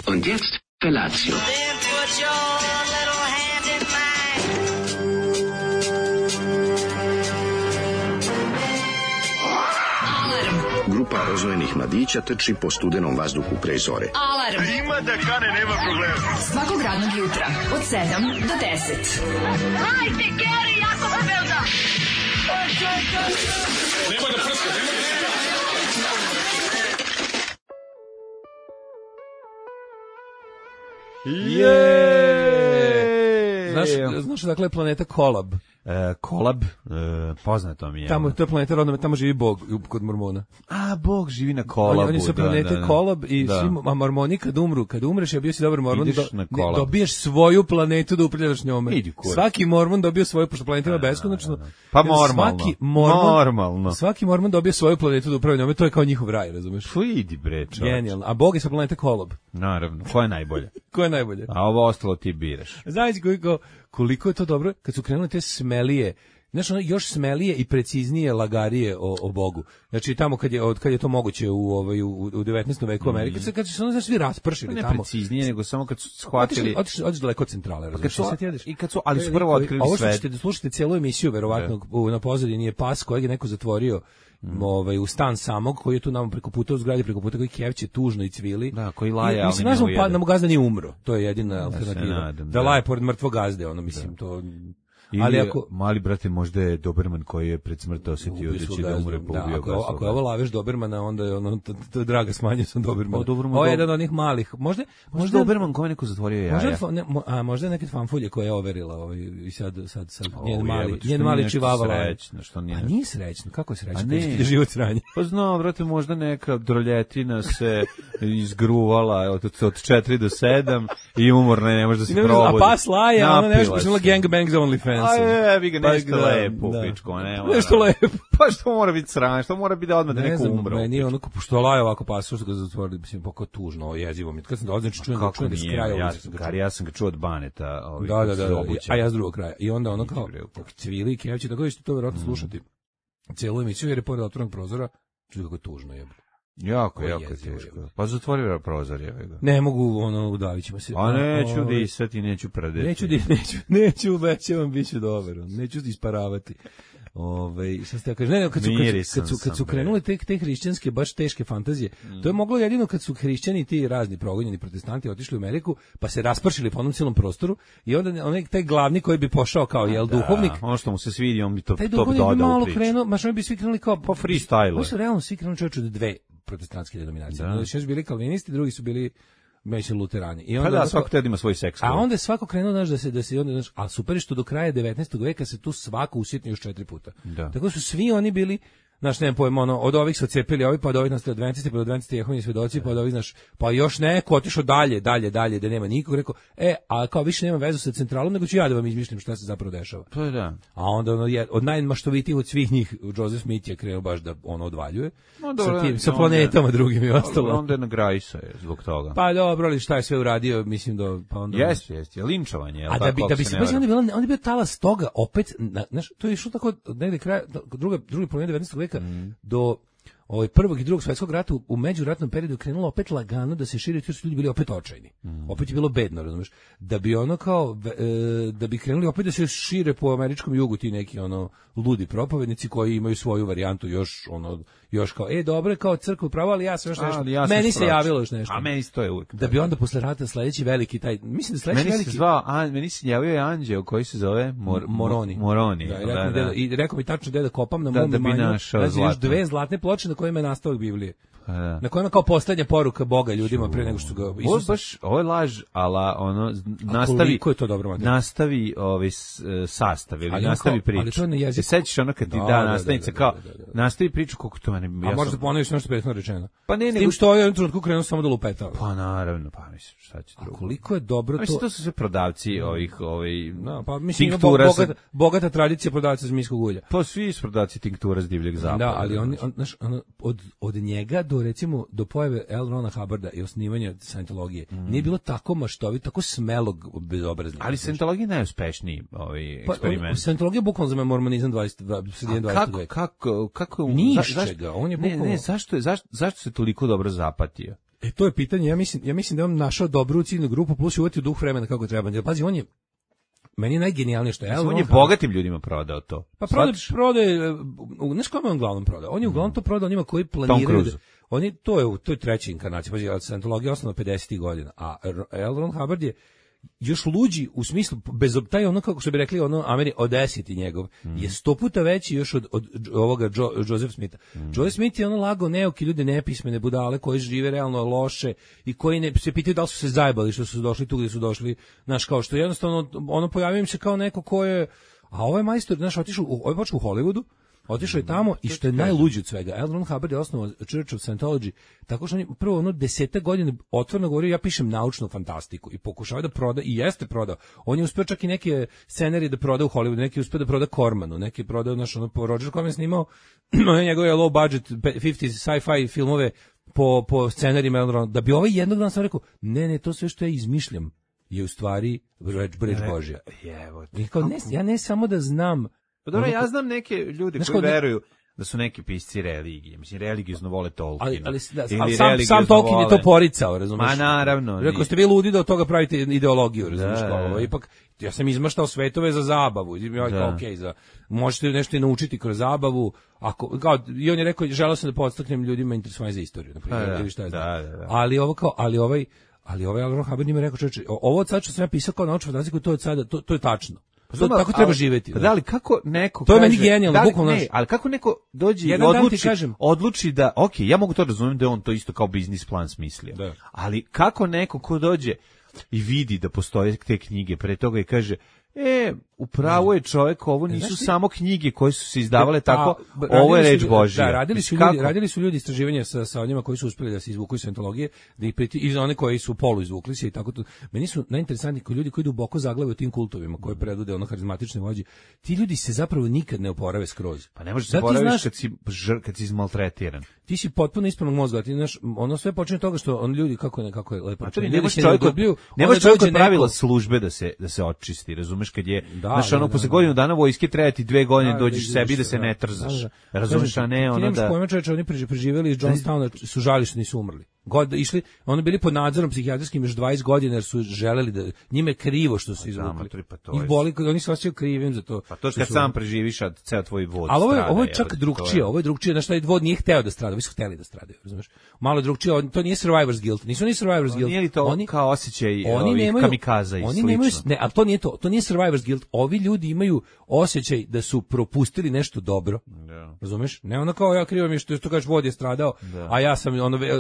Und jetzt Felatio. Then put your little hand in mine. Grupa rozvojenih mladića trči po studenom vazduhu pre zore. Alarm. Ima da kane, nema problema. Svakog radnog jutra od 7 do 10. Hajde, Geri, jako se velda. Nema da prska, nema da prska. Znaš dakle planeta Kolab? Kolab, poznato mi je. Tamo, to je planeta rodna, tamo živi Bog kod Mormona. A, Bog živi na Kolabu. Oni su planete Kolab i svi Mormoni kad umreš, ja bio si dobar Mormon, dobiješ svoju planetu da upravljaš njome. Svaki Mormon dobio svoju, pošto planeta ima beskonačno. Pa normalno. Svaki Mormon dobio svoju planetu da upravlja njome, to je kao njihov raj, razumeš? Idi bre, čovječ. Genijalno. A Bog je sa planete Kolab. Naravno, ko je najbolje? Ko je najbolje? A ovo ostalo ti biraš. Znaš koliko je to dobro kad su krenule te smelije, znaš, ono još smelije i preciznije lagarije o Bogu. Znači tamo kad je to moguće u 19. veku Amerike, kad su se ono svi raspršili tamo. Ne preciznije, nego samo kad su shvatili. Otiš daleko od centrale, razumiješ? Ali su prvo otkrili ovo sve. Ovo što ćete slušati celu emisiju, verovatno na pozadini je pas kojeg je neko zatvorio u stan samog, koji je tu nama preko puta u zgradi, preko puta koji kevće tužno i cvili. Da, koji laje, ali mislim, da mu gazda nije umro. To je jedina alternativa. Da laje pored mrtvog gazde, ono, mislim, to... Ali ako mali brate, možda je Doberman koji je pred smrt osetio da će da umre, pa ubio ga. Ako je ovo laveš Dobermana, onda je ono draga smanjio sam Dobermana. Ovo je jedan od onih malih. Možda Doberman kome neko zatvorio jaja. Možda neke fanfulje koje je overila i sad njen mali čivava. Nije srećno, kako je srećno? Da život sranje. Pa znam, brate, možda neka droljetina se izgruvala od 4 do 7 i umorna je, ne može da se probudi. A pas laje, ona nešto počinila gangbang za OnlyFans. A vi ga nešto lepo, pičko, ne. Nešto lepo. Pa što mora biti sranje, što mora biti da odmah da neko umre. Ne, nije ono što laje ovako pasu, što ga zatvorili, mislim, pa tužno, jezivo mi. Kad sam dolazio, čujem da s kraja ja sam ga čuo od Baneta. Da, a ja s drugog kraja. I onda ono kao, cvili, kevći, tako da ćete to vjerojatno slušati cijelu emisiju, jer je pored otvorenog prozora, čuj kako je tužno, jebe. Jako teško. Pa zatvori prozor, jebe ga. Ne mogu, udavit ćemo se. A neću disati, neću pradeti. Neću, obećavam, bit ću dobar, neću isparavati. Šta ste ja kažem, ne, kad su krenule te hrišćanske baš teške fantazije, to je moglo jedino kad su hrišćani ti razni progonjeni protestanti otišli u Ameriku, pa se raspršili po onom cijelom prostoru i onda onaj taj glavni koji bi pošao kao duhovnik, ono što mu se svidi, on bi to dodao u priču. Oni bi svi krenuli kao po freestyle. Oni su realno svi krenuli čovječe od dve protestantske denominacije. Znači su bili kalvinisti, drugi su bili luterani. I onda svako tada ima svoj seks. A onda je svako krenuo da se onda, a super je što do kraja 19. veka se tu svako usitnio još 4 puta. Tako su svi oni bili, znaš, nemam pojma, od ovih su odcepili ovi, pa od ovih nastavili adventisti, pa od adventisti Jehovini svedoci, pa od ovih, znaš, pa još neko otišao dalje, da nema nikog, rekao, a kao više nema vezu sa centralom, nego ću ja da vam izmišljam šta se zapravo dešava. To je da. A onda od najmaštovitijih od svih njih, Joseph Smith je krenuo baš da odvaljuje, sa planetama drugim i ostalo. Onda je nagrajsa zbog toga. Pa dobro, ali šta je sve uradio, mislim da, pa onda... Jeste, linčovanje. A da bi se, onda je bio talas toga, opet, znaš, to je išlo tako, negde kraja, drugi polovina 19. veka, do prvog i drugog svjetskog rata u međuratnom periodu krenulo opet lagano da se širi, jer su ljudi bili opet očajni. Opet je bilo bedno, razumeš? Da bi ono kao da bi krenuli opet da se šire po američkom jugu ti neki ludi propovednici koji imaju svoju varijantu još kao dobro kao crkva pravo, ali ja sam još nešto. Meni se javilo još nešto. A meni to je uvijek. Da bi onda posle rata sledeći veliki taj, mislim da sledeći veliki meni se javio je anđeo koji se zove Moroni. I rekao mi tačno da kopam na mom imanju. Znači još 2 zlatne ploče na kojima je nastavak Biblije. Na kojima kao poslednja poruka Boga ljudima pre nego što ga Isus. Ovo je laž, ala nastavi. Ko je to dobro materija? Nastavi sastav ili nastavi priču. Ali to na jeziku. Sećaš ono kad ti nastavnica kao nastavi priču kako to mene. A možda ponoviš nešto prethodno rečeno. Pa ne, s tim što je u trenutku krenuo samo da lupetao. Pa naravno, pa mislim šta će drugo. A koliko je dobro to. Mislim to su sve prodavci ovih pa mislim bogata tradicija prodavaca zmijskog ulja. Pa svi su prodavci tinktura s divljeg zapada. Da, ali oni od njega do pojave L. Rona Hubbarda i osnivanja Scientologije nije bilo tako maštovito, tako smelog bezobraznika. Ali Scientologija je najuspešniji eksperiment. Scientologija je bukvalno za mormonizam 20. veka. Kako nišćega, on je bukvalno... Ne, zašto se toliko dobro zapatio? To je pitanje, ja mislim da je on našao dobru ciljnu grupu, plus je uvatio duh vremena kako treba. Jer, pazi, on je, meni je najgenijalnije što je... On je bogatim ljudima prodao to. Pa prodaje, znaš kome on uglavnom prodao? On je uglavnom to prodao onima koji planiraju... To je treća inkarnacija, pazi, Scientologija je osnovna 50. godina, a L. Ron Hubbard je još luđi u smislu, bez taj ono, kako što bi rekli, ono Audacity njegov, je 100 puta veći još od ovoga Joseph Smitha. Joseph Smith je ono lagao neuki ljude, nepismene budale, koji žive realno loše i koji se pitaju da li su se zajebali što su došli tu gde su došli, znaš, kao što jednostavno, ono pojavio im se kao neko ko je, a ovaj majstor, znaš, otišao u Hollywoodu, otišao je tamo i što je najluđe od svega, L. Ron Hubbard je osnovao Church of Scientology, tako što on je prvo 10 godina otvoreno govorio, ja pišem naučnu fantastiku i pokušava da proda, i jeste prodao. On je uspeo čak i neke scenarije da proda u Hollywoodu, neki je uspeo da proda Cormanu, neki je prodao, Roger Corman snimao njegove low budget 50s sci-fi filmove po scenarijima, da bi ovaj jednog dana sam rekao, ne, to sve što ja izmišljam je u stvari reč Božja. Ja ne samo da znam. Pa dobro, ja znam neke ljude koji veruju da su neki pisci religije. Mislim, religiozno vole Tolkiena. Ali sam Tolkien je to poricao, razumiješ? Ma naravno. Rekao ste vi ludi da od toga pravite ideologiju, razumiješ? Ipak, ja sam izmaštao svetove za zabavu. Možete nešto i naučiti kroz zabavu. I on je rekao, želeo sam da podstaknem ljudima interesovanje za istoriju. Ili šta je znam. Ali ovaj L. Ron Hubbard njima rekao, čovječe, ovo od sada što sam ja pisao kao naučnu fantastiku, to je tačno. Tako treba živjeti. Da li kako neko to je meni genijalno, bukvalno. Ne, ali kako neko dođe i odluči da, ja mogu to razumjeti da je on to isto kao biznis plan smislio. Da. Ali kako neko ko dođe i vidi da postoje te knjige pre toga i kaže, upravo je čovjek, ovo nisu samo knjige koje su se izdavale tako, ovo je reč Božja. Da, radili su ljudi istraživanja sa onima koji su uspjeli da se izvuku iz Scientologije, i za one koji su polu izvukli se i tako to. Meni su najinteresantniji ljudi koji duboko zaglavaju tim kultovima, koje predvode harizmatične vođe. Ti ljudi se zapravo nikad ne oporave skroz. Pa ne možeš se oporaviš kad si izmaltretiran. Ti si potpuno ispravnog mozga, ti znaš, ono sve počinje od toga što on ljudi kako je lepo. Ne može čovjek od pravila službe da se očisti, razumeš, kad je posle godinu dana vojske treba ti 2 godine dođeš sebi da se ne trzaš. Razumeš, a ne ono da... Ti nemaš pojma, čoveče, oni preživjeli iz Johnstowna, su žali što nisu umrli. Išli, oni bili pod nadzorom psihijatrijskim još 20 godina jer su želeli da njime krivo što su izvukli. Ih boli, oni se osjećaju krivim za to. Pa to kad sam preživiš, a ceo tvoj vod strada. Ali ovo je čak drugčije, znaš, taj vod nije hteo da strada, vi su hteli da stradaju, razumeš? Malo drugčije, to nije survivor's guilt, nisu ni survivor's guilt. Nije li to kao osjećaj ovih kamikaza i slično? Ne, ali to nije survivor's guilt, ovi ljudi imaju osjećaj da su propustili nešto dobro, razumeš? Ne ono kao ja krivo mi što kažeš vod je stradao, a ja sam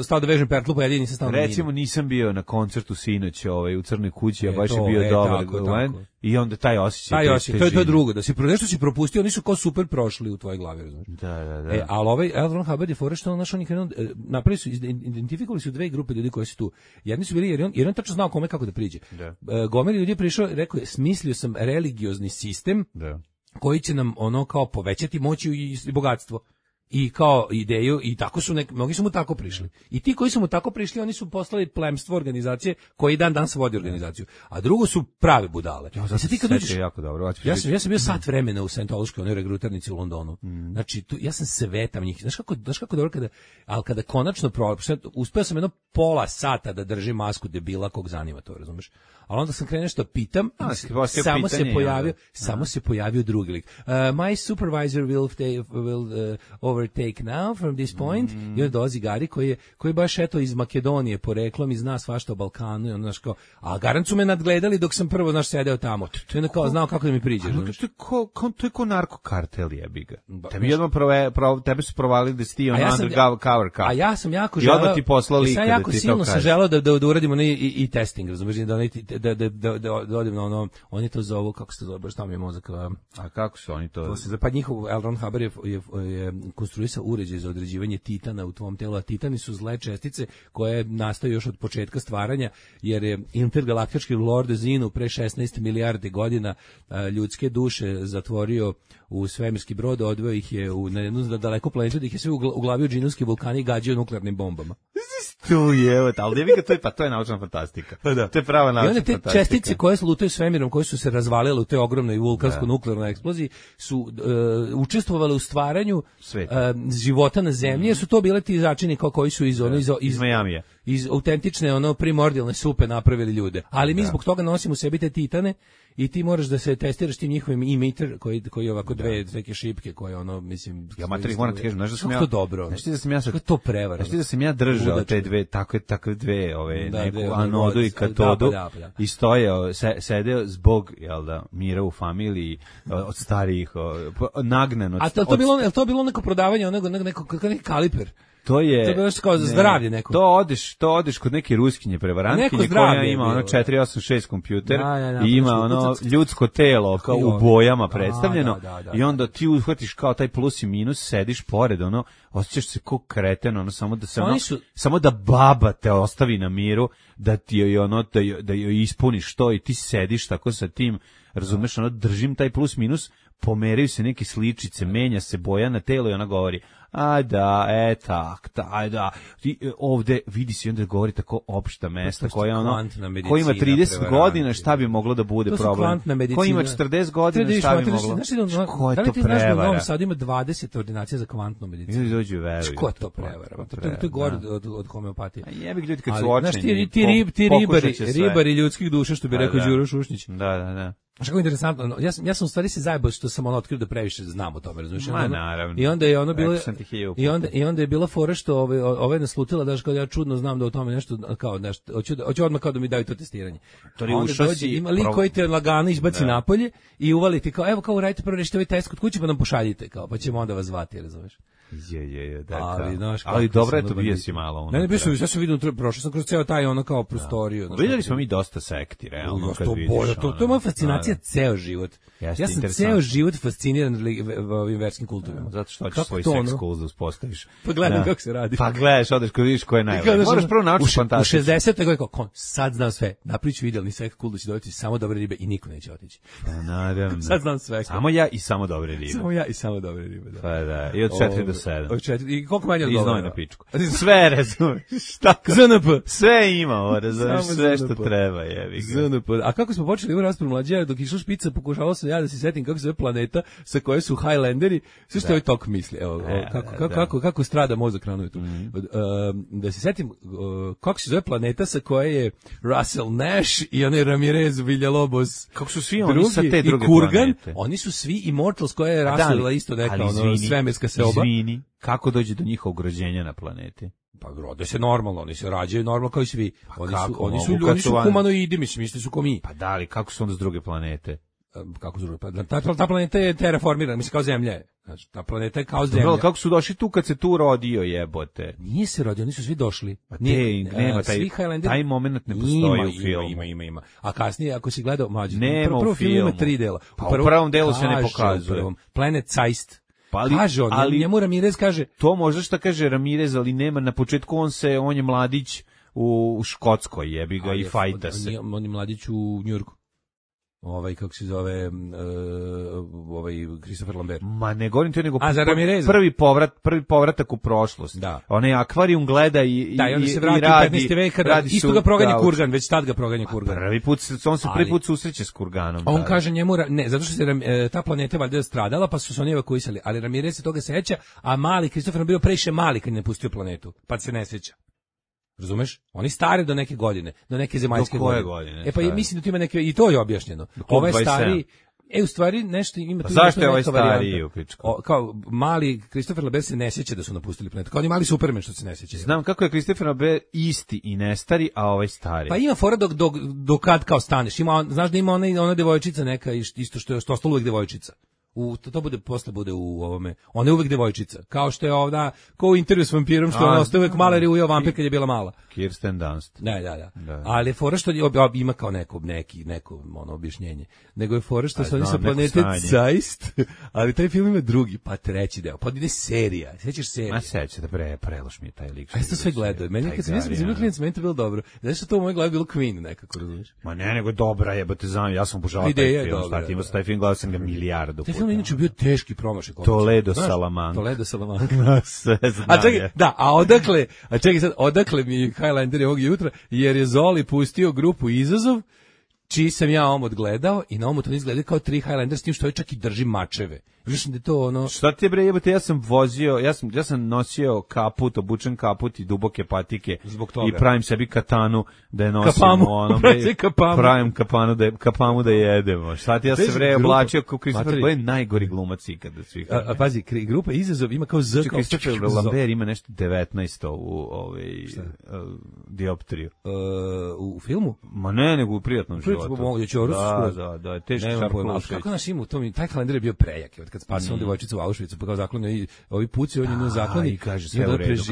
stao da vežem pertlu, pa jedini nisam stao na minu. Recimo nisam bio na koncertu sinoć u Crnoj kući, a baš je bio dobar Glenn, i onda taj osjećaj. To je drugo, da si nešto si propustio, oni su kao super prošli u tvojoj glavi, razumeš? Da. Ali ovaj L. Ron Hubbard je fora što napravili su, identifikovali su 2 grupe ljudi koji su tu. Jedni su bili, jer on tačno znao kome kako da priđe. Gomeli ljudi je prišao, rekao je, smislio sam religiozni sistem koji će nam kao povećati moć i bogatstvo. I kao ideju, i tako su mnogi su mu tako prišli. I ti koji su mu tako prišli, oni su poslali plemstvo organizacije koji danas vodi organizaciju. A drugo su prave budale. Ja sam bio sat vremena u Scientološkoj, onoj regrutarnici u Londonu. Znači, ja sam sve tam njih. Znaš kako dobro kada konačno uspeo sam jedno pola sata da držim masku debila kog zanima to, razumeš? Ali onda sam krenuo nešto pitam, samo se pojavio drugi lik. My supervisor will overtake now from this point. I onda dolazi Gari koji baš iz Makedonije poreklom i zna svašta o Balkanu. I onda, a garant su me nadgledali dok sam prvo sedeo tamo. To je znao kako da mi priđe. To je ko narkokartel jebiga. Tebe su provalili da si ti undercover cop. A ja sam jako želeo... I odmah ti poslao lika da ti to kaže. Ja jako silno sam želeo da uradimo i testing, razumiješ, da odim na ono, oni to zovu, kako se to zove, baš tamo je mozak. A kako su oni to? Pa njihov L. Ron Hubbard je konstruisao uređaj za određivanje titana u tvom telu, a titani su zle čestice koje nastaju još od početka stvaranja, jer je intergalaktički Lord Zinu pre 16 milijardi godina ljudske duše zatvorio u svemirski brod, odveo ih je na jednu daleku planetu, da ih je sve uglavio džinovski vulkani i gađao nuklearnim bombama. Tu je, ali ne bi to je naučna fantastika. To je prava naučna fantastika. I onda te čestice koje lutaju svemirom, koje su se razvalile u toj ogromnoj vulkansko-nuklearnoj eksploziji, su učestvovale u stvaranju života na zemlji, jer su to bile ti začini koji su iz Majamija. iz autentične ono primordijalne supe napravili ljude. Ali mi zbog toga nosimo u sebi te titane i ti moraš da se testiraš tim njihovim emitter koji ovako dve neke šipke koje ono mislim ja materi moram ti kažem znaš da sam ja to dobro. Znaš da sam ja sad to prevara. Znaš da sam ja držao te dve takve dve ove neku anodu i katodu i stoje sedeo zbog jel da mira u familiji od starijih nagnano. A to bilo neko prodavanje neko kaliper. To je bilo kao za zdravlje neko. To odeš kod neke ruskinje prevarantkinje koja ima ono 486 kompjuter i ima ono ljudsko telo kao u bojama predstavljeno i onda ti uhvatiš kao taj plus i minus, sediš pored ono, osjećaš se kao kreten, ono samo da baba te ostavi na miru, da ti joj ono da joj ispuniš to i ti sediš tako sa tim, razumeš, ono držim taj plus minus, pomeraju se neke sličice, menja se boja na telo i ona govori ovde vidi se i onda govori tako opšta mesta koja ono, ko ima 30 godina šta bi moglo da bude problem, ko ima 40 godina šta bi moglo, ko je to prevara? U Novom Sadu ima 20 ordinacija za kvantnu medicinu. Ko je to prevara? To je gore od homeopatije. Jebi ljudi kad su očeni. Ti ribari ljudskih duša, što bi rekao Đuro Šušnić. Da. Znaš kako interesantno, ja sam u stvari se zajebao što sam ono otkrio da previše znam o tome, razumiješ? Naravno. I onda je ono bilo, i onda je bila fora što ove naslutila, daš kao ja čudno znam da o tome nešto, kao nešto, hoću odmah kao da mi daju to testiranje. Onda dođe, ima lik koji te lagano izbaci napolje i uvali ti kao, evo kao uradite prvo rešite ovaj test kod kuće pa nam pošaljite, kao, pa ćemo onda vas zvati, razumiješ? Ali dobro je to, bio si malo. Ne, bio sam, ja sam vidio, prošao sam kroz ceo taj ono kao prostoriju. Vidjeli smo mi dosta sekti, realno, kad vidiš. To je moja fascinacija ceo život. Ja sam ceo život fasciniran ovim verskim kulturama. Zato što hoćeš svoj sex kult da uspostaviš. Pa gledam kako se radi. Pa gledaš, odeš kad vidiš ko je najbolji. Moraš prvo naučiti fantastiju. U 60. godine kao, sad znam sve. Naprič idealni sex kult da će dobiti samo dobre ribe i niko neće otići. Naravno. Sad znam sve. Samo ja i samo dobre ribe. Samo ja i samo dobre ribe, da. Pa da, i od 4 do 7. Od 4. I koliko manje odgovara? Iznoj na pičku. Sve razumeš. Šta? ZNP. Sve ima, razumeš, sve što treba, jebi ga. ZNP. A kako smo počeli u raspravu mlađe, dok išla špica, pokušavao sam ja da se setim kako se zove planeta sa koje su Highlanderi, sve što ovaj tok misli. Evo, kako strada mozak rano tu. Da se setim kako se zove planeta sa koje je Russell Nash i onaj Ramirez Villalobos. Kako su svi oni sa te druge Kurgan, planete? Oni su svi Immortals koja je Russellila isto neka svemirska seoba. Izvini, kako dođe do njihovog rođenja na planeti? Pa rode se normalno, oni se rađaju normalno kao i svi. Oni su humanoidi, mislim su ko mi. Pa da, ali kako su onda s druge planete? Kako su druge planete? Ta planeta je terraformirana, mislim kao Zemlja je. Znači, ta planeta je kao Zemlja. Kako su došli tu kad se tu rodio, jebote? Nije se rodio, oni su svi došli. Nema, taj moment ne postoji u filmu. Ima. A kasnije, ako si gledao, prvo film ima 3 dela. Pa u prvom delu se ne pokazuje. Planet Zeist. Kaže on, njemu Ramirez kaže... To možda šta kaže Ramirez, ali nema, na početku on je mladić u Škotskoj, jebi ga, i fajta se. On je mladić u Njujorku. Kako se zove, Christopher Lambert. Ma ne govorim to, nego prvi povratak u prošlost. Da. Onaj akvarijum gleda i onda se vrati u 15. vek kada isto ga proganja Kurgan, već tad ga proganja Kurgan. On se prvi put susreće s Kurganom. On kaže njemu, ne, zato što se ta planeta valjda stradala, pa su se oni evakuisali, ali Ramirez se toga seća, a mali Christopher bio previše mali kad je napustio planetu, pa se ne seća. Razumeš? Oni stari do neke godine, do neke zemaljske godine. Pa mislim da tu ima neke, i to je objašnjeno. Ovaj stari, u stvari nešto ima tu. Zašto je ovaj stari u pičku? Kao mali Christopher Lambert se ne sjeća da su napustili planetu. Kao oni mali Superman što se ne sjeća. Znam kako je Christopher Lambert isti i ne stari, a ovaj stari. Pa ima fora dok kad kao staneš. Znaš da ima ona devojčica neka isto što je ostalo uvijek devojčica. To posle bude u ovome. Ona je uvek devojčica. Kao što je ovda, kao u Intervju s vampirom, što ona ostaje uvek mala jer je ujeo vampir kad je bila mala. Kirsten Dunst. Da. Ali je fora što ima kao neko objašnjenje. Nego je fora što su oni sa planete Zeist, ali taj film ima drugi, pa treći deo. Pa ide serija. Sećaš serije? Ma seća da preloš mi je taj lik. A ja sam sve gledao. Meni kad sam bio klinac, meni to bilo dobro. Znaš što to u mojoj glavi bilo Queen nekako, razumiješ? Ma ne, nego dobra jebote, znam, ja sam obožavao taj film. Startimo sa taj film, gledao sam ga milijardu puta. Inače bio teški promašaj. Toledo Salamanca. Odakle mi Highlander ovog jutra, jer je Zoli pustio grupu Izazov, čiji sam ja omot gledao i na omotu izgleda kao 3 Highlander, s tim što je čak i drži mačeve. Viš da je to ono... Šta ti bre jebote, ja sam nosio kaput, obučen kaput i duboke patike i pravim sebi katanu da je nosim pravim kapamu da jedemo. Šta ti ja se bre oblačio kao Christopher Boy, najgori glumac ikada da svih. A pazi, grupa Izazov ima kao Z kao Christopher Lambert ima nešto 19 u dioptriju. U filmu? Ma ne, nego u prijatnom životu. Da, teško šarkolušeć. Kako naš ima u tom, taj kalendar je bio prejak, kad spasio devojčicu u Auschwitzu, pa kao zaklon i ovi puci, on je na zakloni i kaže sve u redu.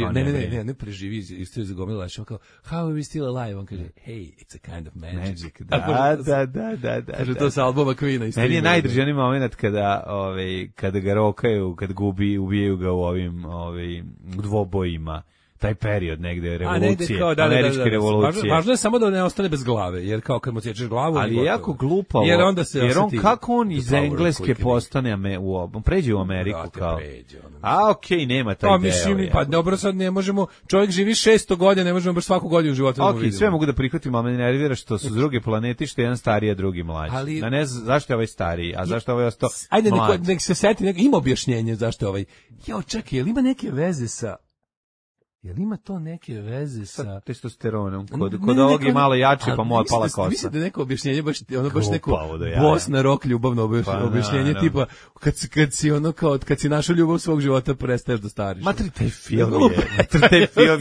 Ne preživi, isto je zagomila, kao how are we still alive? On kaže, hey, it's a kind of magic. Da. Kaže to sa albuma Queen-a. Meni je najdržani moment kada ga rokaju, kad ubijaju ga u ovim dvobojima. Taj period negde revolucije, američke revolucije. Važno je samo da ne ostane bez glave, jer kao kad mu odsječeš glavu... Ali je jako glupavo, jer on kako on iz Engleske postane, pređe u Ameriku kao... okej, nema taj deo. Pa dobro, sad ne možemo, čovjek živi 600 godina, ne možemo baš svaku godinu života da mu vidimo. Sve mogu da prihvatim, ali me nervira što su s druge planeti, što je jedan stariji, a drugi mlađi. Ne znam zašto je ovaj stariji, a zašto je ovaj ostao mlađi. Ajde, nek se seti, ima objašnjenje zašto je ovaj... Čekaj, je li ima neke veze sa... Jel ima to neke veze sa testosteronom? Kod ovog je malo jače, pa mu otpala kosa. Mislim da je neko objašnjenje, baš neko Bosna rock ljubavno objašnjenje, tipa kad si našao ljubav svog života, prestaješ da stariš. Matri, taj film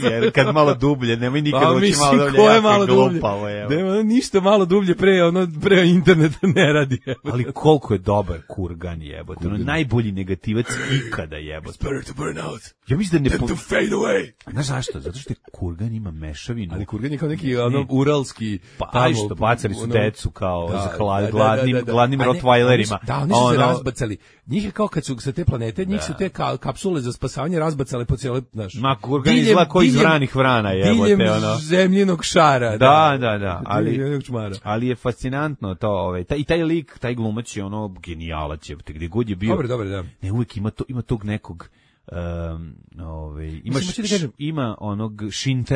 je, kad malo dublje, nemoj nikad ući malo dublje. Ko je malo dublje? Nema ništa malo dublje pre interneta ne radi. Ali koliko je dobar Kurgan jebote, najbolji negativac ikada jebote. Better to burn out. Ja mislim da ne to fade away. Znaš zašto? Zato što Kurgan ima mešavinu. Ali Kurgan je kao neki uralski... Pa što bacali su decu kao gladnim rottweilerima. Da, oni su se razbacali. Njih je kao kad su sa te planete, njih su te kapsule za spasavanje razbacale po cijeloj... Ma Kurgan izgleda kao iz vranih vrana jebote. Diljem zemljinog šara. Da. Ali je fascinantno to. I taj lik, taj glumac je genijalac jebote. Gdje god je bio... Dobre, da. Ne, uvijek ima tog nekog... ima onog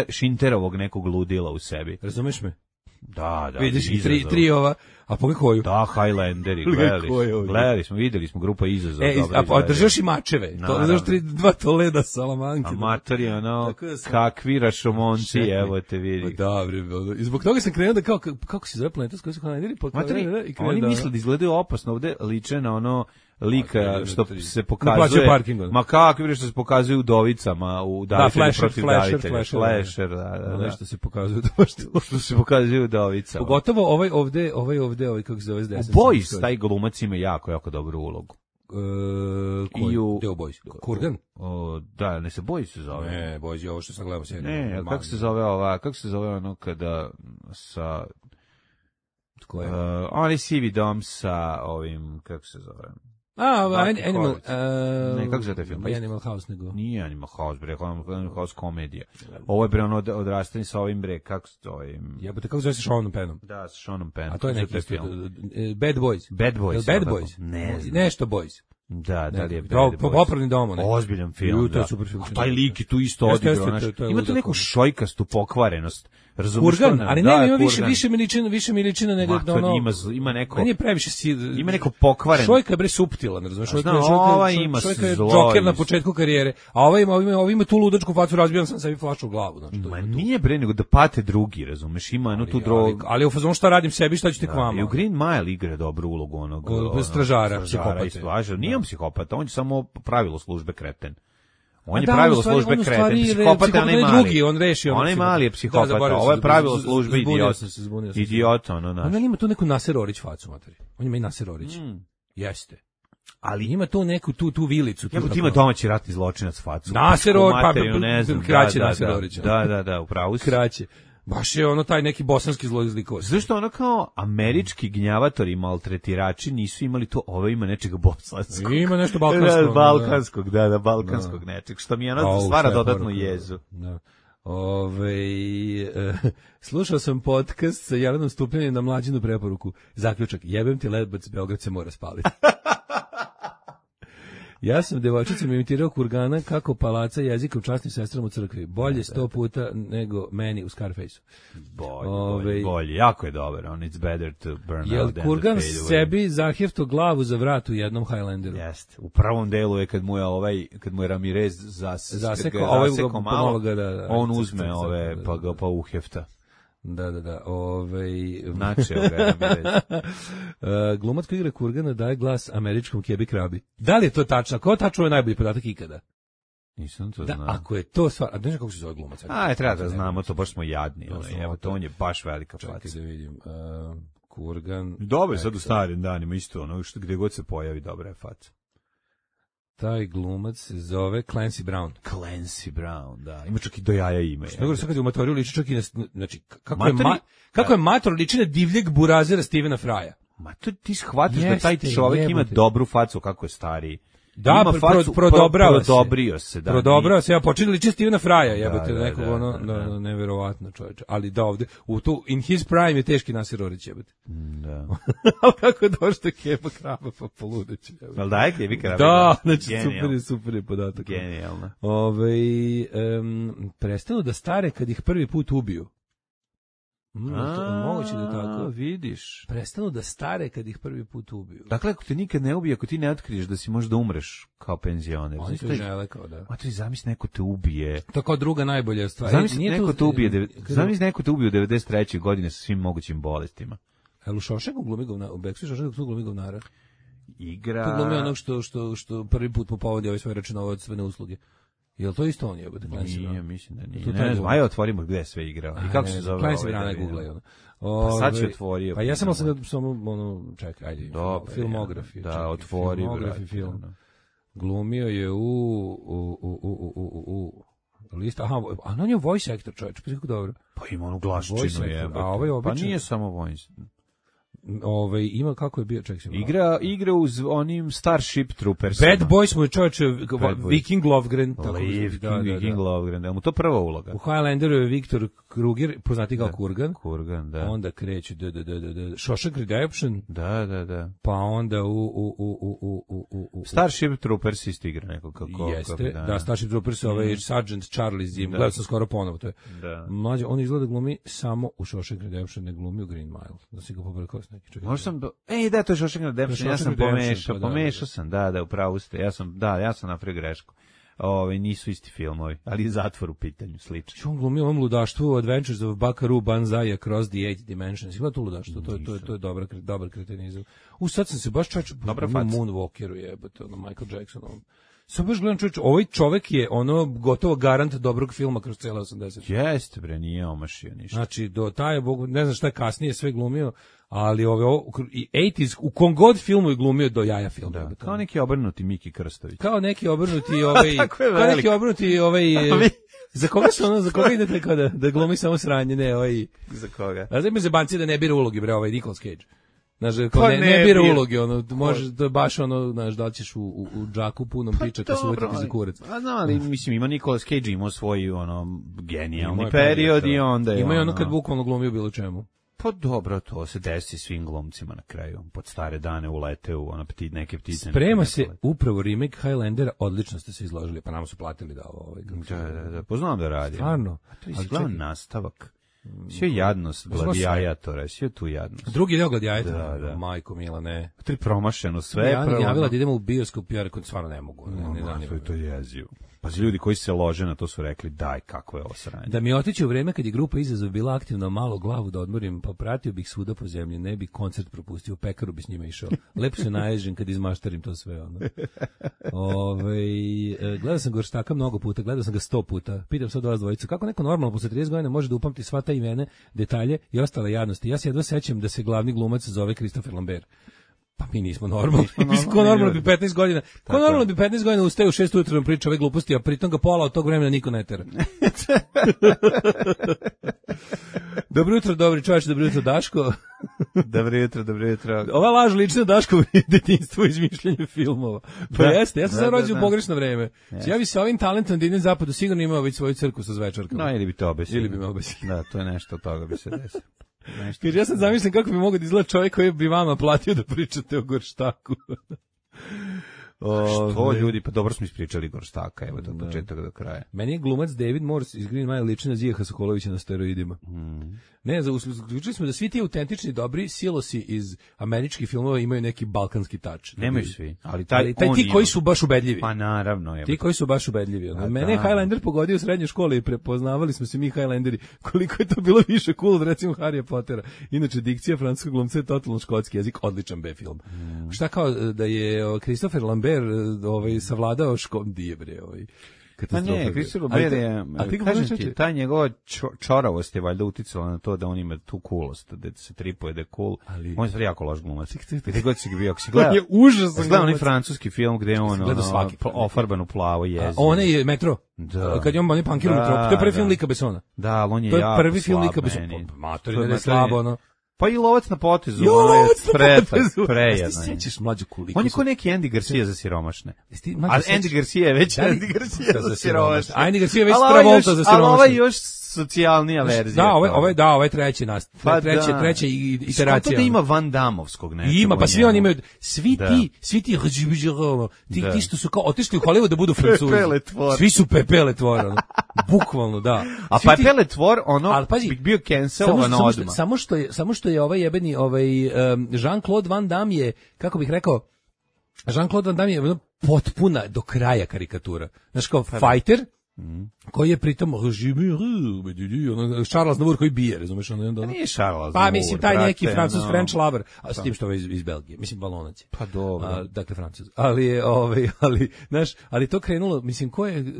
Šinterovog nekog ludila u sebi. Razumeš me? Da. Vidiš tri ova, a pogledaj koju? Da, Highlanderi, gledali smo, videli smo grupa Izazov. A držaš i mačeve, to držaš 2 Toleda Salamanke. A mater je kakvi rašomonci, evo te vidi. I zbog toga sam krenuo da kako se zove planeta s kojoj su Highlanderi? Oni misle da izgledaju opasno, ovde liče na lika što se pokazuje, ma kakvi što se pokazuje u Dovicama, u davitelju protiv davitelja. Flasher, da. Što se pokazuje što se pokazuje u Dovicama. Pogotovo ovaj ovde, kako se zove s desnice. U Boys, taj glumac ima jako dobru ulogu. Deo Boys. Kurgan? Da, ne se Boys se zove. Ne, Boys je ovo što sam gledao. Ne, kako se zove ono kada sa... Tko je? Oni sivi dom sa ovim, kako se zove... Animal... Ne, kako se zove taj film? Animal House, nego... Nije Animal House, bre, Animal House komedija. Ovo je, bre, odrastanje sa ovim, bre, kako se to... Jebote, kako se zove sa Seanom Pennom? Da, sa Seanom Pennom. A to je neki film. Bad Boys. Bad Boys. Bad Boys? Ne. Nešto Boys. Da li je Bad Boys. Popravni dom. Ozbiljan film, da. A taj lik je tu isto odigrao. Ima tu neku šojkastu pokvarenost. Kurgan, ali ne, ima više miličina nego ima neko. Meni je previše ima neko pokvareno. Šojka je bre suptilan, razumeš? Šojka ima Joker na početku karijere, a ovaj ima tu ludačku facu, razbijan sam sebi flašu u glavu, znači. Ma nije bre, nego da pate drugi, razumeš? Ima tu drog. Ali u fazonu šta radim sebi, šta ćete k vama? I u Green Mile igra dobru ulogu onog stražara, psihopata. Nije on psihopata, on je samo pravilo službe kreten. On je pravilo službe kreten, psihopata onaj mali. On reši onaj mali je psihopata, ovo je pravilo službe idiot. On ima tu neku Naser Orić facu, materi. On ima i Naser Orić. Jeste. Ali ima tu neku tu vilicu. Ima domaći ratni zločinac facu. Naser Orić, kraće Naser Orić. Da, upravo si. Kraće. Baš je taj neki bosanski zlikovac. Zašto kao američki gnjavatori i maltretirači nisu imali to, ima nečega bosanskog. Ima nešto balkanskog. Balkanskog, balkanskog nečeg, što mi stvara dodatnu jezu. Da. Slušao sam podcast sa Jelenom Stupljanjem na Mlađinu preporuku. Zaključak, jebem ti Lebac, Beograd se mora spaliti. Ja sam devojčicom imitirao Kurgana kako palaca jezika u časnim sestrama u crkvi. Bolje 100 puta nego meni u Scarfaceu. Bolje. Jako je dobar. It's better to burn out than to fade away. Kurgan sebi zahjefto glavu za vrat u jednom Highlanderu. Jeste. U prvom delu je kad mu je Ramirez zasekao malo, on uzme pa uhefta. Da. Načeo ga Ramirez. Glumac koji igra Kurgana daje glas američkom Kebi Krabi. Da li je to tačno? Ko tačno je najbolji podatak ikada? Nisam to znao. Ako je to stvar, a ne znam kako se zove glumac. Treba da znamo, to baš smo jadni. Evo, to on je baš velika faca. Čekaj da vidim. Kurgan. Dobro, sad u starim danima isto, gdje god se pojavi, dobra je faca. Taj glumac se zove Clancy Brown. Clancy Brown, da. Ima čak i do jaja ime. Što nego sad kad je u Matoriju liči čak i na... Znači, kako je Mator liči na divljeg burazera Stevena Frya. Ma to ti shvatiš da taj čovjek ima dobru facu kako je stariji. Da, prodobrio se. Prodobrio se, ja počinio liči Stevena Frya, jebote, nekog neverovatno čovječe. Ali da ovde, in his prime je teški Nasir Orić, jebote. Da. Ali kako je došlo Keba Kraba, pa poludeću, jebote. Ali da je Kebi Kraba? Da, znači super je podatak. Genijalno. Prestanu da stare kad ih prvi put ubiju. Moguće da tako. Vidiš. Prestanu da stare kad ih prvi put ubiju. Dakle, ako te nikad ne ubije, ako ti ne otkriješ da si možda umreš kao penzioner. Oni to žele kao da. Matri, zamisli neko te ubije. To kao druga najbolja stvar. Zamisli neko te ubije u 93. godine sa svim mogućim bolestima. U Šošenku glumi govnara, u Beksu Šošenku glumi govnara. Igra. To glumi onog što prvi put mu povodi ovaj svoj računovodstvene usluge. Jel to isto on jebote? Nije, mislim da nije. Ne znam, ajde otvorimo gde je sve igrao. I kako se zove? Clancy Brown googlaj. Pa sad će otvorio. Pa ja sam samo čekaj, ajde. Filmografi. Da, otvori. Filmografi film. Glumio je u lista. Aha, a on je voice actor, čovječ, pa kako dobro. Pa ima onu glaščinu jebote. A ovaj običan. Pa nije samo voice. Ima kako je bio, čekaj se. Igra uz onim Starship Troopers. Bad Boys mu je čovječe Viking Lovgren. Viking Lovgren, da mu to prva uloga. U Highlanderu je Viktor Kruger, poznati kao Kurgan. Kurgan, da. Onda kreće Shawshank Redemption. Da. Pa onda Starship Troopers isto igra neko kako. Jeste, da, Starship Troopers ovaj Sergeant Charlie Zim. Gledao sam skoro ponovo, to je. Mlađe, on izgleda glumi samo u Shawshank Redemption, ne glumi u Green Mile. Da si ga pobrkao s neki čovjek. Možda sam da, to je Shawshank Redemption, ja sam pomešao sam, da, upravo ste, ja sam napravio grešku. Nisu isti filmovi, ali je zatvor u pitanju, slično. On glumi ovom ludaštvu Adventures of Buckaroo Banzai Across the Eight Dimensions. Ima to ludaštvo, to je dobar kretenizam. Sad sam se baš čačao Moonwalkeru jebote, Michael Jacksonovom. Sad baš gledam ovaj čovek je gotovo garant dobrog filma kroz cijela 80. Jeste bre, nije omašio ništa. Znači, ne znam šta je kasnije sve glumio, ali i 80s, u kom god filmu je glumio do jaja film. Da, kao neki obrnuti Miki Krstović. Kao neki obrnuti za koga idete kao da glumi samo sranje, ne, Za koga? A znam se banci da ne bira ulogi, bre, Nicolas Cage. Znaš, ne bira ulogi, može, to je baš znaš, da li ćeš u džaku punom pričaka se uvetiti za kurac. A znam, ali mislim, ima Nicolas Cage, imao svoj, genijalni period i onda je... Ima i kad bukvalno glumio bilo čemu. Pa dobro, to se desi svim glumcima na kraju. Pod stare dane ulete u neke ptice. Sprema se upravo remake Highlandera, odlično ste se izložili, pa nam su platili da ovo... Da, poznam da radi. Stvarno. To je izgledan nastavak. Sve jadnost gladijatora, sve tu jadnost. Drugi deo gladijatora, da. Majko Mila, ne. To je promašeno sve. Ja javila da idemo u bioskop, ja rekao, stvarno ne mogu. To je jezivo. Pa ljudi koji se lože na to su rekli, daj, kako je ovo sranje. Da mi otići u vreme kad je grupa Izazov bila aktivna, malo glavu da odmorim, pa pratio bih svuda po zemlji, ne bi koncert propustio, u pekaru bi s njima išao. Lepo se naježim kad izmaštarim to sve. Gledao sam Gorštaka mnogo puta, gledao sam ga 100 puta. Pitam sad vas dvojicu, kako neko normalno posle 30 godina može da upamti sva ta imena, detalje i ostale jadnosti. Ja se jedva sećam da se glavni glumac zove Christopher Lambert. Pa mi nismo normalni. Ko normalno bi 15 godina. Ko normalno bi 15 godina ustaje u 6 ujutro da priča ove gluposti, a pritom ga pola od tog vremena niko ne tera. Dobro jutro, dobri čovječ, dobro jutro, Daško. Dobro jutro. Ova laž lična Daško detinjstvo u izmišljanju filmova. Pa jeste, ja sam sad rođen u pogrešno vreme. Ja bi se ovim talentom da idem zapadu sigurno imao već svoju crku sa zvečarkama. No, ili bi to obesio. Ili bi me obesio. Da, to je nešto od toga bi se desilo. Jer ja sam zamišljam kako bi mogao da izgleda čovjek koji bi vama platio da pričate o Gorštaku. Što ljudi, pa dobro smo ispričali Gorštaka, evo to od početka do kraja. Meni je glumac David Morse iz Green Mile liči na Zijeka Sokolovića na steroidima. Ne, zaključili smo da svi ti autentični dobri silosi iz američkih filmova imaju neki balkanski tač. Nemaju svi, ali taj ti koji su baš ubedljivi. Pa naravno. Ti koji su baš ubedljivi. Mene je Highlander pogodio u srednjoj školi i prepoznavali smo se mi Highlanderi koliko je to bilo više cool od recimo Harrya Pottera. Inače, dikcija francuskog glumca je totalno škotski jezik, odličan B film. Šta kao da je Christopher Lambert savladao dijebre Pa ne, Christopher Lambert je, kažem ti, ta njegova čoravost je valjda uticala na to da on ima tu coolost, da se tripuje da je cool. On je stvari jako loš glumac. Gde god si ga bio, ako si gledao, gledao onaj francuski film gde je on ofarban u plavo jezik. On je Metro. Da. Kad je on pankir u Metro, to je prvi film Lika Bessona. Da, ali on je jako slab. To je prvi film Lika Bessona. Matori, ne slabo, ono. Pa i Lovac na potezu. Prejedno. Ti sećaš mlađu kuliku? On je ko neki Andy Garcia za siromašne. A Andy Garcia je već Andy Garcia za siromašne. Andy Garcia je već Travolta za siromašne. Ali ovaj još socijalnija verzija. Da, ovaj treći treća iteracija. Što da ima Van Damovskog nečega? Ima, pa svi oni imaju, svi ti što su kao otišli u Hollywood da budu Francuzi. Svi su Pepe Le Tvor, bukvalno, da. A Pepe Le Tvor, bio cancelovan odmah. Samo što je ovaj jebeni, Jean-Claude Van Damme je, kako bih rekao, Jean-Claude Van Damme je potpuna do kraja karikatura. Znaš, kao fighter, koji je pritom Charles Navour koji bije, razumeš? Nije Charles Navour. Pa mislim, taj neki Francuz, French lover, a s tim što je iz Belgije, mislim, Valonac je. Pa dobro. Dakle, Francuz. Ali to krenulo, mislim, ko je...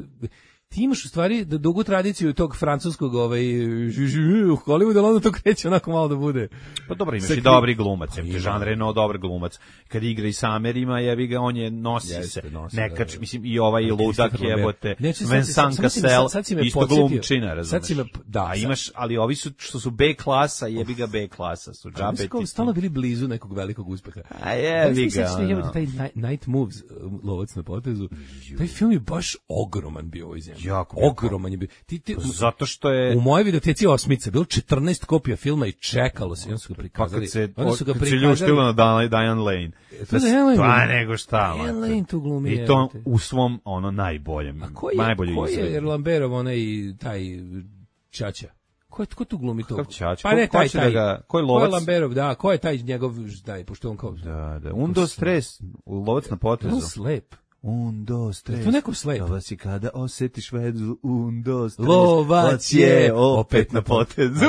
Ti imaš u stvari dugu tradiciju tog francuskog u Hollywoodu, ali onda to kreće onako malo da bude. Pa dobro, imaš i dobri glumac, Jean Reno, dobar glumac. Kad igra i sa Amerima, jebi ga, on je nosi se. Nekač, mislim, i ovaj ludak jebote. Vincent Cassel, isto glumčina, razumeš. Da, imaš, ali ovi su, što su B klasa, jebi ga B klasa su. Oni stalno bili blizu nekog velikog uspeha. A jebi ga. Taj Night Moves, Lovac na potezu, taj film je baš ogroman bio ovoj zemlji. Ogroman je bio. Zato što je... U mojoj videoteci Osmica bilo 14 kopija filma i čekalo se. I onda su ga prikazali. Kad se ljuštilo na Diane Lane. Pa nego šta. Diane Lane tu glumi. I to u svom najboljem. A ko je Lamberov onaj taj Čača? Ko tu glumi to? Pa ne, taj. Ko je Lovac? Ko je Lamberov, da. Ko je taj njegov, pošto on kao... Da. Undo stres, Lovac na potezu. On slep. Undo stres. To neko slep. Lovac je kada osjetiš vezu, undo stres. Lovac je opet na potezu.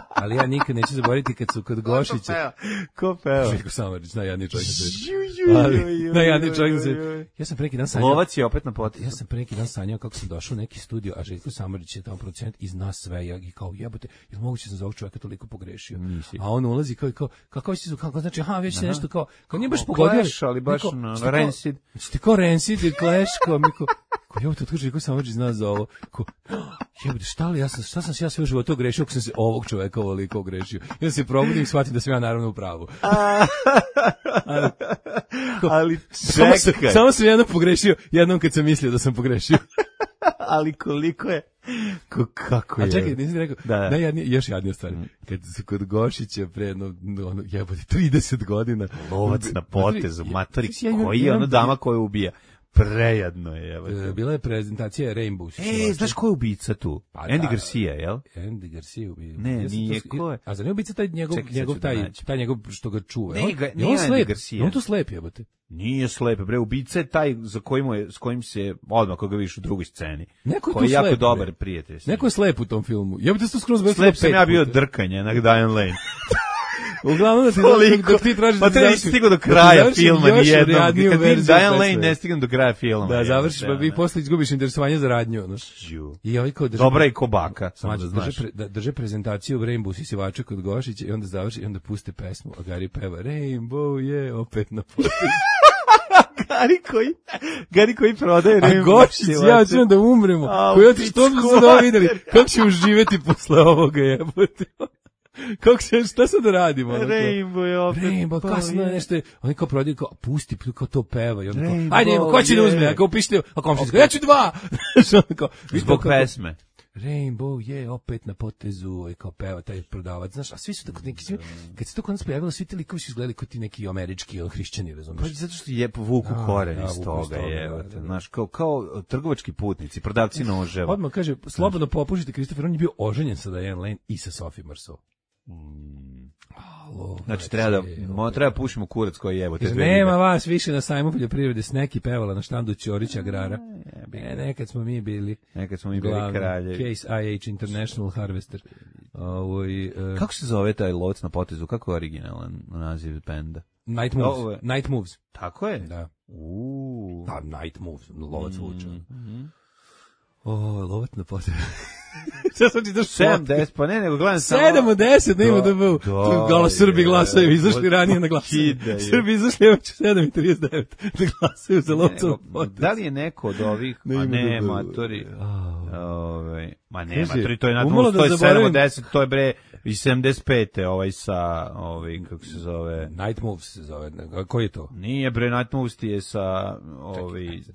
Ali ja nikad neću zaboraviti kad su kod Gošića. Ko peo? Željko Samardžić, najjadniji čovjek na svijetu. Najjadniji čovjek na svijetu. Ja sam pre neki dan sanjao. Lovac je opet na potezu. Ja sam pre neki dan sanjao kako sam došao u neki studio, a Željko Samardžić je tamo producent i zna sve. I kao jebote, jel moguće sam za ovog čovjeka toliko pogrešio? A on ulazi kako znači, već se nešto kao nije baš pogodio. Ali baš Rancid. Ti kao Rancid i Clash, ko jebote, otkud Željko Samardžić zna za ovo? Jebote, šta sam se ja sve u životu ogrešio ako sam se ovog čoveka ovoliko ogrešio? Ja se probudim i shvatim da sam ja naravno u pravu. Ali čekaj. Samo sam jednom pogrešio, jednom kad sam mislio da sam pogrešio. Ali koliko je... Kako je? A čekaj, nisi rekao, još jadnija stvar. Kad su kod Gošića pre jebote, 30 godina. Lovac na potezu, matori, koji je ona dama koja ubija? Prejadno je. Bila je prezentacija Rainbow. Znaš ko je ubica tu? Andy Garcia, jel? Andy Garcia ubija. Ne, nije ko je. A za ne ubica taj njegov što ga čuva. Nije Andy Garcia. On tu slep jebote. Nije slep, bre, ubica je taj s kojim se odmah koga vidiš u drugoj sceni. Koji je jako dobar prijatelj. Neko je slep u tom filmu. Jebote, to skroz bez slep sam ja bio drkanje na Diane Lane. Uglavnom da ti tražiš da nisi stigao do kraja filma nijednom. Kad ti Diane Lane ne stigam do kraja filma. Da, završiš, pa vi posle izgubiš interesovanje za radnju. Dobra i kobaka. Drže prezentaciju Rainbow Sisivača kod Gošića i onda završi i onda puste pesmu, a Gari peva Rainbow je opet na potezu. Gari koji prodaje Rainbow. A Gošić, ja ću da umremo. Što bi se da videli? Kako će uživjeti posle ovoga jebote? Šta sad da radimo? Rainbow je opet. Rainbow, kasno je nešto. Oni kao prodaju, pusti, kao to peva. I onda kao, ajde, ko će da uzme? Ako pišete, a komšinska, ja ću 2! Zbog pesme. Rainbow je opet na potezu i kao peva taj prodavac, znaš, a svi su tako neki, svi, kad se to kod nas pojavilo, svi ti likovi su izgledali kao ti neki američki hrišćani, razumiješ? Pa zato što je vuku koren iz toga, znaš, kao trgovački putnici, prodavci noževa. Odmah kaže, slobodno popušite, Christopher, on je bio oženjen sa Diane Lane i sa Sophie Marceau. Znači treba pušimo kurac koji jebo te dve. Nema vas više na sajmu poljoprivrede, Sneki pevala na štandu Ćorića agrara. Nekad smo mi bili kraljevi. Case IH International Harvester. Kako se zove taj lovac na potezu? Kako je originalan naziv benda? Night Moves. Tako je? Da. Da, Night Moves, lovac vuče. Lovac na potezu. Šta sam čitaš 7-10, pa ne, nego gledam samo 7-10, nema da bu. Galo Srbi glasaju, izašli ranije na glasanje. Srbi izašli već 7:39 da glasaju za Lovcov potez. Da li je neko od ovih, a ne, matori, ma ne, matori, to je na to, to je 7-10, to je bre iz 75. Sa, kako se zove? Night Moves se zove, koji je to? Nije bre, Night Moves ti je sa,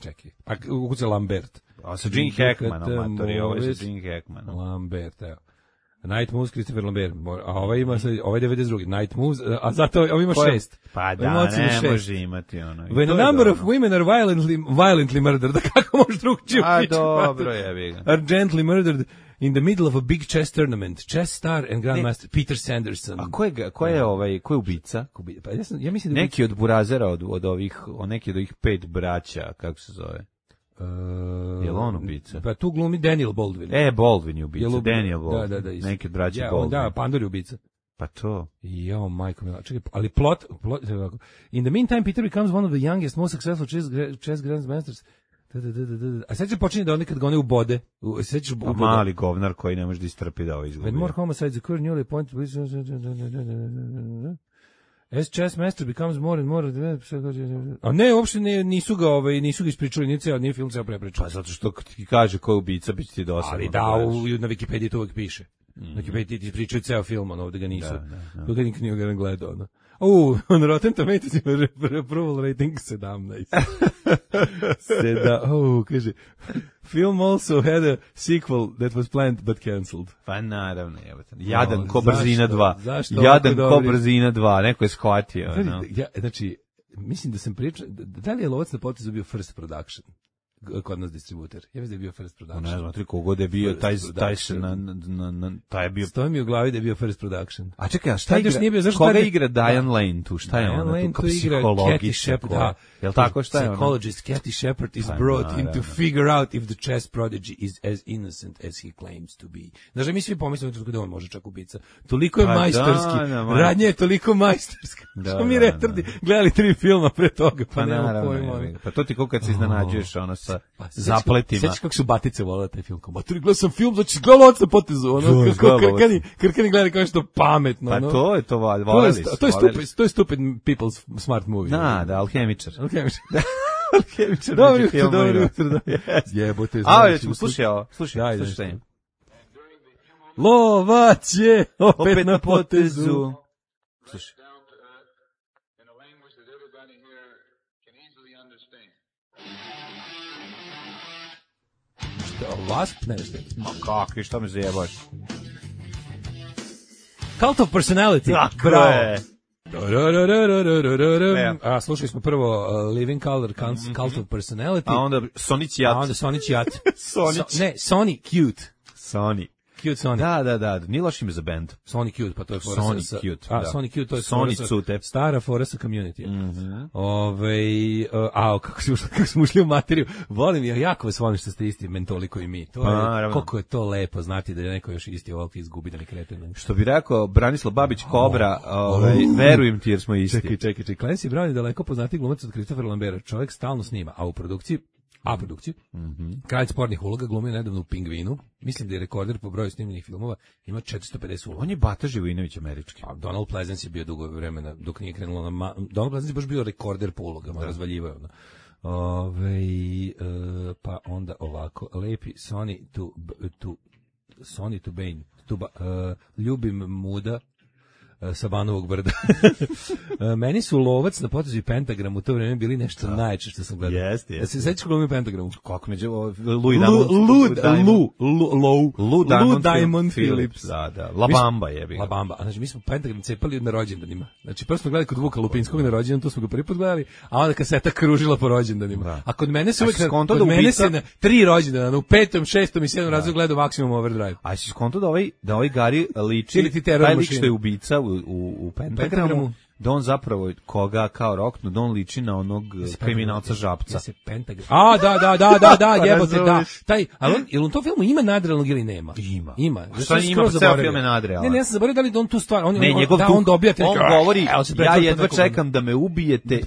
Čekaj, a ukuce Lambert. A sa Gene Hackmanom, matori, ovo je sa Gene Hackmanom. Lambert, evo. Night Moves, Christopher Lambert. A ovaj ima, ovaj 92. Night Moves, a zato ovaj ima 6. Pa da, ne može imati ono. When a number of women are violently murdered, da kako može drugčije upići? A dobro je, ga. Are gently murdered in the middle of a big chess tournament. Chess star and grandmaster Peter Sanderson. A ko je ubica? Pa ja mislim da neki od burazera od ovih, neki od ovih 5 braća, kako se zove? Je li on ubica? Pa tu glumi Daniel Baldwin. Baldwin je ubica, Daniel Baldwin. Da. Neki od braća Baldwin. Da, Pandor je ubica. Pa to. Jao, majko mila. Čekaj, ali plot, in the meantime, Peter becomes one of the youngest, most successful chess grandmasters. A sad će počinje da oni kad ga one ubode. Mali govnar koji ne može da istrpi da ovo izgubi. When more homicides occur, newly appointed... As chess master becomes more and more... A ne, uopšte nisu ga ispričali, nije film ceo prepričao. Pa zato što ti kaže ko je ubica, bit će ti dosadno. Ali da, na Wikipediji to uvijek piše. Na Wikipediji ti pričaju ceo film, ovdje ga nisu. To ga nikad nije gledao. On Rotten Tomatoes ima approval rating 17. Kaže, film also had a sequel that was planned but cancelled. Pa naravno, jadan ko Brzina 2. Jadan ko Brzina 2, neko je shvatio. Znači, mislim da sam pričao, da li je Lovac na potezu bio first production? Kod nas distributer. Ja mislim da je bio first production. Ne znam, kogod je bio, taj je bio... Stoji mi u glavi da je bio first production. A čekaj, koga igra Diane Lane tu? Šta je ona? Diane Lane tu igra Kathy Shepard. Jel tako, šta je ona? Psychologist Kathy Shepard is brought in to figure out if the chess prodigy is as innocent as he claims to be. Znači, mi svi pomislimo da on može čak ubica. Toliko je majstorski. Radnja je toliko majstorska. Što mi retardi gledali 3 filma pre toga, pa nema pojma. Pa to ti kako kad se iznenađuješ, ono sa zapletima. Sjećaš kako su batice volele taj film? Maturi, gledao sam film, znači gledao Lovac na potezu, ono, Krkani gleda kao što pametno. Pa to je to, voleli su. To je stupid people's smart movie. Da, Alhemičar. Dobro jutro. Jebote, znači. Slušaj ovo. Lovac je opet na potezu. Slušaj. Wasp, nešto. Ma kakvi, šta me zajebaš? Cult of Personality. Tako je. Slušali smo prvo Living Color, Cult of Personality. A onda Sonic Jat. Sony Cute. Cute Sony. Da, nije loš ime za band. Sony Cute, pa to je fora Sony Cute. Sony Cute, to je Sony stara fora sa Community. Kako smo ušli u materiju. Volim, jako vas volim što ste isti mentoli koji mi. Koliko je to lepo znati da je neko još isti ovoliki izgubi da ne krete. Što bi rekao Branislav Babić Kobra, verujem ti jer smo isti. Čekaj. Clancy Brown je daleko poznati glumac od Christopher Lambera. Čovjek stalno snima, a u produkciji Kralj spornih uloga glumio nedavno u Pingvinu. Mislim da je rekorder po broju snimljenih filmova, ima 450 uloga. On je Bata Živojinović američki. A Donald Pleasence je bio dugo vremena dok nije krenulo na Donald Pleasence je baš bio rekorder po ulogama, razvaljivao. Pa onda ovako, lepi Sonny to Bane. Ljubim muda. sa Banovog brda. Meni su Lovac na potezu i Pentagram u to vreme bili nešto najče što sam gledao. Jeste. Ja se sećaš glumi Pentagramu? Kako neđe Lou Diamond Phillips. Da. La Bamba je bio. La Bamba. Znači mi smo Pentagram cepali na rođendanima. Znači prvo smo gledali kod Vuka Lupinskog na rođendan, to smo ga prvi put gledali, a onda kaseta kružila po rođendanima. Da. A kod mene se uvek kod mene se na 3 rođendana, u 5., 6. i 7. razredu gledao Maximum Overdrive. A si skonto da ovaj Gari liči, taj lik što je ubica u Pentagramu, da on zapravo koga kao roknu, da on liči na onog kriminalca Žabca. Pentagram. Da, jebote, da. Taj, ali on to filmu ima nadrealnog ili nema? Ima. Šta ima, pa ceo film je nadrealan. Ne, ja sam zaboravio da li on tu stvar, on dobija on govori, ja jedva čekam da me ubijete,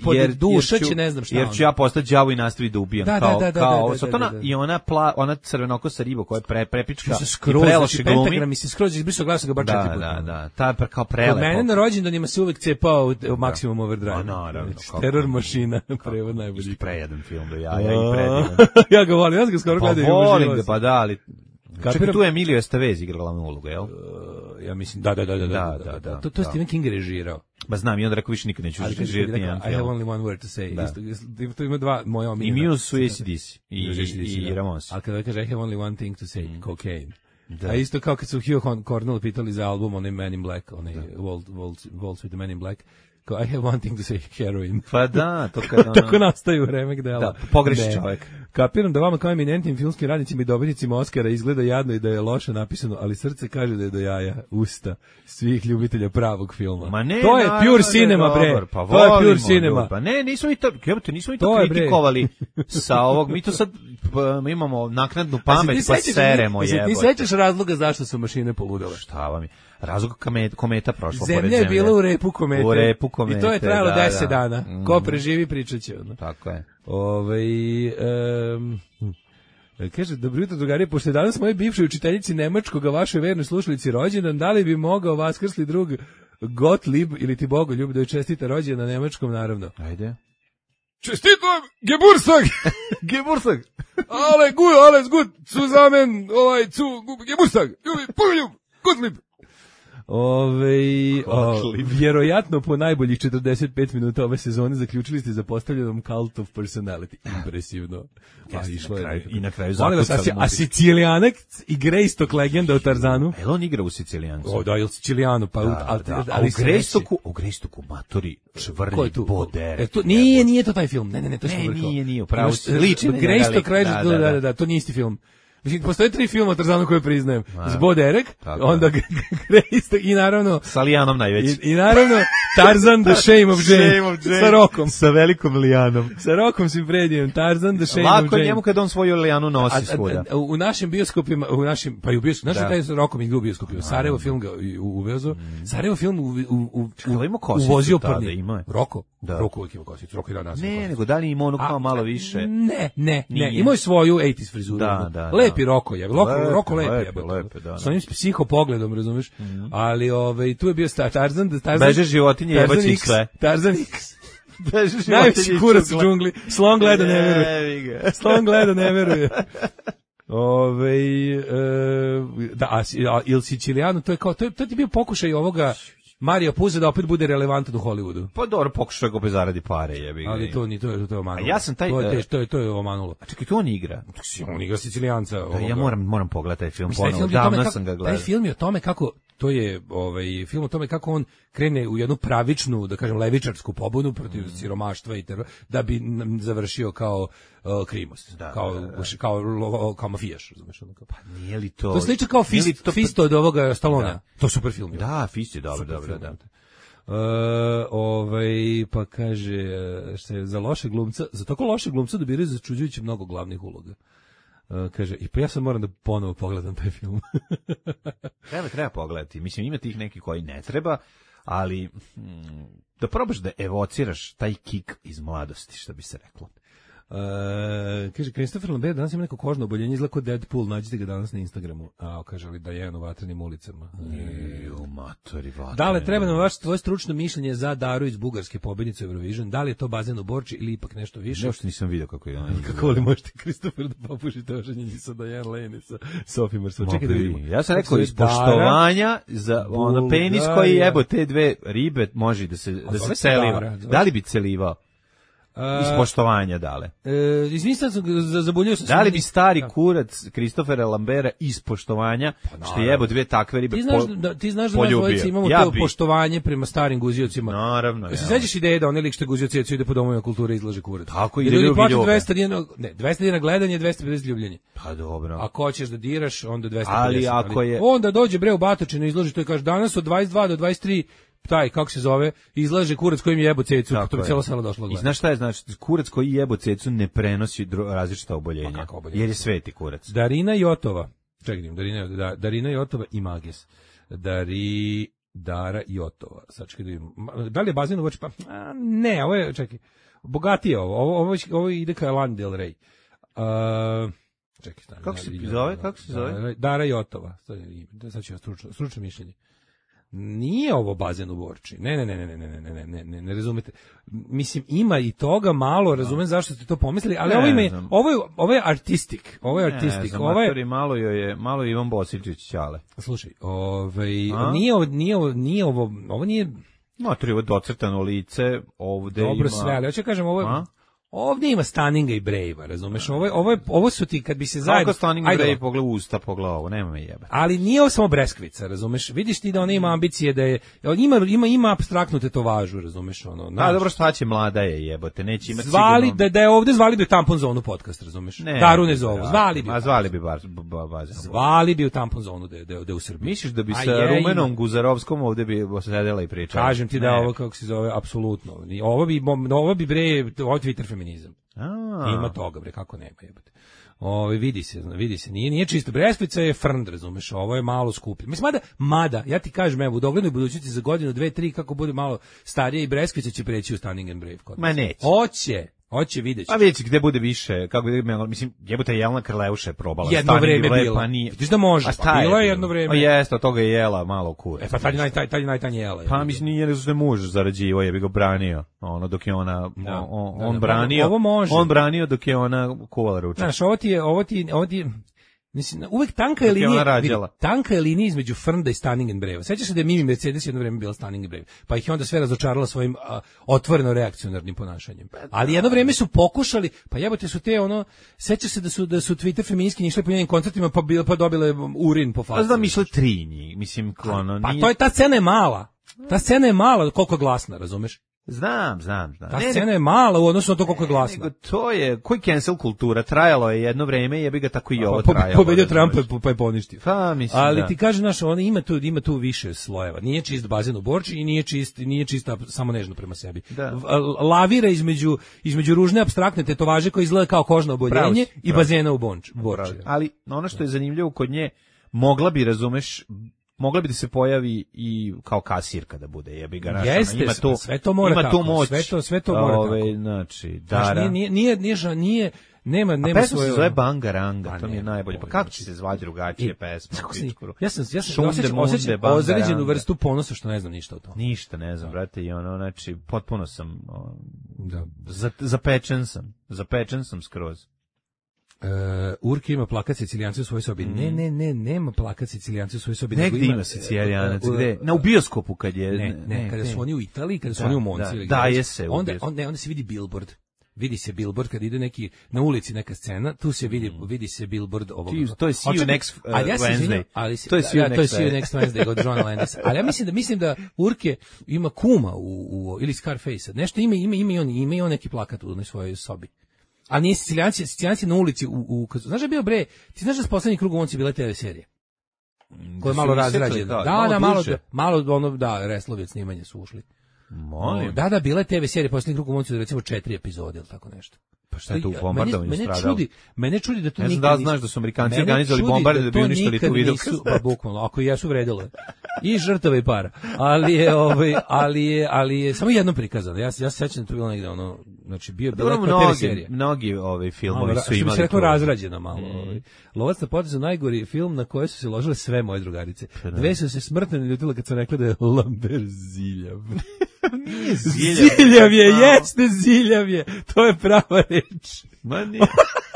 jer ću ja postati đavo i nastaviti da ubijam. Kao Sotona i ona crvenokosa riba koja je prepička i preloše glumi. Pentagram mi se skroz izbrisao, gledao sam ga bar 4 puta. Da, ta kao prelepo. Kod mene na rođendanima se uvek cepao Maximum Overdrive. Naravno. Teror mašina, prevod najbolji. Prejedan film do jaja i predivan. Ja ga volim, ja sam ga skoro gledao. Pa volim ga, pa da, ali... Čekaj, tu je Emilio Estevez igra glavnu ulogu, jel? Ja mislim, da. To je Stephen King režirao. Ba znam, i onda rekao više nikad neću režirati nijedan film. I have only one word to say. To ima dva moja omiljena. I Muse su AC/DC i Ramones. Ali kada kaže I have only one thing to say, cocaine. Da. A isto kao kad su Hugh Cornell pitali za album, onaj Man in Black, onaj Waltz with the Man in Black, kao I have one thing to say, heroin. Pa da, to kada... Tako nastaju remek dela. Da, pogreši čovjek. Kapiram da vama kao eminentnim filmskim radnicima i dobitnicima Oscara izgleda jadno i da je loše napisano, ali srce kaže da je do jaja usta svih ljubitelja pravog filma. Ma ne, to je pure cinema, bre. Pa to je pure cinema. Pa ne, nismo mi to kritikovali sa ovog. Mi to sad imamo naknadnu pamet pa seremo, jebote. Ti sećaš razloga zašto su mašine poludele? Šta vam je? Razlog kometa prošla pored zemlje. Zemlja je bila u repu komete. U repu komete. I to je trajalo 10 dana. Ko preživi, pričat će. Tako je. Kaže, dobro jutro, drugari, pošto je danas moje bivšoj učiteljici nemačkog, a vašoj vernoj slušalici rođendan, da li bi mogao vaskrsli drug Gottlieb ili ti Bogoljub da joj čestita rođendan na nemačkom, naravno? Ajde. Čestitam, Geburtstag! Geburtstag! Alles gut, zusammen, Geburtstag, Bogoljub, Gottlieb! Vjerojatno po najboljih 45 minuta ove sezone zaključili ste za postavljenom Cult of Personality. Impresivno. I na kraju a Sicilijanac i Greystock legenda o Tarzanu? Jel on igra u Sicilijancu? Da, ili Sicilijanu. A u Greystocku matori čvrlji Boder. Nije to taj film. Ne, to je nije, upravo. Liči. Greystock, da, to nije isti film. Mislim, postoje 3 filma o Tarzanu koje priznajem. Zboderek, onda Greystock i naravno... Sa Lijanom najveći. I naravno Tarzan the Shame of Jane. Sa Rokom. Sa velikom Lijanom. Sa Rokom si predijem. Tarzan the Shame of Jane. Lako njemu kad on svoju Lijanu nosi svuda. U našim bioskopima, pa i u bioskopima, znaš taj Rokom igra u bioskopima. Sarajevo film ga uvezo. Sarajevo film uvozio prvi. Roko? Roko uvijek ima kosicu. Roko je da naziv. Ne, nego da li ima ono kao malo više? Ne. Imao je svoju 80s frizuru. Da. Lepi Roko je. Roko lepi. S onim psiho pogledom, razumeš? Ali tu je bio Tarzan. Beže životinje, jebaći sve. Tarzan X. Najveći kurac u džungli. Slon gleda ne veruje. Slon gleda ne veruje. Il Siciliano, to je bio pokušaj ovoga Mario Puzo da opet bude relevantan u Hollywoodu. Pa dobro, pokušaj ga bez zaradi pare, jebi ga. Ali to je omanulo. A ja sam taj to je omanulo. A čekaj, to on igra. On igra Sicilijanca. Ja moram pogledati taj film ponovo. Davno sam ga gledao. Taj film je o tome kako to je film o tome kako on krene u jednu pravičnu, da kažem, levičarsku pobunu protiv siromaštva i terora, da bi završio kao krimos, kao mafijaš, razumeš? Pa nije li to? To sliči kao Fisto od ovoga Stallonea. To je super film. Da, Fist je dobro. Pa kaže za tako loše glumca dobiraju začuđujuće mnogo glavnih uloga. Kaže, i pa ja sam moram da ponovo pogledam taj film. Treba pogledati. Mislim, ima tih neki koji ne treba, ali da probaš da evociraš taj kik iz mladosti, što bi se reklo. Kaže, Christopher Lambert danas ima neko kožno oboljenje, izgleda kao Deadpool, nađite ga danas na Instagramu. Kaže li da je u vatrenim ulicama. Matori vatrenim. Da li treba nam tvoje stručno mišljenje za Daru iz Bugarske, pobednicu Eurovision? Da li je to bazen u Borči ili ipak nešto više? Još nisam vidio kako je. Kako li možete Christopher da popušite oženjenje sa Diane Lane i sa Sophie Marceau? Čekaj da vidimo. Ja sam rekao iz poštovanja za ono penis koji jebo te dve ribe može da se celiva. Da li bi celivao? Iz poštovanja dale. Izvinite, zaboljio sam. Da li bi stari kurac Kristofera Lambera iz poštovanja, što jebo dve takve ribe ti znaš da mi dvojice imamo to poštovanje prema starim guziocima. Naravno. Se sećaš ideje da onaj lik što guzioci ide po domovima kulture izlaže kurac. Tako ide ljudi plaćaju 200 dinara, ne, 200 dinara gledanje, 250 ljubljenje. Pa dobro. Ako hoćeš da diraš, onda 250. Ali ako je onda dođe bre u Batočinu izloži to i kaže danas od 22 do 23 taj, kako se zove, izlaže kurac kojim je jebo cecu, to bi cijelo selo došlo. I znaš šta je, znači, kurac koji jebo cecu ne prenosi različita oboljenja, jer je sveti kurac. Darina Jotova, čekaj, Darina Jotova i Mages. Dara Jotova, sad čekaj da vidimo. Da li je bazen u Borči? Pa, ne, ovo je, čekaj, bogatije ovo ide ka Lana Del Rey. Čekaj, kako se zove? Dara Jotova, sad ću ja stručno mišljenje. Nije ovo bazen u Borči. Ne razumete. Mislim, ima i toga malo, razumem zašto ste to pomislili, ali ovo je artistik. Ovo je artistik. Malo Ivan Bosiljčić ćale. Slušaj, nije ovo nije... Matori, ovo docrtano lice, ovde dobro, sve, ali hoću kažem, ovdje ima Stanninga i Brave-a, razumeš? Ovo su ti, kad bi se zajedno... Kako Stanning i Brave pogleda usta, pogleda ovo, nema me jebe. Ali nije ovo samo breskvica, razumeš? Vidiš ti da ona ima ambicije, da je... Ima apstraktnu tetovažu, razumeš? Dobro, šta će, mlada je jebote, neće imati sigurno... Da je ovdje zvali bi u Tampon Zonu podcast, razumeš? Daru ne zovu, zvali bi. Zvali bi bazen. Zvali bi u Tampon Zonu da je u Srbiji. Misliš da bi sa Rumenom Guzarovskom ovdje bi sedela i pričala? Kažem ti da ovo, kako se zove, apsolutno. Ovo bi bre, Twitter feminizam. Ima toga, bre, kako nema, jebote. Vidi se, nije čisto. Breskvica je frnd, razumeš, ovo je malo skuplje. Mislim, mada, ja ti kažem, evo, u doglednoj budućnosti za godinu, 2, 3, kako bude malo starije i Breskvica će preći u Stanning and Brave. Ma neće. Hoće, vidjet će. A vidjet će gde bude više, kako mislim, jebote, Jelena Krleuša je probala. Jedno vreme bila. Pa nije. Vidiš da može, bilo je jedno vreme. Pa jeste, od toga je jela malo kurac. Pa tad je najtanje jela. Pa mislim, nije nego što je muž zarađivo, je bi ga branio, dok je ona, on branio dok je ona kuvala ručak. Znaš, ovo ti mislim, uvek tanka je linija između frnda i Stanning and Brave. Sećaš se da je Mimi Mercedes jedno vreme bila Stanning and Brave, pa ih je onda sve razočarala svojim otvoreno reakcionarnim ponašanjem. Ali jedno vreme su pokušali, pa jebote su te sećaš se da su Twitter feministki išli po njenim koncertima pa dobile urin po faci. Da misle 3 njih, mislim, pa ta scena je mala. Ta scena je mala, koliko je glasna, razumeš? Znam. Ta scena je mala u odnosu na to koliko je glasna. To je, koji cancel kultura, trajalo je jedno vreme, jebi ga tako i ovo trajalo. Pobedio Trump pa je poništio. Ali ti kaže, znaš, ima tu više slojeva. Nije čist bazen u Borči i nije čista samo nežno prema sebi. Lavira između ružne apstraktne tetovaže koja izgleda kao kožno oboljenje i bazena u Borči. Ali ono što je zanimljivo kod nje, mogla bi da se pojavi i kao kasirka da bude, jebi ga naša. Jeste, sve to mora tako. Moć. Sve to mora tako. Znači, Dara. Nema pesma svoje... se zove Bangaranga, to mi je najbolje. Pa kako će se zvati drugačije pesma? Ja sam osjećam ozređenu vrstu ponosa što ne znam ništa o tome. Ništa ne znam, brate, i znači, potpuno sam, zapečen sam skroz. Urke ima plakat Sicilijanci u svojoj sobi. Nema plakat Sicilijanci u svojoj sobi. Negdje ima Sicilijanac, gde? Na u bioskopu kad je... Ne, kada su oni u Italiji, kada su oni u Monci. Daje se. Onda se vidi billboard. Vidi se billboard kad ide neki na ulici neka scena, tu se vidi se billboard ovog. To je See You Next Wednesday. To je See You Next Wednesday od Johna Landisa. Ali ja mislim da Urke ima kuma ili Scarface. Nešto ima i on neki plakat u svojoj sobi. A nije Sicilijanci na ulici znaš da je bio bre, ti znaš da s poslednjih krug u Monci bila TV serija koja je malo razrađena. Da, Reslovec snimanje su ušli. Molim. Da, bila je TV serija poslednjih krug u Monci, recimo 4 epizode ili tako nešto. Pa šta je tu bombardovanje stradalo? Mene čudi da to nikad... Ne znam da znaš da su Amerikanci organizovali bombardovanje da bi uništili tu video. Pa bukvalno, ako i jesu vredilo. I žrtava i para. Ali je samo jedno prikazano. Ja se sećam da to bilo negde znači bio daleko TV serija. Mnogi filmovi su imali. Što bi se razrađeno malo. Lovac na potezu najgori film na koje su se ložile sve moje drugarice. Dve su se smrtno naljutile kad sam rekla da je Lambert Ziljav. Nije Ziljav je, jeste Ziljav je. To je prava reč. Ma nije.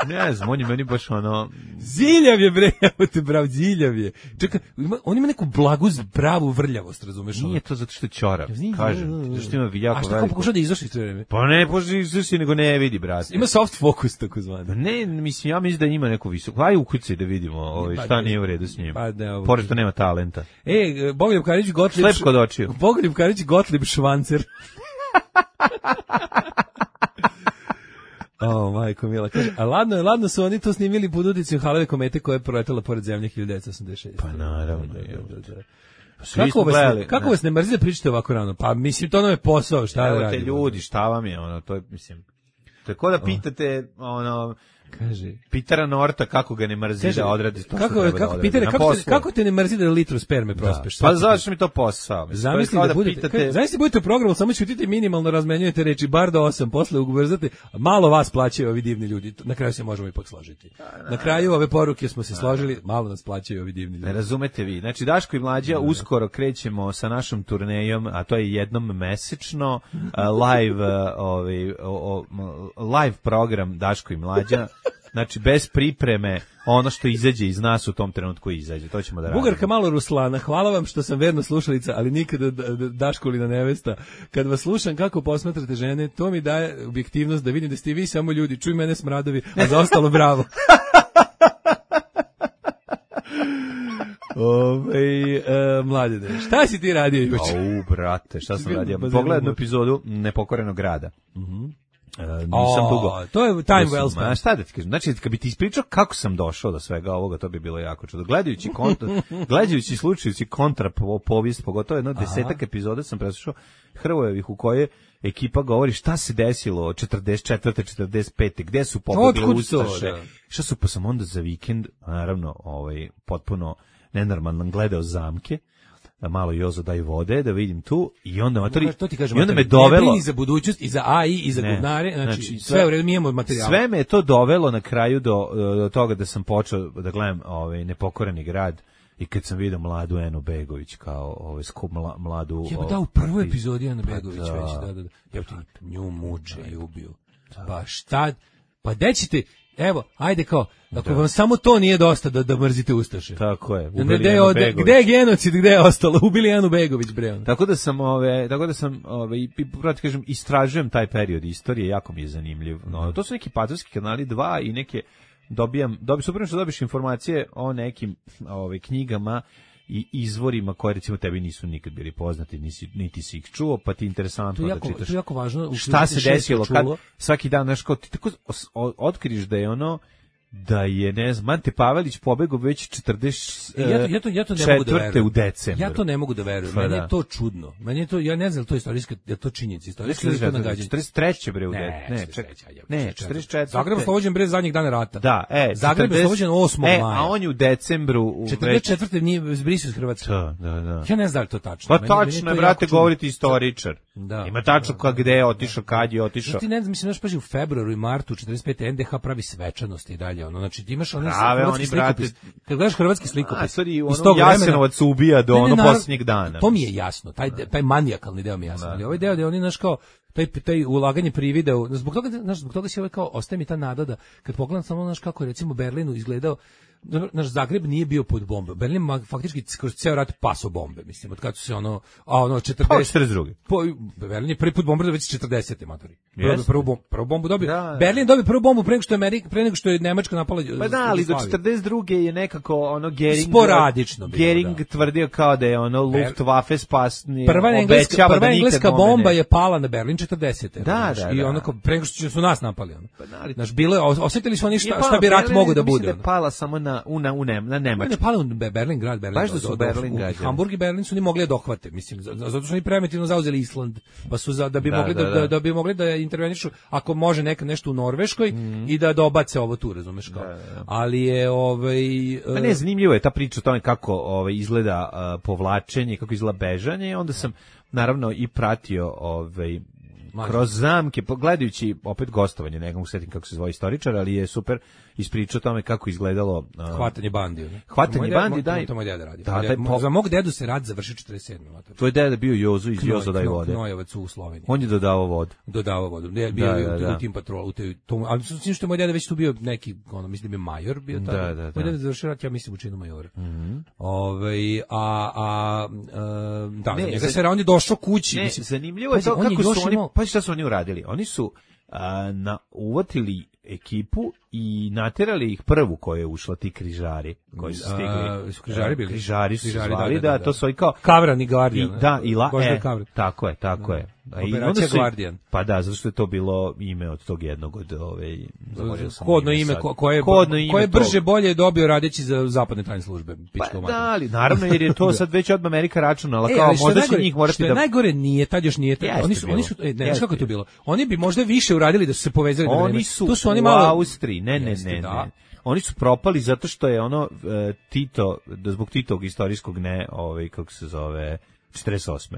Ne znam, on je meni baš ono... Ziljav je, bre, evo te bravo, Ziljav je. Čekaj, on ima neku blagu, pravu vrljavost, razumeš? Nije to zato što je ćorav, kažem ti, zato što ima jako veliko. A što kao pokušao da izaši sve vreme? Pa ne, pokušao da izaši, nego ne vidi, brate. Ima soft focus, tako zvani. Ne, mislim, ja mislim da ima neku visoku. Aj ukucaj da vidimo šta nije u redu s njim. Pored što nema talenta. Bogoljub Karić Gottlieb... Slep kod očiju. Bogoljub Karić Gottlieb Švancer. Majko mila, kaže, a ladno su oni to snimili pod uticom Haleve komete koja je proletela pored zemlje 1986. Pa naravno. Kako vas ne mrzi da pričate ovako rano? Pa mislim, to nam je posao, šta da radimo? Ljudi, šta vam je, to je, mislim, tako da pitate, kaže Pitera Norta kako ga ne mrzi da odradi to što treba da odradi. Pitera, kako te ne mrzi da litru sperme prospeš? Pa zašto mi to posao? Zamisli da budete u programu, samo ćutite minimalno, razmenjujete reči, bar do 8, posle ubrzate, malo vas plaćaju ovi divni ljudi, na kraju se možemo ipak složiti. Na kraju ove poruke smo se složili, malo nas plaćaju ovi divni ljudi. Ne razumete vi, znači Daško i Mlađa uskoro krećemo sa našom turnejom, a to je jednom mesečno, live program Daško i Mlađa. Znači, bez pripreme, ono što izađe iz nas u tom trenutku izađe. To ćemo da radimo. Bugarka malo Ruslana, hvala vam što sam verna slušalica, ali nikada Daškolina nevesta. Kad vas slušam kako posmatrate žene, to mi daje objektivnost da vidim da ste vi samo ljudi. Čuj mene smradovi, a za ostalo bravo. Mladene, šta si ti radio juče? Brate, šta sam radio? Pogledaj jednu epizodu Nepokorenog grada. Nisam dugo. To je time well spent. Šta da ti kažem? Znači, kad bi ti ispričao kako sam došao do svega ovoga, to bi bilo jako čudo. Gledajući i slučajući kontra povijest, pogotovo jedno 10 epizoda sam preslušao Hrvojevih u koje ekipa govori šta se desilo od 44. 45. Gde su pobegli ustaše. Šta su, pa sam onda za vikend, naravno, potpuno nenormalno gledao Zamke, malo Jozo daj vode, da vidim tu, i onda me dovelo... I za budućnost, i za AI, i za gudnare, znači sve u redu, mi imamo materijal. Sve me je to dovelo na kraju do toga da sam počeo da gledam Nepokoreni grad, i kad sam vidio mladu Enu Begović kao mladu... u prvoj epizodi Enu Begović već, da. Nju muče i ubiju. Pa šta... Pa dećete... Evo, ajde kao, ako vam samo to nije dosta da mrzite ustaše. Tako je. Gde je genocid, gde je ostalo? Ubili Anu Begović, bre. Tako da sam kažem, istražujem taj period istorije, jako mi je zanimljiv. To su neki patriotski kanali 2 i neke super što dobiš informacije o nekim knjigama i izvorima koje recimo tebi nisu nikad bili poznati, niti si ih čuo, pa ti je interesantno da čitaš. To je jako važno. Šta se desilo kad svaki dan, znaš, kao ti tako otkriš da je da je, ne znam, Ante Pavelić pobegao već 44. u decembru. Ja to ne mogu da verujem. Meni je to čudno. Meni je to, ja ne znam to je istorijska, je to činjenica, istorijska ili to nagađanje. 43. bre u decembru. Ne, 44. Zagreb oslobođen bre zadnjih dana rata. Da, Zagreb oslobođen 8. maja. A on je u decembru 44. nije zbrisao iz Hrvatske. Da. Ja ne znam da li to tačno. Pa tačno je, brate, govoriti istoričar. Ima tačno gde je otišao, kad je otišao. Ti ne znam, mislim, paži u februaru i martu 45. NDH pravi svečanosti i dalje. Znači ti imaš hrvatski slikopis. Kad gledaš hrvatski slikopis, Jasenovac ubija do posljednjeg dana. To mi je jasno, taj manijakalni deo mi je jasan. Ali ovaj deo da oni naš kao taj ulaganje privide, zbog toga se kao ostaje mi ta nada da kad pogledam samo naš kako je recimo Berlinu izgledao, naš Zagreb nije bio pod bombom. Berlin faktički kroz ceo rat paso bombe, mislim, od kad su se 42. Berlin je prvi put bombardovao već 40. matori. Prvu bombu dobio. Berlin dobio prvu bombu pre nego što je Nemačka napala. Pa da, ali do 42. je nekako Gering sporadično bilo. Gering tvrdio kao da je Luftwaffe spasni. Prva engleska bomba je pala na Berlin 40. Da. I pre nego što su nas napali. Naš bilo osetili su oni šta bi rat mogao da bude. Pala samo na Nemačku. Ne pali u Berlin grad, Baš da su Berlin građani. Hamburg i Berlin su ni mogli da dohvate, mislim, zato što su oni primitivno zauzeli Island, pa su da bi mogli da intervenišu ako može nešto u Norveškoj i da dobace ovo tu, razumeš kao. Ali je ne, zanimljivo je ta priča o tome kako izgleda povlačenje, kako izgleda bežanje, onda sam naravno i pratio kroz zamke, pogledajući opet gostovanje, ne mogu setim kako se zove istoričar, ali je super ispričao o tome kako izgledalo hvatanje bandi. Hvatanje bandi, da. To moj deda radi. Za mog dedu se rad završio 47. Tvoj deda bio Jozo iz Jozo daj vode. Knojevac u Sloveniji. On je dodavao vodu. Ne, bio u tim patrolu, ali mislim što je moj deda već tu bio neki, mislim da je major bio tada. Moj deda završio rat, ja mislim u činu majora. Njega se on je došao kući. Mislim, zanimljivo je to kako su oni, pa šta su oni uradili? Oni su uvatili ekipu i naterali ih prvu koja je ušla, ti križari koji su stigli. Križari bili? Križari su zvali, da, to su i kao... Kavran i Guardian. Tako je. Operacija Guardian. Pa da, zato što je to bilo ime od tog jednog od kodno ime koje brže bolje dobio radeći za zapadne tajne službe. Pa da, ali naravno jer je to sad već od Amerika računala, kao možda će njih morati da... Što je najgore nije, tad još nije. Oni su, ne znaš kako je to bilo. Oni bi možda više uradili da su se povezali. Oni su u Austriji, ne. Oni su propali zato što je Tito, zbog Titovog istorijskog kako se zove... 48.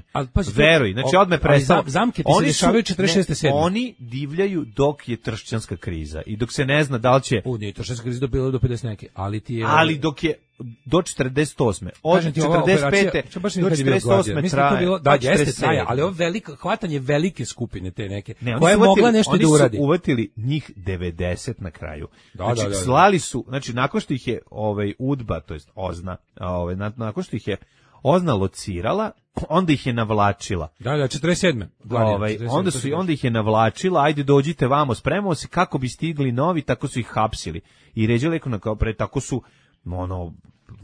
Veruj, znači odme prestao. Zamke ti se dešavaju 46. Oni divljaju dok je tršćanska kriza i dok se ne zna da li će... Nije tršćanska kriza bilo do 50 neke, ali dok je do 48. Od 45. do 48. traje. Da, jeste traje, ali ovo hvatanje velike skupine te neke, koja je mogla nešto da uradi. Oni su uvatili njih 90 na kraju. Znači, slali su, znači, nakon što ih je UDBA, to jest OZNA, nakon što ih je OZNA locirala, onda ih je navlačila. Da, 47. Onda ih je navlačila, ajde dođite vamo, spremamo se kako bi stigli novi, tako su ih hapsili. I ređali tako su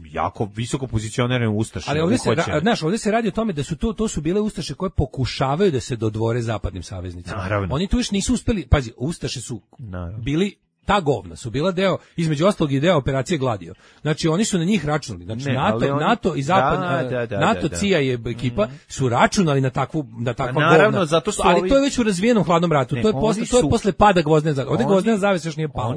jako visoko pozicionirane ustaše. Ali ovdje se radi o tome da su to su bile ustaše koje pokušavaju da se dodvore zapadnim saveznicima. Naravno. Oni tu još nisu uspeli, pazi, ustaše su bili ta govna su bila deo, između ostalog i deo operacije Gladio. Znači oni su na njih računali. Znači NATO i NATO CIA je ekipa su računali na takva govna. Zato što ali to je već u razvijenom hladnom ratu. To je posle pada gvozdene zavese. Ovdje gvozdena zavesa još nije pala.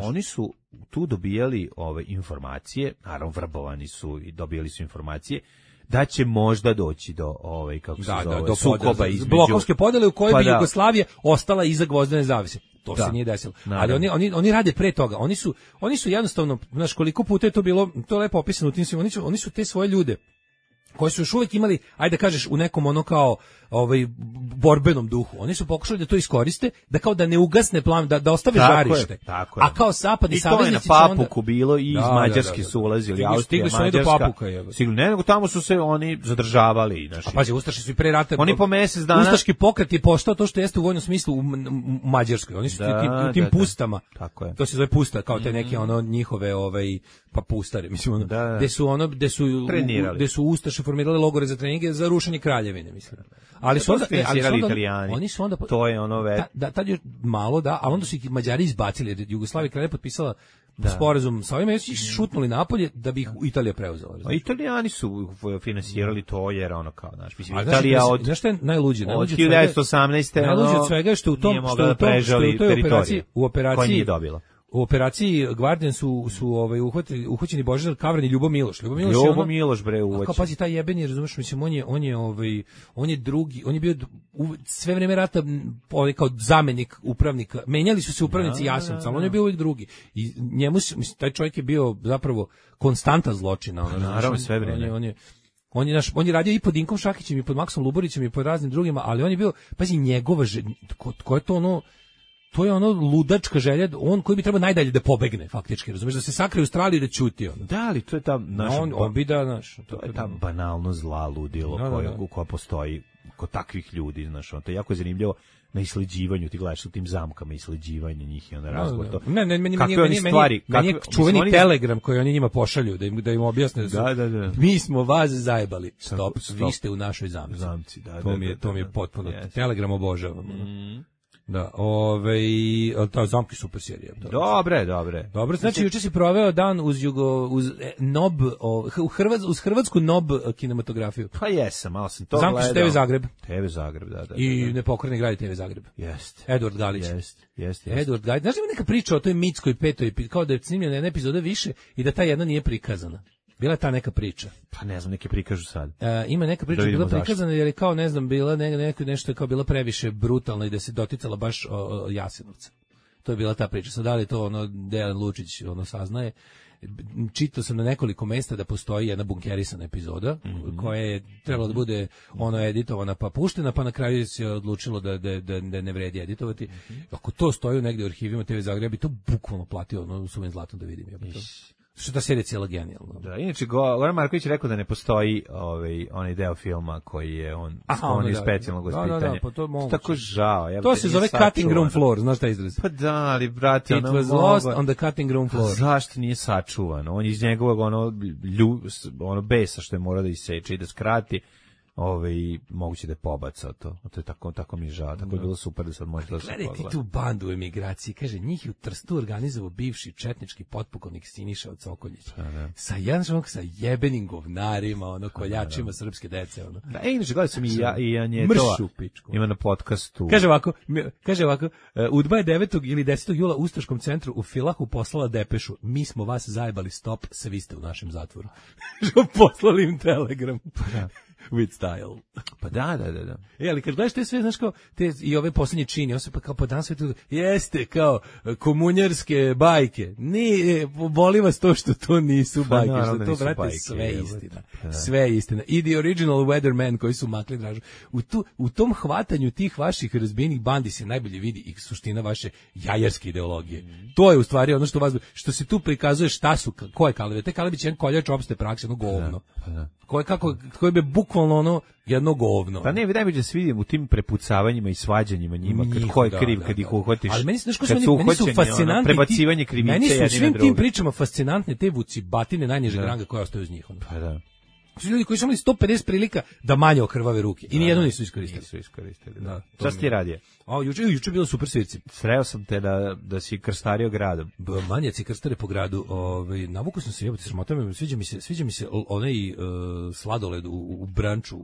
Oni su tu dobijali informacije, naravno vrbovani su i dobijali su informacije da će možda doći do do sukoba između blokovske podele u kojoj bi Jugoslavija ostala iza gvozdene zavese. To se nije desilo. Ali oni rade pre toga. Oni su jednostavno, znaš, koliko puta je to bilo, to je lepo opisano u tim svim, oni su te svoje ljude koji su još uvijek imali, ajde da kažeš, u nekom kao borbenom duhu. Oni su pokušali da to iskoriste, da kao da ne ugasne plan, da ostave žarište. Tako je. A kao zapadni saveznici su onda... I to je na Papuku bilo i iz Mađarske su ulazili, Austrija, Mađarska. Papuka, nego tamo su se oni zadržavali. A pazi, ustaši su i pre rata... Oni po mjesec dana... Ustaški pokret je postao to što jeste u vojnom smislu u Mađarskoj. Oni su u tim pustama. Tako je. To se zove pusta, kao te neke njihove pa pustare, mislim, gde su ustaše formirali logore za treninge za rušenje kraljevine, mislim. Ali su onda Italijani. Oni su onda to je tad je malo ali onda su ih Mađari izbacili jer Jugoslavija kralja potpisala sporazum sa ovima i su ih šutnuli napolje da bi ih Italija preuzela. A Italijani su finansirali to jer kao, mislim, Italija od... Znaš šta je najluđe? Od 1918. Najluđe od svega je što u toj operaciji, u operaciji Guardian su uhvaćeni Božidar Kavran i Ljubo Miloš. Ljubo Miloš bre uvaćen. Kao pazi taj jebeni, razumeš, mislim on je drugi, on je bio sve vrijeme rata kao zamenik upravnika. Menjali su se upravnici Jasenovca, ali on je bio uvijek drugi. I njemu taj čovjek je bio zapravo konstanta zločina. Naravno sve vrijeme. On je radio i pod Dinkom Šakićem i pod Maksom Luborićem i pod raznim drugima, ali on je bio, pazi, njegova ko je to to je ludačka želja, on koji bi trebao najdalje da pobegne, faktički, razumiješ, da se sakrije u Australiji da ćuti. Da, ali to je ta naša... On bi da, to je ta banalno zla ludilo koja postoji kod takvih ljudi, znaš, to je jako zanimljivo na isleđivanju, ti gledaš u tim zamkama isleđivanja njih i onda razgovor to. Meni je čuveni telegram koji oni njima pošalju, da im objasne. Da. Mi smo vas zajebali. Stop. Vi ste u našoj zamci. To mi je potpuno. Telegram obožavam. Da, ta zamki super serija. Dobre. Dobro, znači juče si proveo dan uz NOB, uz hrvatsku NOB kinematografiju. Pa jesam, malo sam to gledao. Zamki su TV Zagreb. TV Zagreb, da. I Nepokorni grad TV Zagreb. Jeste. Edward Galić. Jeste. Edward Galić. Znaš li mi neka priča o toj mitskoj petoj, kao da je snimljena jedna epizoda više i da ta jedna nije prikazana? Bila je ta neka priča. Pa ne znam, neke prikažu sad. Ima neka priča bila prikazana jer je kao, ne znam, bila nešto je kao bila previše brutalno i da se doticala baš Jasenovca. To je bila ta priča. Sad da li to Dejan Lučić saznaje? Čitao sam na nekoliko mesta da postoji jedna bunkerisana epizoda koja je trebala da bude editovana pa puštena, pa na kraju se odlučilo da ne vredi editovati. Ako to stoji negde u arhivima TV Zagreba, bi to bukvalno platio suvim zlatom da vidim. Što ta serija cijela genijalna. Da, inače Goran Marković je rekao da ne postoji onaj deo filma koji je on iz specijalnog vaspitanja. Da, pa to moguće. Tako žao. To se zove cutting room floor, znaš taj izraz? Pa da, ali brate, it was lost on the cutting room floor. Zašto nije sačuvan? On iz njegovog besa što je morao da iseče i da skrati. Moguće da je pobacao to. To je tako mi je žao. Tako je bilo super da sad možete da se pogleda. Gledaj ti tu bandu u emigraciji. Kaže, njih je u Trstu organizovao bivši četnički potpukovnik Siniša od Sokoljića. Sa jebenim govnarima, koljačima srpske dece. Da, inače, gledaj sam i Anjetova. Ima na podcastu. Kaže ovako, Udba je 9. ili 10. jula u Ustaškom centru u Filahu poslala depešu. Mi smo vas zajebali, stop, sve ste u našem zatvoru. Poslali im telegram. With style. Pa da. Ali kad gledaš te sve, znaš kao, i ove posljednje čini, on se pa kao po dan svetu, jeste kao komunjarske bajke. Boli vas to što to nisu bajke, što to, brate, sve je istina. Sve je istina. I the original Weatherman koji su makli Dražu. U tom hvatanju tih vaših razbijenih bandi se najbolje vidi i suština vaše jajarske ideologije. To je u stvari ono što se tu prikazuje šta su, ko je Kalevi. Te Kalevi će jedan koljač opšte prakse, govno. Koje bi bukvalno jedno govno. Pa ne, najbolje se vidim u tim prepucavanjima i svađanjima njima, ko je kriv kad ih uhvatiš. Ali meni su fascinantni prebacivanje krivice. Meni su svim tim pričama fascinantne te vucibatine najnižeg ranga koje ostaju iz njih. Pa da. Su ljudi koji su imali 150 prilika da manje okrvave ruke i nijedno nisu iskoristili. Da. Šta si ti radio? Juče bilo super svirci. Sreo sam te da si krstario gradom. Manjaci krstare po gradu. Navukao sam se, jebote, sramota me, sviđa mi se onaj sladoled u branču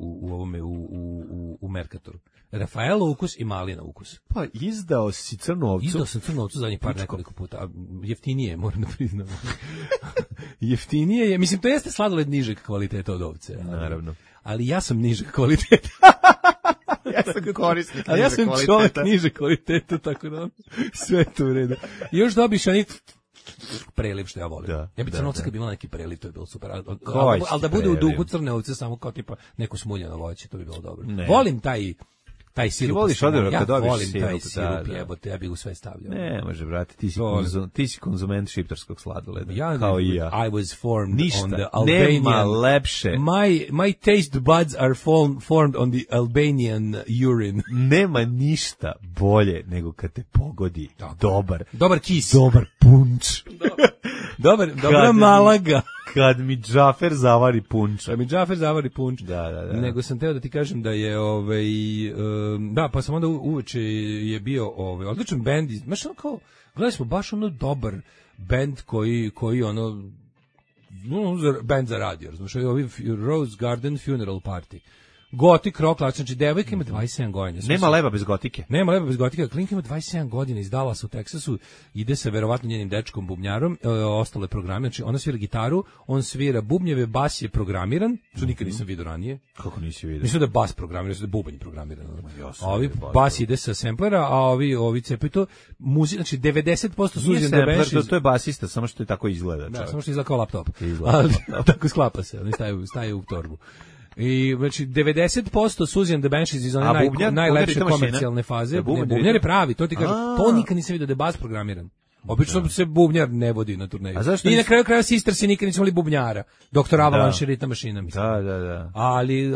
u Merkatoru. Rafaelo ukus i malina ukus. Pa izdao si crnu ovcu. Izdao sam crnu ovcu zadnjih nekoliko puta. Jeftinije, moram da priznam. Jeftinije je, mislim, to jeste sladoled nižeg kvaliteta od ovce. Naravno. Ali ja sam nižeg kvaliteta. Ja sam korisnik. Ali ja sam čovjek niže kvaliteta, tako da sve to u redu. I još dobiš preliv što ja volim. Ja bi crnovca kad bila neki preliv, to je bilo super. Ali da bude u duhu crne ovce, samo kao tipa neko smuljeno voće, to bi bilo dobro. Volim taj sirup. Ti voliš odevno kad dobiš volim taj sirup, jebote, ja bih u sve stavljao. Ne, može, brate, ti si konzument šiptarskog sladoleda, kao i ja. I was formed ništa, on the Albanian... nema lepše. My taste buds are formed on the Albanian urine. Nema ništa bolje nego kad te pogodi dobar kis. Dobar punč. Dobra malaga. Kad mi Džafer zavari punč. Da. Nego sam teo da ti kažem da je pa sam onda uveče je bio odličan bend, znaš kao, gledali smo baš dobar bend koji bend za radio, znaš, Rose Garden Funeral Party. Gotik rock, znači devojka ima 27 godina. Nema leba bez gotike. Klinka ima 27 godina, iz Dallasa u Teksasu, ide sa verovatno njenim dečkom bubnjarom, ostalo je programe, znači ona svira gitaru, on svira bubnjeve, bas je programiran, što nikad nisam vidio ranije. Kako nisi vidio? Mislim da je bas programiran, mislim da je bubanj programiran. Bas ide sa samplera, a ovi cepaju to, znači 90% Susan the Banshees. To je basista, samo što je tako izgleda. Da, samo što izgleda kao laptop. Ali tako sklapa se, oni staje u torbu. I znači 90% Susan the Banshees iz one najlepše komercijalne faze. Bubnjar je pravi, to ti kažem. To nikad nisam vidio da je bas programiran. Obično se bubnjar ne vodi na turneju. I na kraju kraja Sistersi nikad nisam imali bubnjara. Doktor Avalanche ritma mašina, mislim. Da. Ali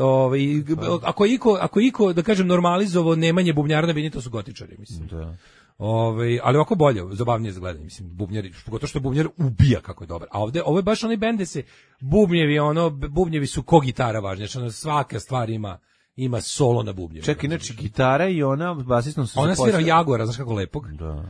ako iko da kažem normalizovao nemanje bubnjara, da to su gotičari, mislim. Da. Ali ovako bolje, zabavnije za gledanje, mislim, bubnjari, pogotovo što bubnjar ubija kako je dobar. A ovo je baš onaj bend gde se bubnjevi su ko gitara važnije, znači svaka stvar ima solo na bubnjevi. Čekaj, znači gitara i ona basistom se ona svira Jagora, znaš kako lepog. Da.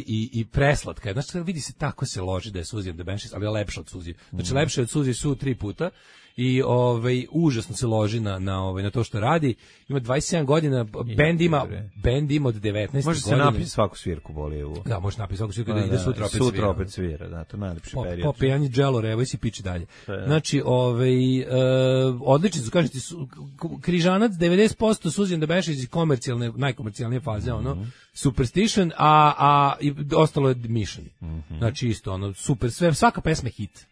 I preslatka je. Znači vidi se tako se loži da je Susan the Banshees, ali je lepša od Suzi. Znači lepša od Suzi su 3 puta. i užasno se loži na to što radi. Ima 27 godina, bend ima od 19 godina. Može se napiti svaku svirku Bolijevu. Da, može napiti svaku svirku da ide sutra opet svira. Da, to je najlepši period. Popijanje dželo, evo i si piči dalje. Znači, odlični su, kažete, Križanac 90%, Susan Debešić iz najkomercijalnije faze, Superstition, a ostalo je Mission. Znači isto, super, sve, svaka pesma je hit.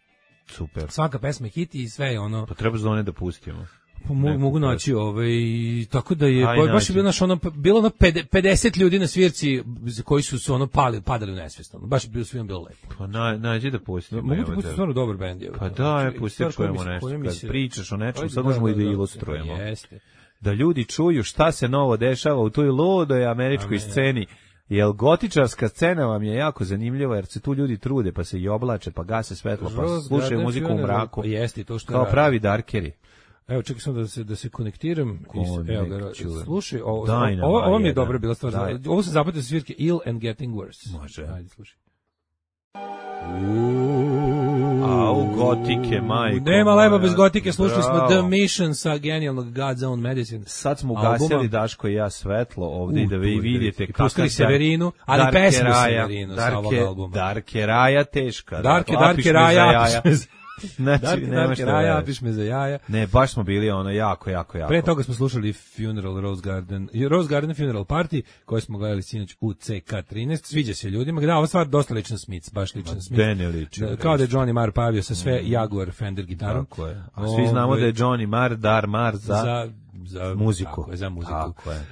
Super. Svaka pesma je hit i sve je Pa treba zone da pustimo. Mogu naći tako da je baš je bilo 50 ljudi na svirci koji su padali u nesvijest. Baš je svima bilo lepo. Pa nađi da pustimo. Mogu ti pustiti stvarno dobar bend. Pa da, pustiti čujemo nešto. Kad pričaš o nečemu, sad možemo i da ilustrujemo. Jeste. Da ljudi čuju šta se novo dešava u toj ludoj američkoj sceni. Jer gotičarska scena vam je jako zanimljiva, jer se tu ljudi trude, pa se i oblače, pa gase svetlo, pa slušaju muziku u mraku. Jeste, to što kao pravi darkeri. Evo, čekaj sam da se konektiram. Slušaj, ovo mi je dobra bila stvar. Ovo se zapatio sa svirke Ill and Getting Worse. Može. Ajde, slušaj. U gotike, majko. Nema leba bez gotike, slušali smo The Mission sa genijalnog God's Own Medicine. Sad smo ugasili Daško i ja svetlo ovdje da vi vidite kako pustili Severinu, ali pesmu Severinu sa ovog albuma. Darke Raja teška. Darke Raja, znači, Raja, piš me za jaja. Ne, baš smo bili jako. Pre toga smo slušali Funeral Rose Garden Funeral Party, koje smo gledali sinoć u CK13. Sviđa se ljudima. Da, ova stvar dosta ličan Smith, baš ličan Smith. Kao da je Johnny Marr pavio sa sve Jaguar Fender gitarom. Tako je. A svi znamo da je Johnny Marr za muziku. Tako je, za muziku. Tako je.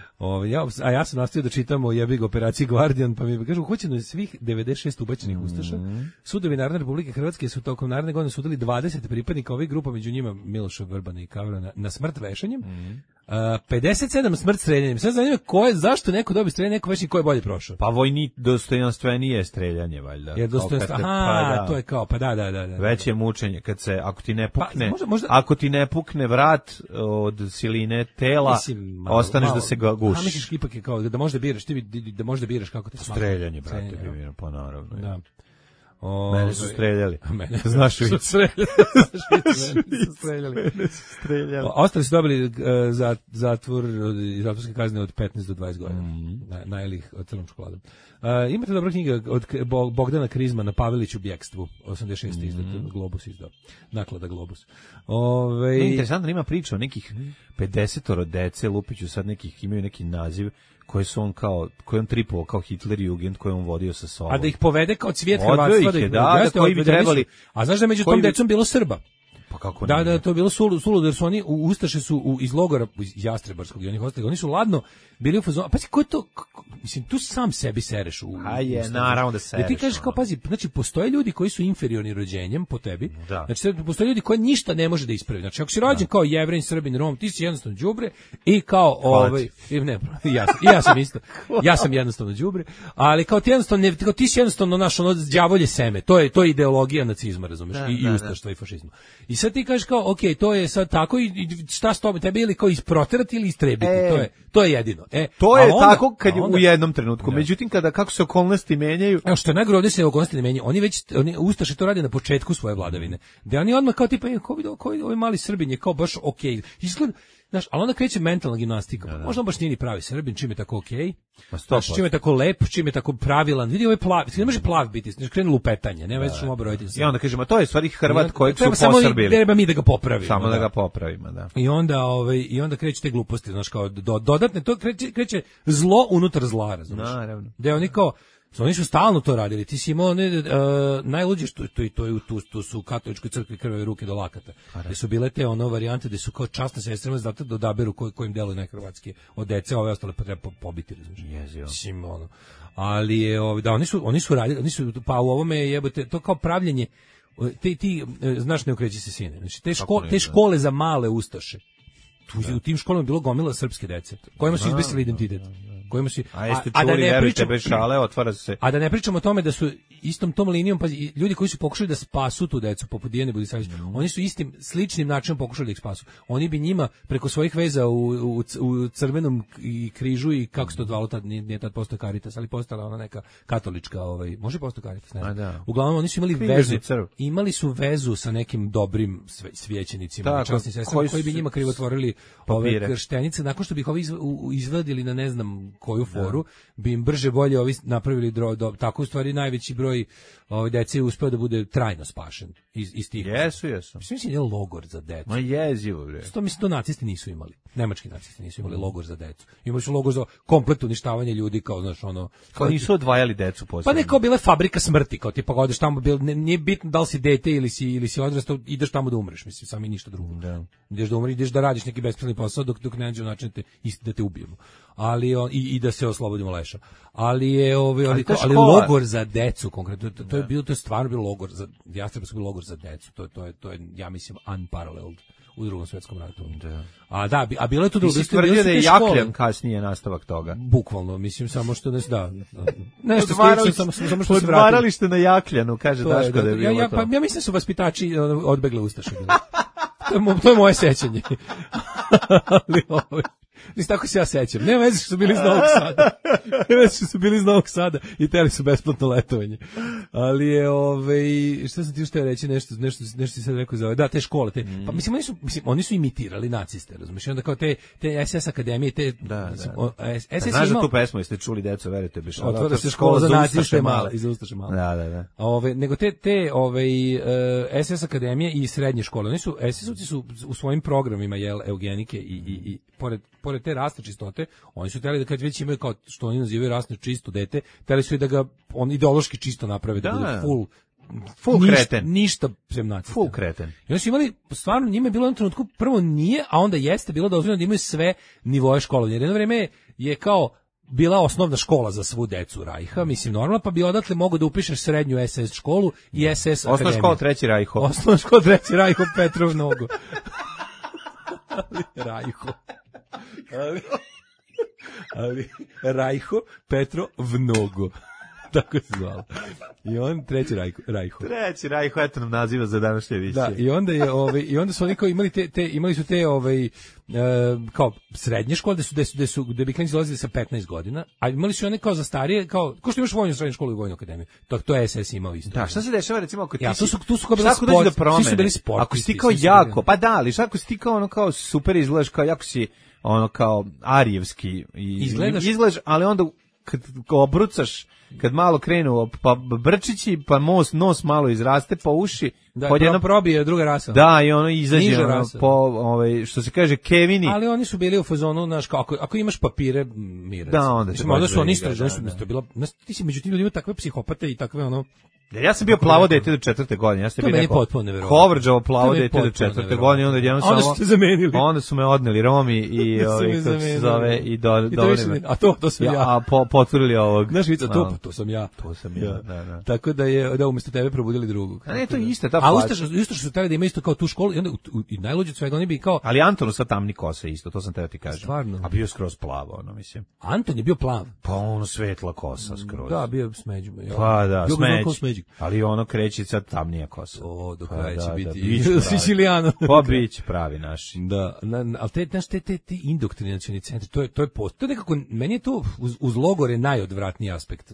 Ja sam nastavio da čitam o jebig operaciji Guardian, pa mi kažu, hoćeno svih 96 ubačenih ustaša. Sudovi Narodne Republike Hrvatske su tokom naredne godine sudili 20 pripadnika ovih grupa, među njima Miloša Vrbana i Kavra na smrt vešanjem. 57 smrt streljanjem. Sad zanima zašto neko dobije streljanje, neko vešanje, ko je bolje prošao? Pa vojni dostojanstvenije streljanje, valjda. Jer to je kao, pa da. Veće mučenje, ako ti ne pukne, ako ti ne pukne vrat od siline tela, ostaneš da se ga gušiš. Misliš ipak je kao da možda biraš, da možda biraš kako te smatra. Streljanje, brate, pa naravno. Da. Mene su streljali. Znaš su streljali. Ostali su dobili zatvor i zatvorske kazne od 15 do 20 godina. Najelih od crnom čokoladom. Imate dobra knjiga od Bogdana Krizmana, Pavelić u bjekstvu, 86. izdat, Globus izdao. Naklada Globus. Interesantno, ima priča o nekih 50 dece, Lupiću sad imaju neki naziv, koje on tripovao kao Hitler Jugend, koje on vodio sa sobom. A da ih povede kao cvijet Hrvatstva, koji bi trebali. A znaš da među tom decom bilo Srba? Pa kako da, to je bilo suludo, jer su oni ustaše su iz logora iz Jastrebarskog i onih ostalih, oni su ladno bili u fazonu. Pazi, ko je to, mislim, tu sam sebi sereš u. Naravno da sereš. Ti kažeš kao, pazi, znači postoje ljudi koji su inferiorni rođenjem po tebi. Znači postoje ljudi koji ništa ne može da ispravi. Znači ako si rođen kao Jevrin, Srbin, Rom, ti si jednostavno đubre i kao ja sam isto. Ja sam jednostavno đubre, ali kao ti jednostavno ti si jednostavno naš đavolje seme. To je ideologija nacizma, razumeš? I ustaštva i fašizma. I sad ti kažeš kao, ok, to je sad tako i šta s tobom, tebi ili kao isproterati ili istrebiti, to je jedino. To je tako kad je u jednom trenutku, međutim kako se okolnosti menjaju. Evo što je najgore, ovdje se okolnosti ne menjaju, oni ustaše to rade na početku svoje vladavine, da oni odmah kao tipa, ovaj mali Srbin je kao baš ok, izgleda. Znaš, ali onda kreće mentalna gimnastika. Možda baš nije ni pravi Srbin, čim je tako okej. Znaš, čim je tako lep, čim je tako pravilan. Vidi, ovaj plav, ne može plav biti, znači krenu lupetanje, nema veze što mu obrojiti se. I onda kažemo, to je stvari Hrvat kojeg su posrbili. Treba mi da ga popravimo. Samo da ga popravimo, da. I onda kreće te gluposti, znaš, kao dodatne, to kreće zlo unutar zla, razumiješ? Naravno. Da oni kao, oni su stalno to radili. Ti si imao najluđe što tu su u katoličkoj crkvi krvave ruke do lakata. Gde su bile te varijante gde su kao časne sestrama zato da odaberu kojim deluju najhrvatski od dece, ove ostale pa treba pobiti, razumiješ? Mislim, ali je da oni su radili, pa u ovome jebote to kao pravljenje ti znaš, ne okreći se sine. Znači te škole za male ustaše. U tim školama je bilo gomila srpske dece, kojima su izbesili identitet. kojima su a jeste čuli, verujte, bez šale, otvara se. A da ne pričamo o tome da su istom tom linijom, pa ljudi koji su pokušali da spasu tu decu, poput Dijane Budisavljević, oni su istim sličnim načinom pokušali da ih spasu. Oni bi njima preko svojih veza u Crvenom i Križu i kako se to zvalo tad, nije tad postao Caritas, ali postala ona neka katolička, može postao Caritas, ne znam. Uglavnom oni su imali vezu sa nekim dobrim svećenicima, časnim sestrama koji bi njima krivotvorili ove krštenice, nakon što bi ih ovi izvadili na ne znam koju foru, bi im brže bolje ovi napravili tako u stvari najveći broj dece je uspeo da bude trajno spašen iz tih. Jesu. Mislim je logor za decu. Ma jezivo, bre. To nacisti nisu imali. Nemački nacisti nisu imali logor za decu. Imali su logor za kompletno uništavanje ljudi, kao znaš ono. Kao nisu odvajali decu posebno. Pa neko bila fabrika smrti, kao tipa odeš tamo, nije bitno da li si dete ili si odrastao, ideš tamo da umreš, mislim, samo i ništa drugo. Da. Ideš da umreš, ideš da radiš neki bespravni posao dok ne nađe način da te ubijemo. Ali i da se oslobodimo leša. Ali je ali logor za decu konkretno, to je stvarno bio logor za Jastrebarsko, bio logor za decu. To je ja mislim unparalleled u Drugom svetskom ratu. Da. A bilo je to drugo. Ti si tvrdio da je Jakljan kasnije nastavak toga. Bukvalno, mislim, samo što nešto samo što se vratili. Odvarali ste na Jakljanu, kaže Daško da je bilo to. Ja mislim da su vaspitači odbegle ustaše. To je moje sećanje. Ali Nis tako se ja sećam. Nema veze što su bili iz Novog Sada. Nema veze što su bili iz Novog Sada i teli su besplatno letovanje. Ali je, šta sam ti još teo reći, nešto ti sad rekao za da, te škole, pa mislim, oni su imitirali naciste, razumiješ, onda kao te SS akademije, SS znaš da tu pesmu jeste čuli, deco, verujte, bi šala. Otvara se škola za naciste male. Iz Ustaše male. Da. Nego te SS akademije i srednje škole, SS-ovci su u svojim programima, eugenike i pored te rasne čistote, oni su htjeli da kad već imaju kao što oni nazivaju rasno čisto dete, htjeli su i da ga on ideološki čisto naprave, da bude full kreten. Ništa sem nacista. Full kreten. I oni su imali, stvarno njima je bilo u jednom trenutku, prvo nije, a onda jeste bilo dozvoljeno da imaju sve nivoe školovanja. Jer jedno vreme je kao bila osnovna škola za svu decu Rajha, mislim normalno, pa bi odatle mogo da upišeš srednju SS školu i SS akademiju. Osnovna škola Treći Rajho. Osnovna škola Treći Rajho, Petrov Nogo. Rajho. Ali Rajho, Petro Vnogo. Tako se zvalo. I on Treći Rajho. Treći Rajho, eto nam naziva za današnje emisije. Da, i onda su oni kao imali su te kao srednje škole gde bi klinici dolazili sa 15 godina, a imali su one kao za starije, kao što imaš vojnu srednju školu i vojnu akademiju. To je SS imao isto. Da, šta se dešava recimo ako ti tu su kao bili sport, svi su bili sportisti. Ako si ti kao jako, pa da, ali ako si ti kao ono kao super izgledaš, kao jako si ono kao arijevski izgledaš, ali onda kad obrucaš, kad malo krenu pa brčići, pa nos malo izraste, pa uši, da, jedno probije druga rasa. Da, i ono izađe ono, po što se kaže Kevini. Ali oni su bili u fazonu, znaš, ako imaš papire, mirac. Da, onda su oni istražili, to bilo, ti si među tim ljudima takve psihopate i takve ono. Ja sam bio plavo dete do 4. godine. Ja sam bio neko Kovrđavo plavo dete do 4. godine, onda jednom samo ste zamenili. Onda su me odneli Romi i kako se zove i a to sam ja. A potvrdili ovog. Znaš vica, to sam ja. To sam ja, da. Tako da je umjesto tebe probudili drugog. A ne, to je ista ta plaća. A isto što su hteli da ima isto kao tu školu i onda i najluđe od svega oni bi kao. Ali Antonu sa tamni kosa isto, to sam teo ti kažem. Stvarno. A bio skroz plavo, ono mislim. Anton je bio plav. Pa ono svetla kosa skroz. Da, bio smeđ. Pa da, smeđ. Ali ono kreće sad tamnija kosa. O, do kraja će biti Sicilijano. Pa biće pravi naš. Da, ali te indoktrinacioni centri, to je nekako, meni je to uz logore najodvratniji aspekt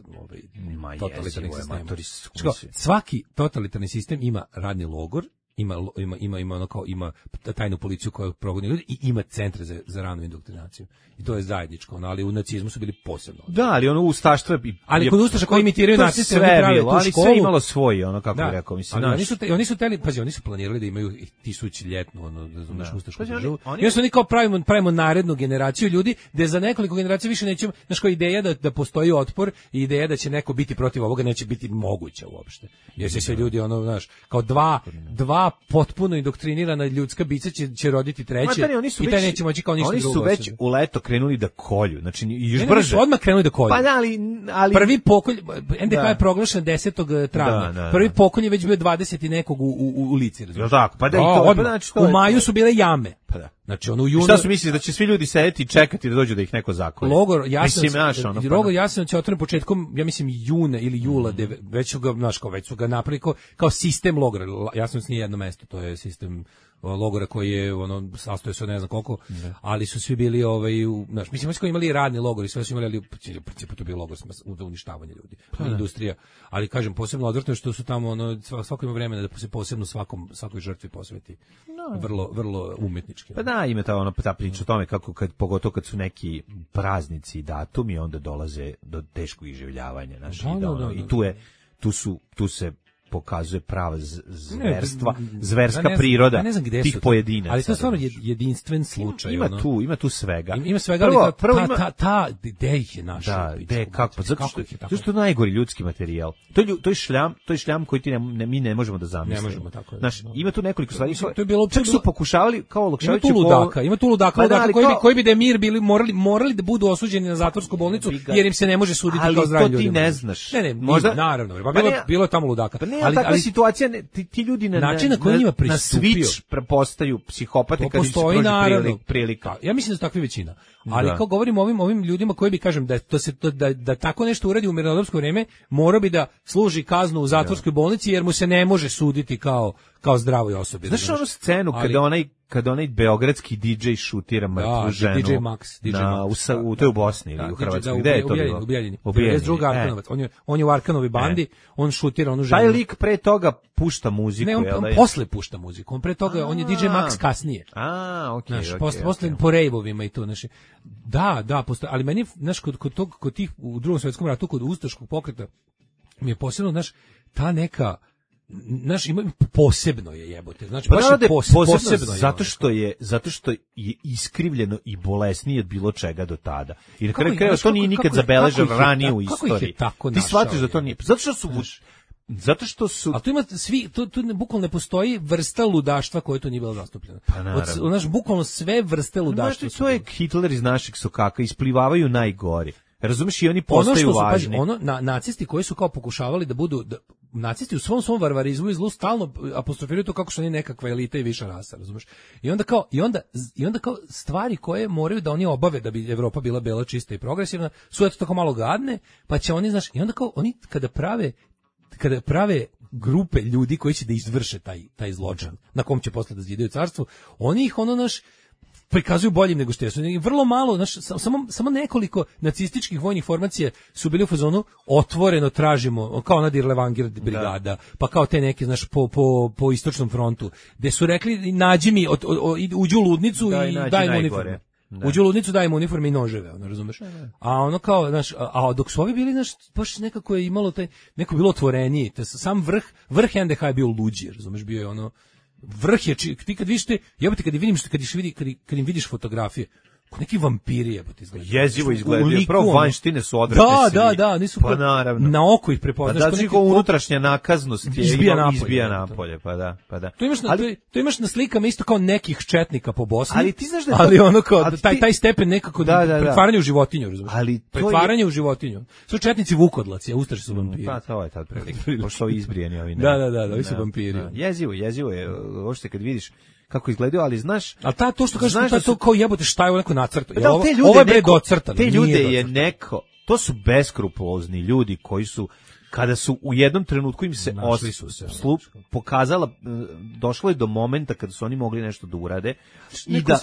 totalitarnih sistema. Svaki totalitarni sistem ima radni logor, ima tajnu policiju koja progoni ljudi i ima centre za ranu indoktrinaciju. I to je zajedničko, ali u nacizmu su bili posebno. Da, ali ono ustaštvo ali kod ustaša koji imitiraju naciste, oni prave tu školu. Ali sve imalo svoj, ono kako bi rekao, mislim. Oni su planirali da imaju 1000-ljetnu, razumeš, ustašku državu. I oni kao pravimo narednu generaciju ljudi, gde za nekoliko generacija više nećemo, znaš, kao ideja da postoji otpor i ideja da će neko biti protiv ovoga neće biti moguća uopšte. Jer se sve ljudi, znaš, kao dva potpuno indoktrinirana ljudska bića će roditi treće i taj neće moći kao ništa drugo. Oni su već u leto krenuli da kolju, znači još brže. Su odmah krenuli da kolju. Pa da, ali prvi pokolj, NDH je proglašen 10. travnja. Prvi pokolj je već bio 20 i nekog u ulici, razumiješ? Tako, pa da i to, znači to. U maju su bile jame. Pa da. Znači ono u junu. Šta su mislili da će svi ljudi sedeti i čekati da dođu da ih neko zakolje? Logor Jasenovac je otvoren početkom, ja mislim juna ili jula, već su ga napravili kao sistem logora. Jasenovac nije jedno mesto, to je sistem logora koji je sastoji se od ne znam koliko, ali su svi bili mislim smo imali radni logor i sve su imali, ali u principu to bio logor za uništavanje ljudi, industrija. Ali kažem, posebno odvrtno što su tamo svako ima vremena da se posebno svakoj žrtvi posveti. Vrlo vrlo umetnički. Pa da, ima ta priča o tome kako pogotovo kad su neki praznici i datumi, onda dolaze do teškog iživljavanja, i tu se pokazuje prava zverska priroda tih pojedinaca. Ali to je stvarno jedinstven slučaj. Ima tu svega. Ima svega, ali gde ih je našao? Zato što je najgori ljudski materijal. To je šljam koji mi ne možemo da zamislimo. Ne možemo, tako je. Ima tu nekoliko stvari. Čak su pokušavali kao Olakšević. Ima tu ludaka koji bi da je mir bili morali da budu osuđeni na zatvorsku bolnicu jer im se ne može suditi kao zdravim ljudima. Ali to ti ne znaš. Naravno. Bilo je tamo ludaka. Ali takva situacija, ti ljudi na switch prepostaju psihopate kad im se prođe prilika. Ja mislim da su takvi većina. Ali kao govorim ovim ljudima koji bi, kažem, da tako nešto uradi u mirnodopsko vreme, mora bi da služi kaznu u zatvorskoj bolnici jer mu se ne može suditi kao zdravoj osobi. Znaš onu scenu kada onaj beogradski DJ šutira mrtvu ženu? DJ Max. To je u Bosni ili u Hrvatskoj. Gde je to bilo? U Bijeljini. On je u Arkanovi bandi, on šutira onu ženu. Taj lik pre toga pušta muziku. Ne, on posle pušta muziku. On pre toga, on je DJ Max kasnije. Posle po rejvovima i to. Da, ali meni, kod tih u Drugom svjetskom ratu, kod ustaškog pokreta, mi je posebno, ta neka, ima posebno je jebote. Znači baš je posebno zato što je iskrivljeno i bolesnije od bilo čega do tada. I na kraju krajeva to nije nikad zabeleženo ranije u istoriji. Ti shvatiš da to nije. Zato što su a tu ima tu bukvalno ne postoji vrsta ludaštva koja to nije bila zastupljena. Bukvalno sve vrste ludaštva. To je Hitler iz naših sokaka, isplivavaju najgori. Razumeš, i oni postaju važni. Nacisti koji su kao pokušavali da budu nacisti u svom varvarizmu i zlu stalno apostrofiraju to kako su oni nekakva elita i viša rasa, razumeš? I onda kao stvari koje moraju da oni obave da bi Evropa bila bela, čista i progresivna, su eto tako malo gadne, pa će oni, znaš, i onda kao oni kada prave grupe ljudi koji će da izvrše taj zločin, na kom će posle da zidaju carstvo, oni ih prikazuju boljim nego što jesu. Vrlo malo, samo nekoliko nacističkih vojnih formacija su bili u fazonu otvoreno tražimo, kao ona Dirlevanger brigada, pa kao te neke, znaš, po istočnom frontu, gde su rekli nađi mi, uđi u ludnicu i daj mu uniformu. Uđi u ludnicu, daj mu uniforme i noževe, razumeš? A kao, znaš, a dok su ovi bili, znaš, baš nekako je imalo neko bilo otvoreniji, sam vrh NDH je bio luđi, razumeš, bio je vrh je, ti kad vidiš kad im vidiš fotografije, ko neki vampiri jebote izgledaju. Jezivo izgledaju, pravo vanjštine su odvratne. Da, nisu pa naravno. Na oko ih prepoznaš. Pa da, znači unutrašnja nakaznost je izbija napolje, pa da. To imaš na slikama isto kao nekih četnika po Bosni. Ali ti znaš da ali ono kao taj stepen nekako pretvaranje u životinju, razumiješ? Pretvaranje u životinju. Su četnici vukodlaci, a ustaši su vampiri. Pa to je tad prilike. Pošto izbrijeni ovi. Da, ovi su vampiri. Jezivo je, uopšte kad vidiš kako izgledaju, ali znaš... Ali to što kažeš, to kao jebote šta je ovo neko nacrto. Ovo je bre docrtano. Te ljude je neko... To su beskrupulozni ljudi koji su, kada su u jednom trenutku im se pokazala, došlo je do momenta kada su oni mogli nešto da urade. I da,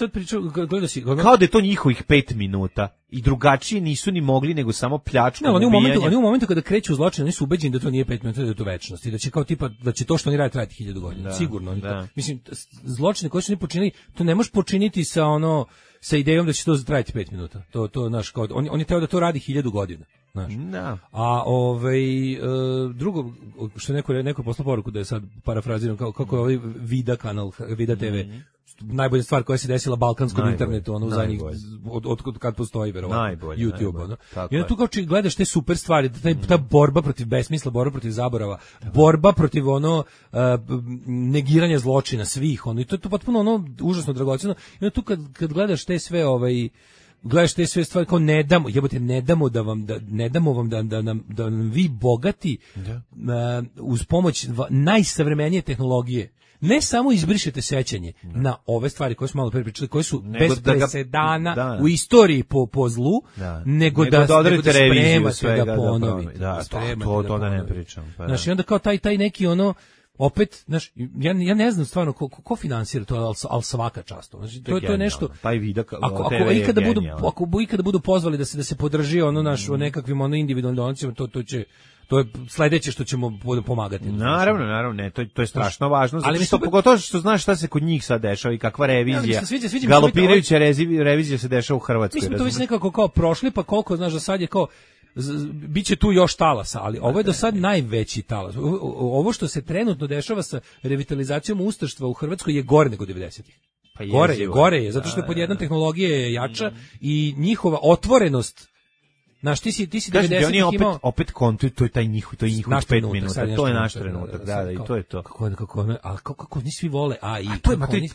kao da je to njihovih 5 minuta. I drugačije nisu ni mogli nego samo pljačkom. Oni u momentu kada kreću zločin, oni su ubeđeni da to nije 5 minuta, da je to večnost i da će kao tipa da će to što oni rade trajati 1000 godina. Sigurno. Mislim, zločine koje su oni počinili, to ne možeš počiniti sa idejom da će to trajati 5 minuta. To naš kao on je teo da to radi 1000 godina, znaš. A drugo što neko poslao poruku da je sad parafraziram kako je ovaj Vida kanal, Vida TV. Najbolja stvar koja se desila balkanskom internetu, u zadnjih od kad postoji verovatno YouTube, I onda tu kao gledaš te super stvari, ta borba protiv besmisla, borba protiv zaborava, borba protiv negiranja zločina svih, i to je potpuno užasno dragoceno. I onda tu kad gledaš te sve gledaš te sve stvari kao ne damo vam da nam vi bogati uz pomoć najsavremenije tehnologije ne samo izbrišete sećanje na ove stvari koje smo malo pre pričali, koje su bez presedana u istoriji po zlu, nego da spremate da ponovite. To da ne pričam. Znaš, i onda kao taj neki ono, opet, znaš, ja ne znam stvarno ko finansira to, ali svaka čast. Znači, to je nešto. Taj vidak, ako ikada budu pozvali da se podrži ono naš o nekakvim ono individualnim donacijama, to je sledeće što ćemo pomagati. Naravno, ne, to je strašno važno, zato što pogotovo što znaš šta se kod njih sad dešava i kakva revizija. Galopirajuća revizija se dešava u Hrvatskoj. Mislim to već nekako kao prošli, pa koliko znaš da sad je kao biće tu još talasa, ali ovo je do sad najveći talas. Ovo što se trenutno dešava sa revitalizacijom ustaštva u Hrvatskoj je gore nego 90-ih. Pa gore je, zato što je pod jedan tehnologija je jača i njihova otvorenost. Znaš, ti si 90-ih imao... Opet kontuju, to je taj njihov 5 minuta, to je naš trenutak, da, i to je to. Kako oni svi vole AI?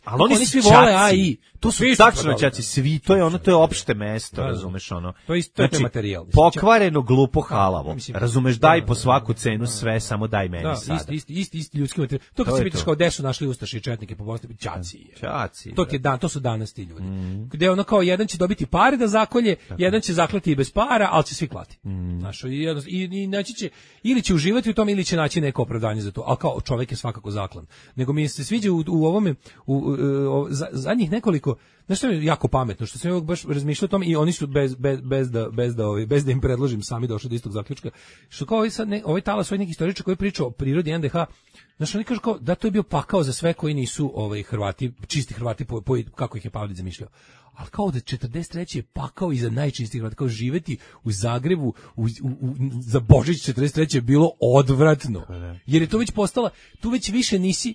Ali oni svi vole AI. To su tačno čaci, svi, to je opšte mesto, razumeš, ono. To je materijal. Pokvareno, glupo, halavo. Razumeš, daj po svaku cenu sve, samo daj meni sada. Isti ljudski materijal. To kad se pitaš kao gde su našli ustaše i četnike po Bosni, čaci. To su danas ti ljudi. Gde ono kao jedan će dobiti pare da zakolje, jedan će zaklati i bez para, ali će svi klati. Znaš, i naći će, ili će uživati u tom, ili će naći neko opravdanje za to. Ali kao čovjek je svakako zaklan. Nego mi se sviđa u ovome, zadnjih nekoliko, znaš što je jako pametno, što sam ja baš razmišljao o tom i oni su bez da im predložim sami došli do istog zaključka. Što kao ovaj talas, ovaj neki istoričar koji priča o prirodi NDH, znaš, oni kažu kao da to je bio pakao za sve koji nisu Hrvati, čisti Hrvati, kako ih je Pavlić zamišljao. Ali kao da 43. je pakao i za najčistih Hrvata, kao živeti u Zagrebu za Božić 43. je bilo odvratno. Jer je to već postala, tu već više nisi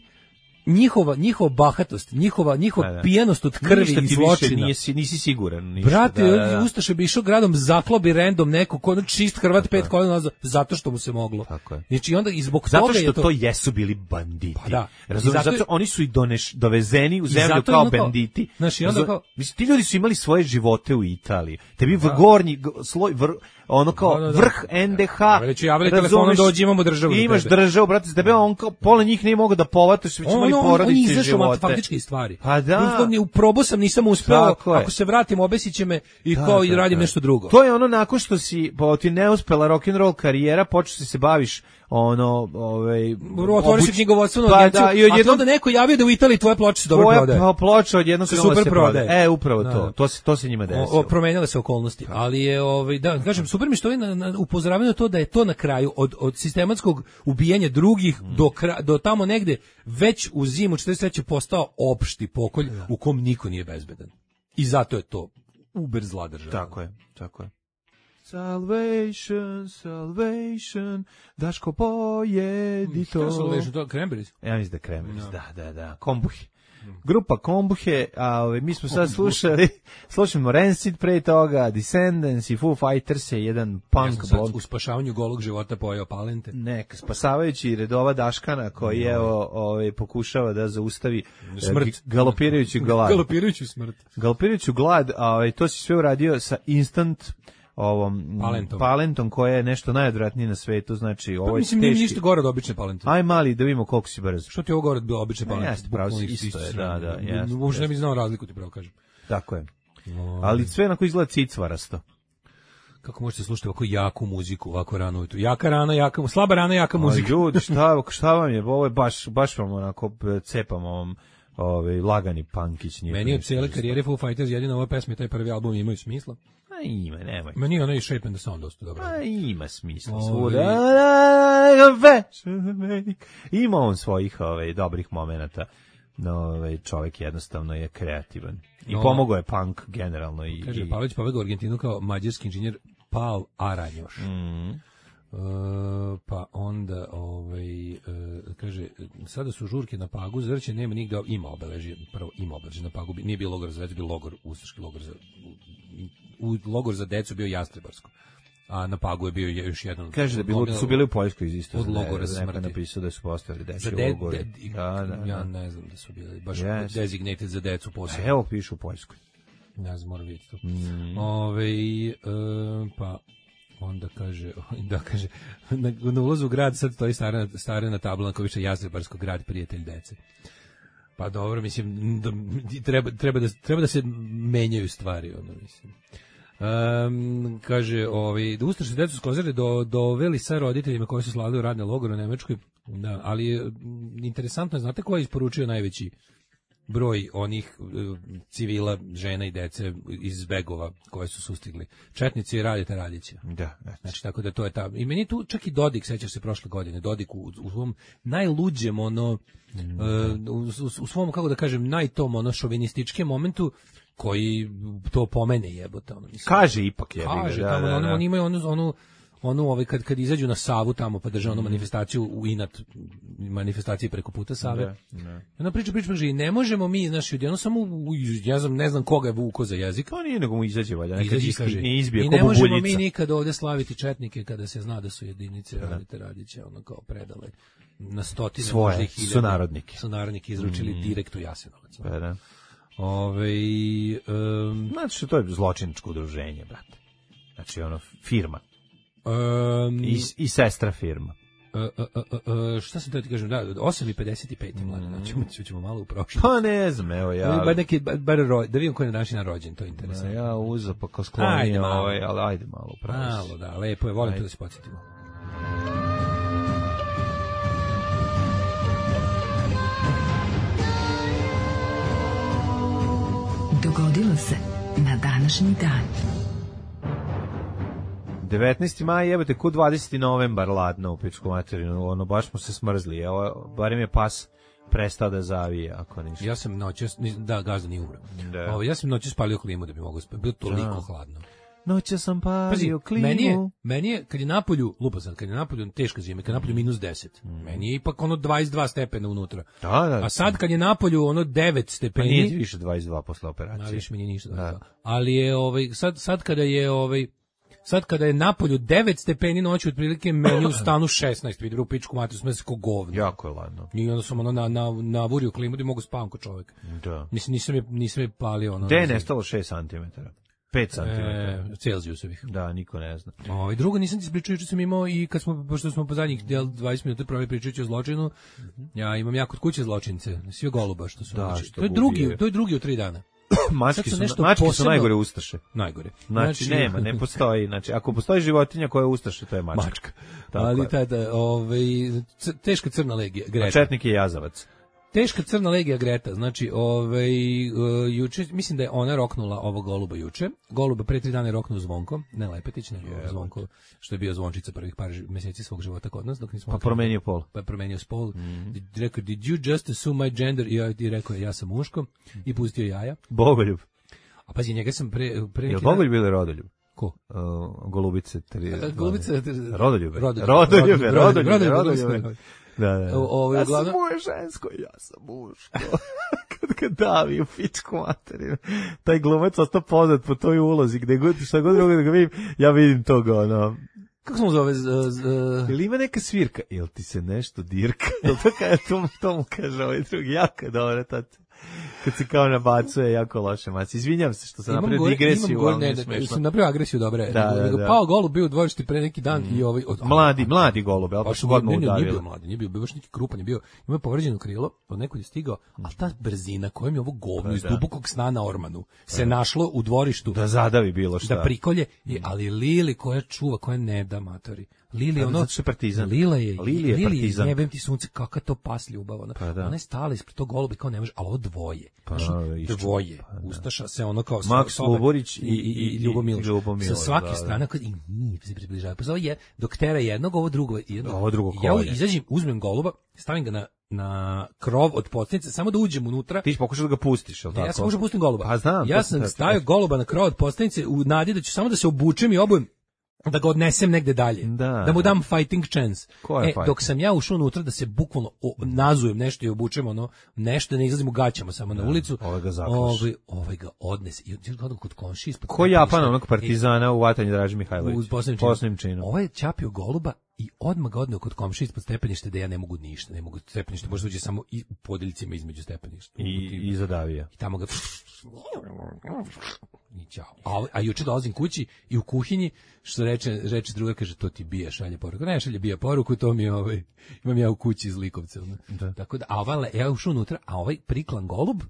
njihova bahatost, njihova pijanost od krvi i zločina. Nisi siguran. Brate, ustaše bi išao gradom, zaklobi random neko, ko čist Hrvat 5 godina nazad, zato što mu se moglo. Znači, onda i zbog zato toga je to... Zato što to jesu bili banditi. Pa da. Razumiješ, zato oni su i dovezeni u zemlju kao banditi. Znači, onda kao... Mislim, ti ljudi su imali svoje živote u Italiji. Tebi gornji sloj, ono kao vrh NDH. Već javili telefonom dođi, imamo državu. Imaš državu, brate, s tebe on kao pola njih nije mogao da povataš, već imali porodice i živote. Faktički stvari. Pa da. U probu sam nisam uspeo, ako se vratim obesit će me i kao i radim nešto drugo. To je ono nakon što ti ne uspela rock'n'roll karijera, počeo se baviš otvoriš knjigovodstvenu agenciju, a onda neko javio da u Italiji tvoje ploče se dobro prodaje. Tvoja ploča odjednom krenula se prodaje. Upravo to se njima desilo. Promenile se okolnosti, ali je, da, kažem, super mi što je upozoravaju na to da je to na kraju od sistematskog ubijanja drugih do tamo negde već u zimu 43. postao opšti pokolj u kom niko nije bezbedan. I zato je to uber zla država. Tako je. Salvation, Daško pojedi to. Kako Salvation, to Cranberries? Ja mislim da Cranberries, da. Kombuhe. Grupa Kombuhe, a mi smo sad slušamo Rancid pre toga, Descendants i Foo Fighters je jedan punk blog. U spašavanju golog života pojeo palente. Neka, spasavajući redova Daškana koji pokušava da zaustavi smrt. Galopirajuću glad. Galopirajuću glad, a to si sve uradio sa instant palentom koja je nešto najodvratnije na svetu, znači ovo je teški. Nije ništa gore od obične palente. Aj mali da vidimo koliko si brzo. Što ti je ovo gore od obične palente? Jeste, pravo si, isto je, da. Možda ne bi znao razliku, ti pravo kažem. Tako je. Ali sve onako izgleda cicvarasto. Kako možete slušati ovako jaku muziku, ovako rano ujutru? Slaba rana, jaka muzika. Ljudi, šta vam je? Ovo je baš vam onako cepamo vam lagani punkić. Meni od cijele karijere Foo Fighters jedina ova pesma i taj prvi album imaju smisla. Ima, nemoj. Meni je ono i Shape and the Sound dosta dobro. Ima smisla. Ima on svojih dobrih momenata. No, čovjek jednostavno je kreativan. I pomogao je punk generalno. Kaže, Pavlić pobegao u Argentinu kao mađarski inženjer Pal Aranjoš. Pa onda kaže, sada su žurke na Pagu, Zrće nema nigde, ima obeležje na Pagu, nije bio logor za decu, bio logor, ustaški logor logor za decu bio Jastrebarsko, a na Pagu je bio još jedan. Kaže da su bili u Poljskoj isto. Od logora smrti. Napisao da su postavili dečji logor. Ja ne znam da su bili baš designated za decu posebno. Evo pišu u Poljskoj. Ja znam, moram vidjeti to. Pa onda kaže, na ulazu u grad sad stoji starena tabla koja više Jastrebarsko grad, prijatelj dece. Pa dobro, mislim, treba da se menjaju stvari, ono, mislim. Kaže, da ustaše decu skozare doveli sa roditeljima koji su slavili u radne logore u Nemačkoj, da, ali interesantno je, znate ko je isporučio najveći broj onih civila, žena i dece iz Begova koje su sustigli? Četnici i Radeta Radića. Da. Znači, tako da to je ta... I meni tu čak i Dodik, sećaš se prošle godine, Dodik u svom najluđem, u svom, kako da kažem, šovinističkem momentu, koji to pomene jebote. Kaže ipak jebi ga. Kaže, oni imaju kad izađu na Savu tamo pa drže onu manifestaciju u inat manifestaciji preko puta Save. Ona priča i ne možemo mi, znaš, ljudi, samo ne znam koga je vuko za jezik. Pa nije, nego mu izađe valjda, neka izbije i ne možemo mi nikad ovde slaviti četnike kada se zna da su jedinice Radete Radića kao predale na stotine svoje sunarodnike izručili direkt u Jasenovac. Pa da. Znači, to je zločinačko udruženje, brate. Znači, firma. I sestra firma. Šta sam da ti kažem, 8:55 mlade, ćemo malo u prošlost. Pa ne znam, evo ja. Da vidim ko je na današnji dan rođen, to je interesantno. Ja uzeo pa kao sklonio, ali ajde malo u prošlost. Malo, da, lepo je, volim to da se podsjetimo. Dogodilo se na današnji dan. 19. maj, jebate, ku 20. novembar ladno u pičku materinu, baš smo se smrzli, evo, barem je pas prestao da zavije, ako ništa. Ja sam noćas, gazda nije umro. Ja sam noćas spalio klimu da bi mogo spati, bilo toliko hladno. Noćas sam palio klimu. Meni je, kad je napolju, kad je napolju teška zima, kad je napolju -10, meni je ipak 22 stepena unutra. Da. A sad kad je napolju 9 stepeni... Pa nije više 22 posle operacije. A više mi nije ništa. Da. Ali je, sad kada je napolju 9 stepeni noću, otprilike meni u stanu 16, vidi u pičku mater, smo se ko govno. Jako je ladno. I onda sam navurio klimu da mogu spavam ko čovjek. Da. Mislim, nisam je palio. Gde je nestalo 6 cm? 5 cm. Celzijusovih. Da, niko ne zna. Drugo, nisam ti ispričao, što sam imao i pošto smo po zadnjih 20 minuta proveli pričajući o zločinu, ja imam kod kuće zločince, sve goluba što su. Da, to je drugi u 3 dana. Mački su najgore ustaše. Najgore. Znači ne postoji. Znači, ako postoji životinja koja je ustaše, to je mačka. Ali tada, teška crna legija, Greta. Četnik je jazavac. Teška crna legija Greta, znači, juče, mislim da je ona roknula ovo goluba juče. Goluba pre 3 dana je roknuo Zvonko, ne Lepetić, nego Zvonko, što je bio zvončica prvih par meseci svog života kod nas. Dok nismo promenio pol. Pa promenio spol. Rekao, did you just assume my gender? I rekao, ja sam muško. I pustio jaja. Bogoljub. A pazi, njega sam pre... Je li Bogoljub ili Rodoljub? Ko? Golubice. Golubice... Rodoljube. Da. Ja sam moje žensko, ja sam muško. kad davi u pičku materinu. Taj glumac ostao poznat po toj ulozi, gde god, šta god drugo da ga vidim, ja vidim toga, Kako se mu zove? Ili ima neka svirka? Jel ti se nešto dirka? Jel to mu kaže ovaj drugi, jako dobro, tato. Kad se kao nabacuje, jako loše maci. Izvinjam se što sam napravio digresiju, ali nije smešno. Sam napravio agresiju, dobro je. Da. Pao golub bio u dvorišti pre neki dan i ovaj... Mladi golub, ali baš godno udavilo. Nije bio baš neki krupan, je bio, ima povređeno krilo, od nekog je stigao, ali ta brzina kojom je ovo govno iz dubokog sna na ormanu se našlo u dvorištu. Da zadavi bilo šta. Da prikolje, ali Lili koja čuva, koja ne da matori. Lili Lila je partizan. Jebem ti sunce, kakva to pas ljubav. Ona je stala ispred tog goluba kao ne može, ali ovo dvoje. Dvoje. Ustaša se ono kao Maks Luborić i Ljubomil. Sa svake strane i nije se približava. Pa je dok tera jednog, ovo drugo. Ja izađem, uzmem goluba, stavim ga na krov od podstanice, samo da uđem unutra. Ti pokušaš da ga pustiš, jel tako? Ja sam pokušao da pustim goluba. Pa znam. Ja sam stavio goluba na krov od podstanice u nadi da ću samo da se obučem i obujem, da ga odnesem negde dalje, da mu dam fighting chance. Dok sam ja ušao unutra da se bukvalno nazujem nešto i obučem nešto, ne izlazim u gaćama samo na ulicu, ovaj ga odnese i gledam kod komšije ispod. Ko Japan, onog partizana u vatanju Draže Mihajlović, poslednjim činom. Ovaj je ćapio goluba i odmah ga odneo kod komšije ispod stepenište da ja ne mogu ništa, ne mogu stepenište, možda uđe samo i u podeljcima između stepeništa. I zadavio. I tamo ga i ćao. A juče dolazim kući i u kuhinji, što reče druga, kaže, to ti bije, šalje poruku. Ne, šalje bije poruku, to mi imam ja u kući iz Likovca. Tako da, ja ušao unutra, a ovaj priklan golub,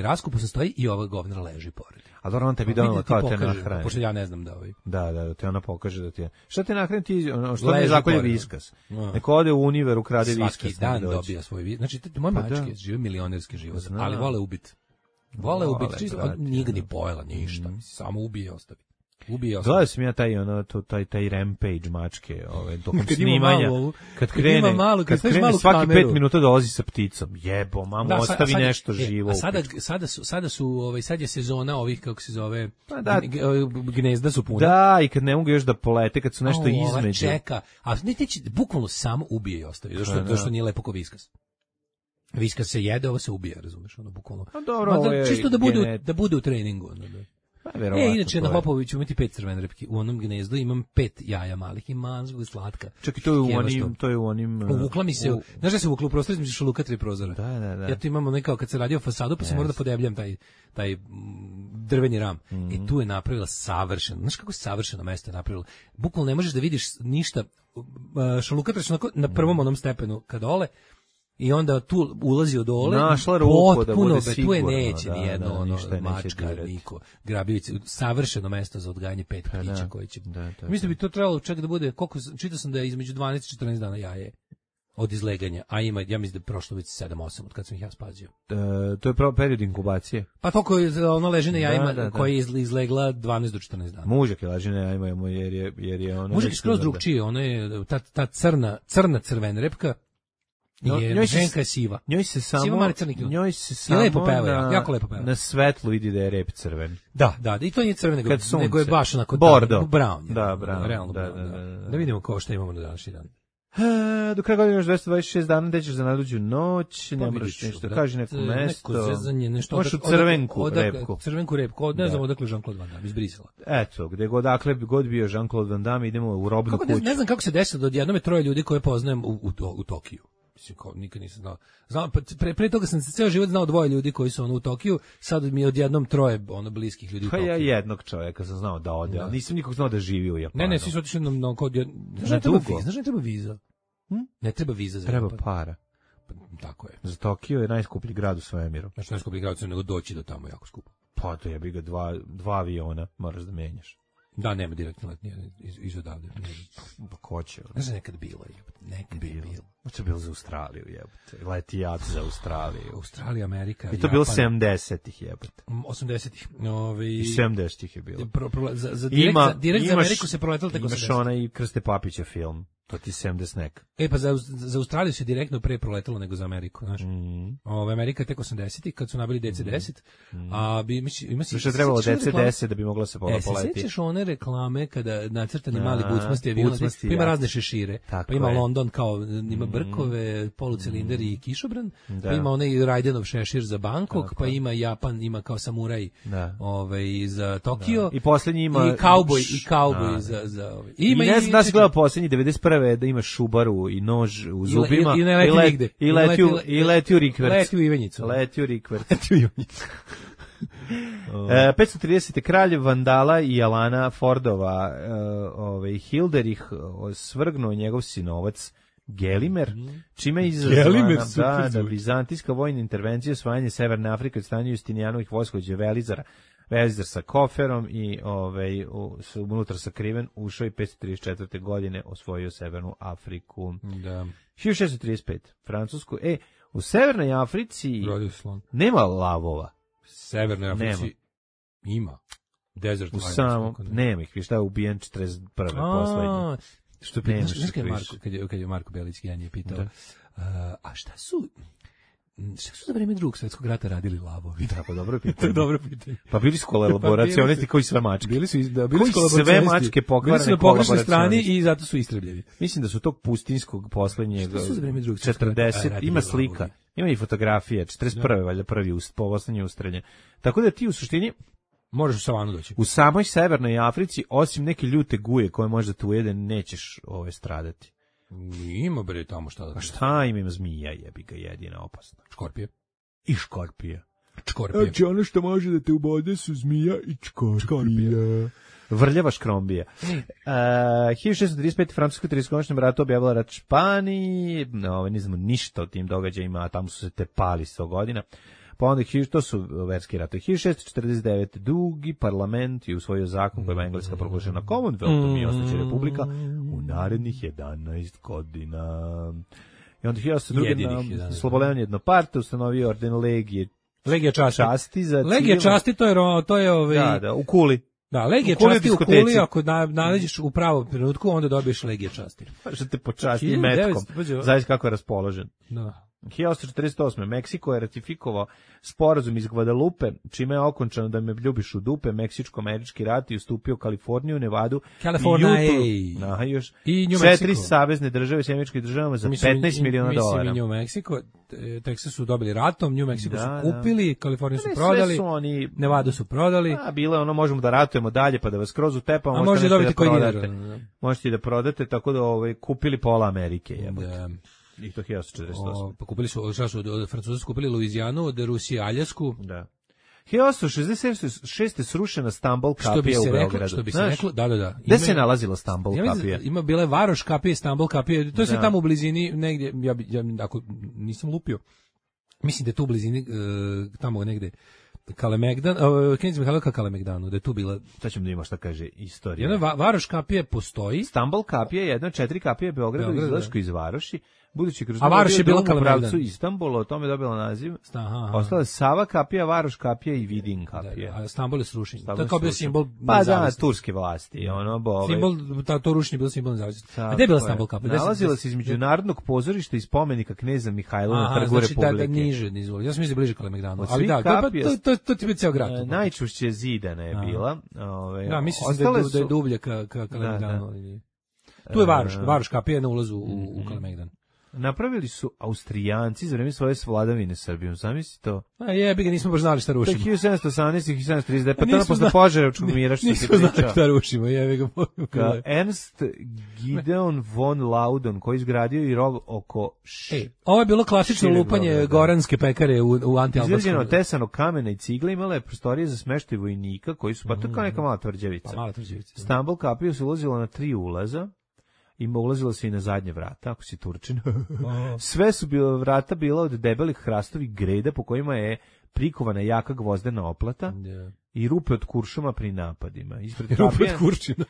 raskupu se stoji i ova govnara leži pored. A dobro, on tebi donela kao te nahrane. Pošto ja ne znam da Da, te ona pokaže da ti je. Šta te nahrani ti, što ne zakolje viskas? Neko ode u univer, ukrade viskas. Svaki dan dobija svoj viskas. Znači, moje mačke žive milionerski život, ali vole ubiti. Vole ubiti, nije ga ni pojela, ništa. Samo ubije i ostavi. Gledao sam ja taj rampage mačke, tokom snimanja. Kad krene svaki 5 minuta dolazi sa pticom. Jebo, mamo, ostavi nešto živo. Sad je sezona ovih, kako se zove, gnezda su puna. Da, i kad ne mogu još da polete, kad su nešto između. Čeka, a neće, bukvalno samo ubije i ostavi, zašto nije lepo ko viskas. Viskas se jede, ovo se ubije, razumeš, bukvalno. Čisto da bude u treningu, inače na Hopoviću imati 5 crvene repke. U onom gnezdu imam 5 jaja malih i manzgo slatka. Čak i to je u onim... Uvukla mi se, znaš da se uvukla u prostor između šaluka 3 prozora. Da. Ja tu imam nekao kad se radio fasadu, pa se mora da podebljam taj drveni ram. I tu je napravila savršeno. Znaš kako savršeno mesto je napravila? Bukvalno ne možeš da vidiš ništa. Šaluka 3 na prvom onom stepenu kad dole, i onda tu ulazi od dole, našla ruku da bude sigurno. Tu je neće nijedno mačka, niko, grabljivice, savršeno mesto za odgajanje 5 ptića koji će... Mislim da bi to trebalo čak da bude, čitao sam da je između 12 i 14 dana jaje od izleganja, a ima, ja mislim da je prošlo već 7-8 od kad sam ih ja spazio. To je period inkubacije. Pa toliko ona leži na jajima koja je izlegla 12 do 14 dana. Mužak je leži na jajima jer je ona... Mužak je skroz drugčije, ona je ta crvena repka, ženka je siva. Njoj se samo lepo peva, jako lepo peva. Na svetlu vidi da je rep crven. Da, i to nije crven, nego je baš onako bordo. Brown. Da, brown. Realno da vidimo šta imamo na današnji dan. Do kraja godine još 226 dana, gde ćeš za najluđu noć, ne moraš nešto, kaži neko mesto. Neko zezanje, nešto. Možeš u crvenku repku. Crvenku repku, ne znam odakle Jean-Claude Van Damme, iz Brisela. Eto, gde god bio Jean-Claude Van Damme, idemo u robnu kuću. Ne znam kako se desilo da odjednom je 3 ljudi koje poznajem u Tokiju. Nikad nisam znao. Pre toga sam se ceo život znao 2 ljudi koji su u Tokiju, sad mi je odjednom 3 bliskih ljudi u Tokiju. Pa ja jednog čovjeka sam znao da ode, ali nisam nikog znao da živi u Japanu. Ne, svi su otišli na kod... Znaš ne treba viza? Ne treba viza za Treba Japan. para. Tako je. Za Tokio je najskuplji grad u svemiru. Znači najskuplji grad u svemiru, nego doći do tamo jako skupo. Pa to jebi ga 2 aviona, moraš da menjaš. Da, nema direktno let iz odavde. Pa ko će? Ne znam, nekad bilo. Nekad je bilo. Možda je bilo za Australiju, jebote. Leti jad za Australiju. Australija, Amerika, Japan. I to bilo 70-ih, jebote. 80-ih. I 70-ih je bilo. Za direkt za Ameriku se proletalo tek 80-ih. Imaš onaj Krste Papića film. To ti 70 nek. Pa za Australiju se direktno pre proletalo nego za Ameriku, znaš. Amerika tek 80-ih, kad su nabili DC-10, a ima se... Što trebalo DC-10 da bi mogla se poleti. Se sjećaš one reklame kada nacrtani mali bucmasti avion, pa ima razne šešire, pa ima London kao, ima brkove, polucilinder i kišobran, pa ima onaj Rajdenov šešir za Bangkok, pa ima Japan, ima kao samuraj za Tokio, i poslednji ima... I kauboj za... I ne znam da si gledao poslednji 91. Da ima šubaru i nož u zubima i leti u rikverc. Leti u Ivanjicu. Leti u rikverc. 530. kralj Vandala i Alana Fordova Hilderich svrgnuo njegov sinovac Gelimer, čime je izazvana da vizantijska vojna intervencija osvajanje Severne Afrike od strane Justinijanovih vojskovođa Velizar sa koferom i unutra sakriven ušao i 534. godine osvojio Severnu Afriku. Da. 1635. Francusku. U Severnoj Africi nema lavova. Severnoj Africi ima. Desert nema ih, šta je ubijen 41. poslednji. Što je pitao, kad je Marko Belić Genije pitao, a šta su za vreme Drugog svjetskog rata radili lavovi? Da, pa dobro pitanje. To je dobro pitanje. Pa bili su kolaboracionisti koji sve mačke. Bili su sve mačke pokvarene. Bili su na pogrešnoj strani i zato su istrebljeni. Mislim da su tog pustinskog poslednjeg 40, ima slika, ima i fotografije, 41. valjda poslednje ustrelje. Tako da ti u suštini Možeš u savanu doći. U samoj severnoj Africi, osim neke ljute guje koje možda te ujede, nećeš stradati. Ima bre tamo šta da... Pa šta ima zmija, jebi ga, jedina opasna. Škorpije. I škorpije. Škorpije. Znači ono što može da te ubode su zmija i škorpije. Vrljava škrombija. 1635. Francuska 30-godišnjem ratu objavila rat Španiji. Ne znamo ništa o tim događajima, a tamo su se tepali 100 godina. Pa onda, to su verski ratovi. 1649. Dugi parlament je usvojio zakon kojima je Engleska proglašena Commonwealthom i ostaće republika u narednih 11 godina. I onda 1802. Slobodan Jednoparte ustanovio orden Legija časti. Legija časti, to je Da, u Kuli. Da, Legija časti u Kuli, ako naleđeš u pravom trenutku, onda dobiješ Legija časti. Pa što te počasti metkom, zavis kako je raspoložen. Da. 1848. Meksiko je ratifikovao sporazum iz Guadalupe, čime je okončano da me ljubiš u dupe, meksičko-američki rat i ustupio Kaliforniju, Nevadu i još sve 3 savezne države s američkim državama za $15 miliona. Mislim i New Mexico, Texas su dobili ratom, New Mexico su kupili, Kaliforniju su prodali, Nevadu su prodali. Bilo je ono, možemo da ratujemo dalje pa da vas kroz utepamo, a možete dobiti koji dinar. Možete da prodate, tako da kupili pola Amerike, jebote. I to 1848. Pa kupili su, Francuzi su kupili Luizijanu, od Rusije Aljasku. Da. 1866. srušena Stambol kapija u Beogradu. Što bi se reklo, da. Gde se nalazila Stambol kapija? Ima bile Varoš kapije, Stambol kapije, to je sve tamo u blizini, negdje, ja ako nisam lupio, mislim da je tu u blizini, tamo negde, Kalemegdan, Knez Mihajlo ka Kalemegdanu, da je tu bila... Sad ćemo da ima šta kaže istorija. Jedna Varoš kapija postoji. Stambol kapija je jedna od 4 kapije Beogradu, izlašku iz Varoši. Budući kroz Varoš je bila Kalemegdan. Pravcu Istanbula, o tome je dobila naziv. Ostala je Sava kapija, Varoš kapija i Vidin kapija. A Stambol je srušen. To je kao bio simbol turske vlasti. Simbol, to rušenje bilo simbol nezavisnosti. A gde je bila Stambol kapija? Nalazila se između Narodnog pozorišta i spomenika kneza Mihajla na Trgu Republike. Znači niže. Ja sam mislio bliže Kalemegdanu. Ali da, to ti bi ceo grad. Najčušće Zidana je bila. Da, mislim da je dublje ka Kalemegdanu. Tu je Varoš kapija na ulazu u Kalemegdan. Napravili su Austrijanci za vreme svoje vladavine Srbijom. Zamisli to? A jebi ga, nismo baš znali šta rušimo. 1718 i 1739, pa tada posle Požarevčkog mira što se pričao. Nismo znali šta rušimo, jebi ga. Ernst Gideon von Laudon, koji izgradio i rov oko... Ovo je bilo klasično lupanje goranske pekare u antialbanskom. Izgrađeno tesano kamena i cigle, imala je prostorije za smeštaj vojnika, koji su, pa to kao neka mala tvrđavica. Stambol kapiju se ulazilo na 3 ulaza. Ulazilo se i na zadnje vrata, ako si Turčin. Sve su vrata bila od debelih hrastovih greda po kojima je prikovana jaka gvozdena oplata i rupe od kuršuma pri napadima. Rupe od kuršina.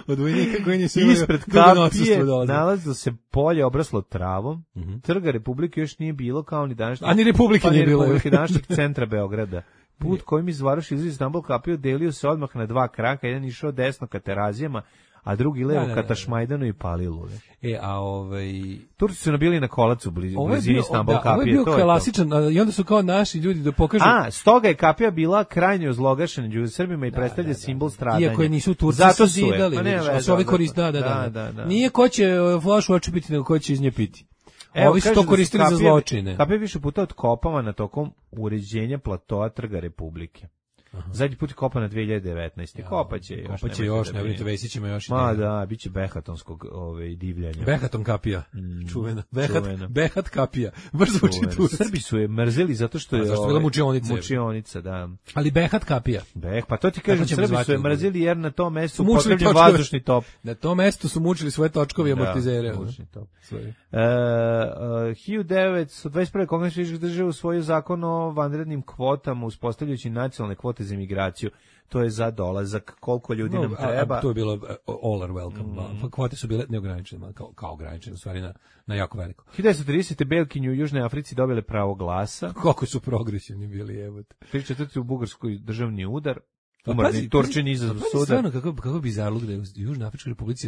Od vojnika koji nisu ispred kapije nalazilo se polje obraslo travom. Trga Republike još nije bilo, kao ni današnjeg... A ni Republike nije bilo. Današnjeg centra Beograda. Put kojim iz Varoši izlazi Stambol kapiju delio se odmah na 2 kraka. Jedan išao desno ka Terazijama, a drugi levo ka Tašmajdanu i Palilu. Turci su nabili na kolac u blizini Stambol kapije. Ovo je bio klasičan, i onda su kao naši ljudi da pokažu... stoga je kapija bila krajnje ozlogašena među Srbima i predstavlja simbol stradanja. Iako je nisu Turci zidali, su ovi koristili, Nije ko će flašu oči piti, nego ko će iz nje piti. Ovi su to koristili za zločine. Kapija više puta otkopavana tokom uređenja platoa Trga Republike. Zadnji put je kopana 2019. Kopaće još, ne brinite, Vesićima još. Da, bit će behatonskog divljanja. Behaton kapija, čuvena. Behat kapija, baš zvuči turski. Srbi su je mrzeli zato što je... Zašto je bila mučionica, da. Ali Behat kapija. Pa to ti kažem, Srbi su je mrzeli jer na tom mestu potrebljen vazdušni top. Na tom mestu su mučili svoje točkove i amortizere. 1921. Kongres Ujedinjenih država usvojio zakon o vanrednim kvotama, uspostavljajući nacionalne kvote za imigraciju. To je za dolazak, koliko ljudi nam treba. To je bilo all are welcome. Kvote su bile neograničene, kao ograničene, u stvari na jako veliko. 1930. Belkinje u Južnoj Africi dobile pravo glasa. Koliko su progresivni bili, evo. 34. u Bugarskoj državni udar. Umrni Turčini iza suda. Stvarno, kako bizarno da je u Južnoj Afričkoj Republici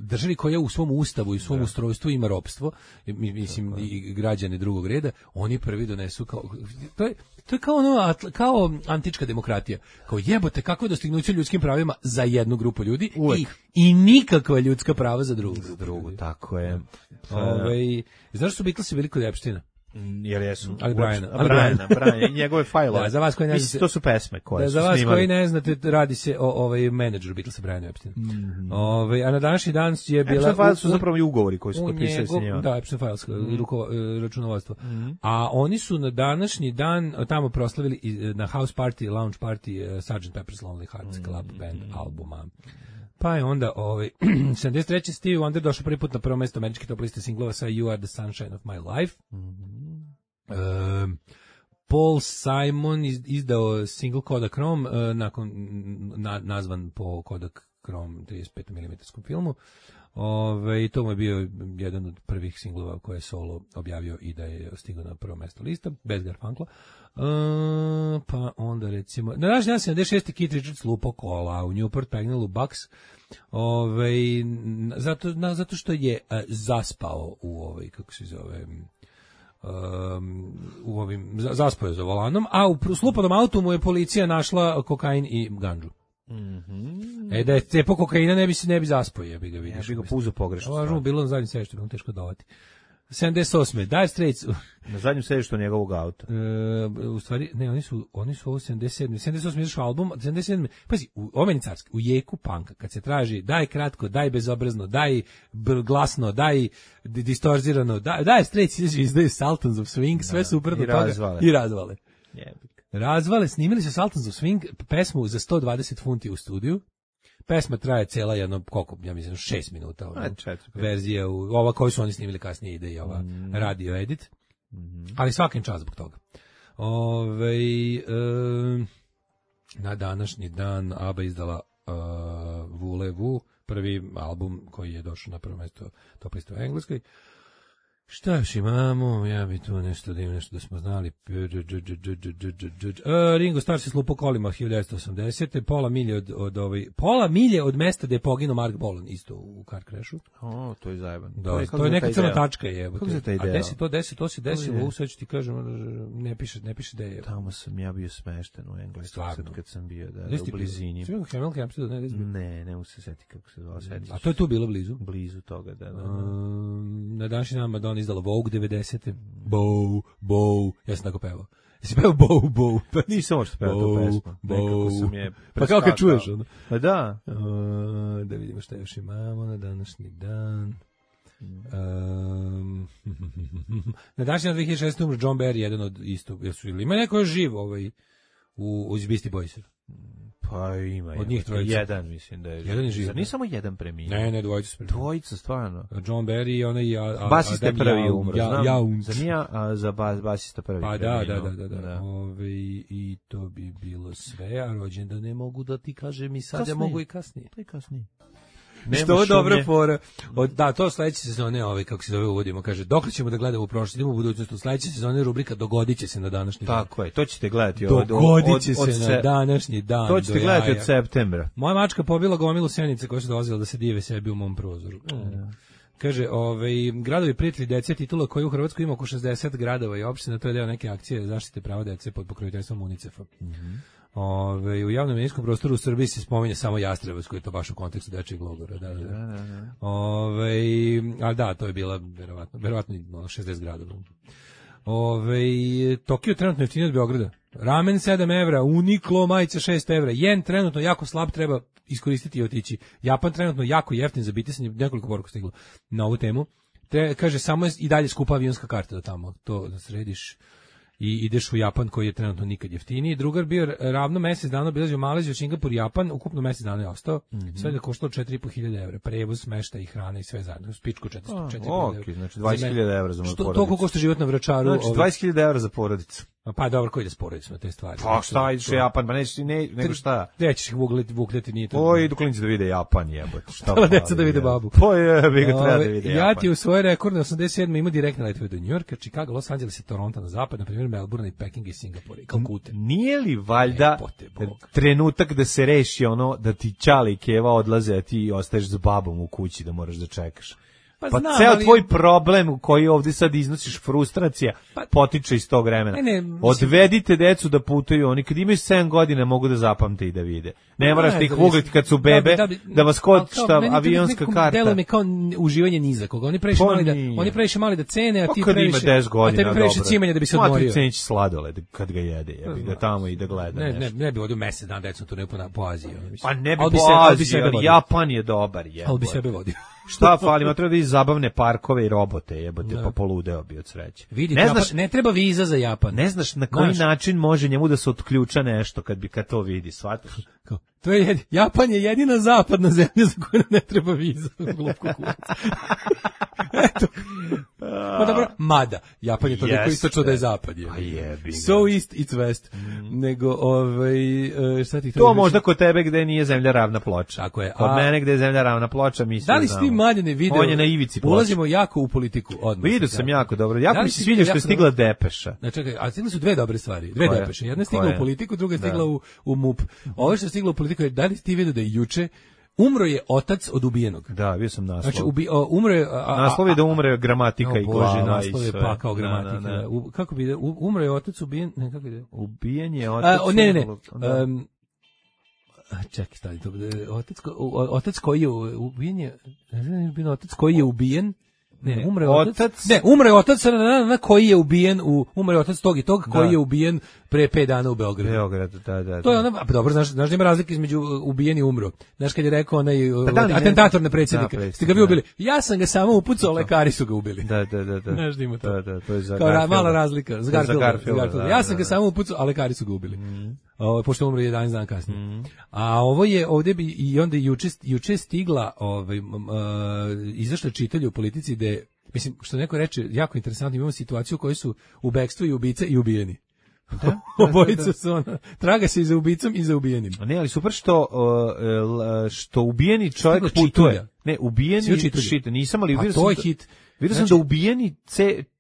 državi koja u svom ustavu i svom ustrojstvu ima ropstvo, mislim i građani drugog reda, oni prvi donesu to je kao antička demokratija. Kao jebote, kako je dostignuće ljudskim pravima za jednu grupu ljudi i nikakva ljudska prava za drugu. Tako je. Znaš su Beatlesi bili kod Epsteina? Jer jesu. Ali Briana. I njegove fajlove. Da, za vas koji ne znate, to su pesme koje su za vas snimali. koji ne znate, radi se o menadžeru Beatlesa Brianu Epsteinu. A na današnji dan je bila... Epstein Files su zapravo i ugovori koji su potpisali sa njima. Da, Epstein Files, računovodstvo. A oni su na današnji dan tamo proslavili na house party, lounge party Sgt. Pepper's Lonely Hearts Club Band albuma. Pa je onda 73. Stevie Wonder došao prvi put na prvo mesto američke top liste singlova sa You Are the Sunshine of My Life. Paul Simon izdao single Kodachrome nakon nazvan po Kodachrome 35 mm filmu. I to mu je bio jedan od prvih singlova koje je solo objavio i da je stigao na prvo mesto lista, bez Garfunkla. Pa onda recimo na današnji dan 76. Keith Richards lupo kola u Newport Pagnell u Bucks, zato što je zaspao u kako se zove, zaspao je za volanom, a u slupanom autu mu je policija našla kokain i gandžu. Da je cepo kokaina ne bi zaspao, ja bi ga vidiš. Ja bi ga puzao pogrešno. Možemo bilo na zadnjem sedištu, bilo teško davati. 78. Dire Straits. Na zadnjem sedištu njegovog auta. U stvari, ne, oni su ovo 77. 78. izašao album, 77. Pazi, omeni carski, u jeku panka, kad se traži daj kratko, daj bezobrazno, daj glasno, daj distorzirano, daj Straits izdaju Sultans of Swing, sve super do toga. I razvale. Razvale, snimili su Sultans of Swing, pesmu za 120 funti u studiju. Pesma traje cela jedno, koliko, ja mislim, 6 minuta. Verzija, ova koju su oni snimili kasnije ide i ova radio edit. Ali svakim čas zbog toga. Na današnji dan ABBA izdala Voulez-Vous, prvi album koji je došao na prvo mesto top liste u Engleskoj. Šta još imamo? Ja bi tu nešto da smo znali. Ringo Starr se slupo kolima 1980. Pola milje od mesta gde je poginuo Mark Bolan, isto u car crashu. To je zajeban. Da, to je neka crna tačka je. Kako se taj ideja? To se desilo, sad ću ti kažem, ne piše da je. Tamo sam ja bio smešten u Engleskoj kad sam bio u blizini. Ne mogu se setiti kako se zvao. A to je tu bilo blizu? Blizu toga, da. Na današnji dan Madonna izdala Vogue 90. Bow. Ja sam tako pevao. Jesi pevao Bow? Pa nisam možda pevao tu pesmu. Nekako sam je preskakao. Pa kao kad čuješ ono? Pa da. Da vidimo šta još imamo na današnji dan. Na današnji dan 2006. umro John Barry, jedan od isto. Ima neko još živ u Beastie Boysu? Pa ima. Od njih trojica. Jedan mislim da je. Jedan je živ. Zar nije samo jedan preminuo? Ne, dvojica su preminuo. Dvojica, stvarno. John Barry i onaj basista prvi umro, znam. Za nije, za basista prvi preminuo. Da. I to bi bilo sve, a rođendan ne mogu da ti kažem i sad, ja mogu i kasnije. Pa i kasnije. Što je dobra fora. Da, to sledeće sezone, kako se zove, uvodimo, kaže, dok ćemo da gledamo u prošlost, idemo u budućnost, u sledeće sezone rubrika Dogodit će se na današnji dan. Tako je, to ćete gledati Dogodit će se na današnji dan. To ćete gledati od septembra. Moja mačka pobila gomilu senice koje su dolazile da se dive sebi u mom prozoru. Kaže, gradovi prijatelji dece, titula koji u Hrvatskoj ima oko 60 gradova i opština, to je deo neke akcije zaštite prava dece pod pokroviteljstvom UNICEF-a. U javnom medijskom prostoru u Srbiji se spominje samo Jastrebac, koji je to baš u kontekstu dečijeg logora. Ali da, to je bila verovatno 60 gradova. Tokio trenutno jeftiniji od Beograda. Ramen 7 evra, Uniqlo majica 6 evra, jen trenutno jako slab, treba iskoristiti i otići. Japan trenutno jako jeftin za bitisanje, nekoliko poruka stiglo na ovu temu. Kaže, samo je i dalje skupa avionska karta do tamo, to da središ i ideš u Japan koji je trenutno nikad jeftiniji. Drugar bio ravno mesec dana obilazio Maleziju, Singapur, Japan, ukupno mesec dana je ostao. Sve da koštalo 4.500 evra. Prevoz, smeštaj i hrana i sve zajedno. Spičku 4.000 evra. Znači 20.000 evra za moju porodicu. Toliko košta život na Vračaru. Znači 20.000 evra za porodicu. Pa dobro, koji da s porodicom na te stvari? Pa šta, ideš u Japan, pa nećeš nego šta? Gde ćeš ih vukljati, nije to. Oj, idu klinici da vide Japan, jebote. Šta deca da vide babu. Pa je, treba da vide Japan. Ja ti u svoje rekordne 87. imao direktne letove do Njujorka, Chicago, Los Angeles i Toronto na zapad, na primjer Melbourne i Peking i Singapur i Kalkute. Nije li valjda trenutak da se reši ono da ti Ćale i Keva odlaze, a ti ostaješ s babom u kući da moraš da čekaš? Pa ceo tvoj problem u koji ovdje sad iznosiš frustracija potiče iz tog vremena. Odvedite decu da putuju, oni kad imaju 7 godina mogu da zapamte i da vide. Ne moraš ti ih ugliti kad su bebe, da vas košta avionska karta. Delo mi kao uživanje nizakoga. Oni previše mali da cene, a ti previše cimanja da bi se odmorio. Ma ti ceniš sladoled kad ga jede, jebi ga tamo i da gleda nešto. Ne bi vodio mesec dan decom tu po Aziji. Pa ne bi po Aziji, Japan je dobar. Ali bi sebe vodio. Šta fali, ma treba da vidi zabavne parkove i robote, jebote, pa poludeo bi od sreće. Vidi, ne treba viza za Japan. Ne znaš na koji način može njemu da se otključa nešto kad to vidi, shvataš? To je Japan je jedina zapadna zemlja za koju ne treba viza. Glup kukurac. Eto. Pa dobro, mada. Japan je toliko istočno da je zapad. Pa jebi. So east, it's west. Nego, šta ti to možda kod tebe gde nije zemlja ravna ploča. Tako je. Kod mene gde je zemlja ravna ploča, mislim. Da li si ti Mladene video? On je na ivici ploča. Ulazimo jako u politiku odmah. Vidio sam jako dobro. Jako mi se sviđa što je stigla depeša. Znači, čekaj, a stigle su dve dobre stvari. Dve depeše. Jedna je stigla u politiku, druga je stigla u MUP. Ovo što je stiglo u politiku je, da li ti vidio da je juče umro je otac od ubijenog. Da, bio sam naslov. Znači, umro je... naslov je da umre gramatika i glava. Bože, naslov je pakao gramatika. Kako bi umro je otac ubijen... Ne, kako ide? Ubijen je otac... Ne. Čekaj, stani to. Otac koji je ubijen je... Otac koji je ubijen... Ne, umre otac. Ne, umre otac koji je ubijen umre otac tog i tog koji je ubijen pre 5 dana u Beogradu. Da. To je ona, a dobro, znaš da ima razlika između ubijen i umro. Znaš kad je rekao onaj atentator na predsjednika, ste ga vi ubili. Ja sam ga samo upucao, lekari su ga ubili. Da. Znaš da ima to. Da, to je za kao mala razlika, za Garfielda. Ja sam ga samo upucao, a lekari su ga ubili. Pošto umro 11 dana kasnije. A ovo je ovdje bi i onda juče stigla izašla čitanje u politici da mislim što neko reče jako interesantno, imamo situaciju u kojoj su u bekstvu i ubice i ubijeni. Da? Obojica su ona. Traga se i za ubicom i za ubijenim. A ne, ali super što ubijeni čovjek putuje. Ne, ubijeni čita. Nisam, ali vidio sam hit. Vidio sam da ubijeni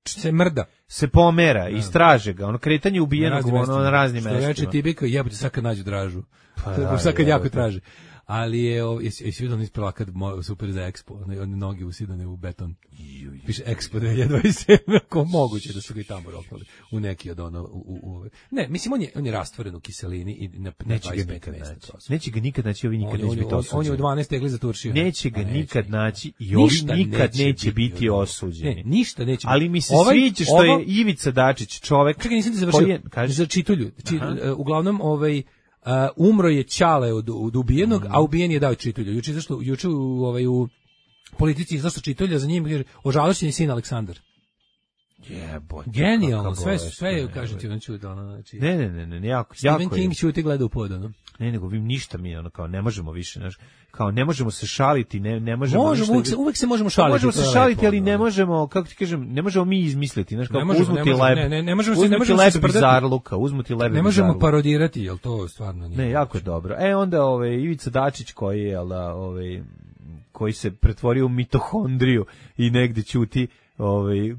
se mrda. Se pomera, istraže ga. Ono kretanje ubijenog na raznim mestima. Što reče Tibika, jebote sad kad nađu dražu. Sad kad jako traže. Ali jesi vidio on isprava kad super za Expo, one noge usidane u beton. Piše Expo 2027, ako moguće da su ga i tamo roknuli u neki od ono ne, mislim on je rastvoren u kiselini i na 25 mesta. Neće ga nikad naći, ovi nikad neće biti osuđeni. On je u 12 tegli zaturšio. Neće ga nikad naći i ovi nikad neće biti osuđeni. Ne, ništa neće. Ali mi se sviđa što je Ivica Dačić čovek. Čekaj, nisam ti završio. Za čitulju. Uglavnom umro je Ćale od ubijenog, a ubijen je dao čitulju. Juče u politici zašto čitulja za njim kaže ožalošćen je sin Aleksandar. Jebote. Genijalno, sve kaže ti znači da ona znači. Ne, jako. Stephen King ćuti gleda u pod, ono. Ne, nego vi ništa mi ono kao ne možemo više, znači kao ne možemo se šaliti, ne možemo uvek se možemo šaliti. Možemo se šaliti, ali ne možemo, kako ti kažem, ne možemo mi izmisliti, znači kao uzmuti lep. Ne možemo se bizarluka, uzmuti lep. Ne možemo parodirati, jel to stvarno nije. Ne, jako je dobro. Onda Ivica Dačić koji je koji se pretvorio u mitohondriju i negde ćuti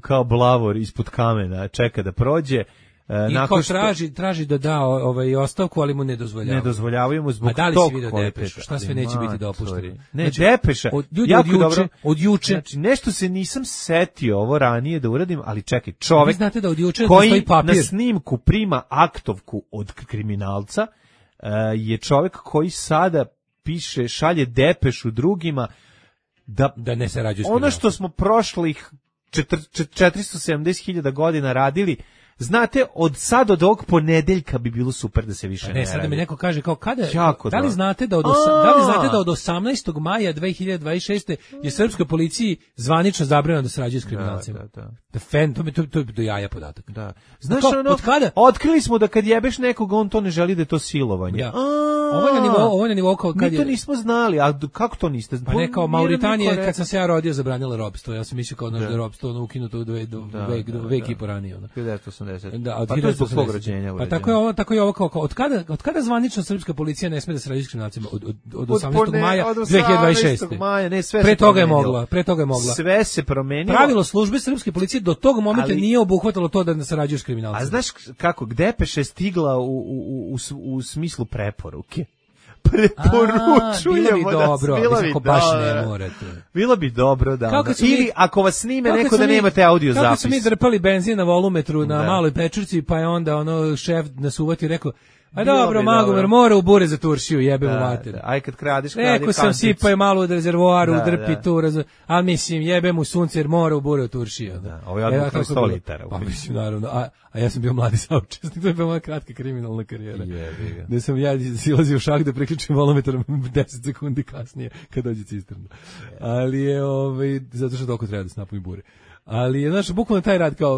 kao blavor ispod kamena, čeka da prođe. I nakon traži da da ostavku, ali mu ne dozvoljavaju. Ne dozvoljavaju mu zbog tog depeša. Šta sve neće biti dopušteno? Ne, depeša. Od juče. Znači, nešto se nisam setio ovo ranije da uradim, ali čekaj, čovek znate da od juče koji na snimku prima aktovku od kriminalca je čovek koji sada šalje depešu drugima da ne se rađu s ono što smo prošlih 470.000 godina radili. Znate, od ovog ponedeljka bi bilo super da se više ne radi. Sad da mi neko kaže kao kada, da li znate da od 18. maja 2026. je srpskoj policiji zvanično zabranjeno da sarađuje s kriminalcima. To je do jaja podatak. Da. Znaš od kada? Otkrili smo da kad jebeš nekog, on to ne želi da je to silovanje. Ja. Ovo je na nivou kao kad mi to nismo znali, a kako to niste? Pa ne, kao Mauritanija, kad sam se ja rodio, zabranila ropstvo. Ja sam mislio kao da je ropstvo ukinuto vek i po ranije. Da, pa to je zbog svog rođenja. Pa tako je ovo kao od kada zvanično srpska policija ne sme da sarađuje s kriminalcima? Od 18. maja 2026. Pre toga je mogla. Sve se promenilo. Pravilo službe srpske policije do tog momenta nije obuhvatalo to da ne sarađuje s kriminalcima. A znaš kako, depeša je stigla u smislu preporuke. preporučujemo da bilo bi baš ne morate. Bilo bi dobro da. Ili ako vas snime neko da nemate audio zapis. Kako su mi drpali benzin na volumetru na maloj pečurci, pa je onda šef nas uvati i rekao: a dobro, Magomer mora u bure za Turšiju, jebe mu mater. Aj kad kradiš, rekao sam sipao je malo od rezervoaru, drpi tu, ali mislim jebe mu sunce jer mora u bure u Turšiju. Ovo je odmah 100 litara. Pa mislim, naravno, a ja sam bio mladi saučesnik, to je bila moja kratka kriminalna karijera. Da sam ja silazio u šah da priključim volumetar 10 sekundi kasnije kad dođe cisterna. Ali je, zato što toliko treba da se napuni bure. Ali je, znaš, bukvalno taj rad kao,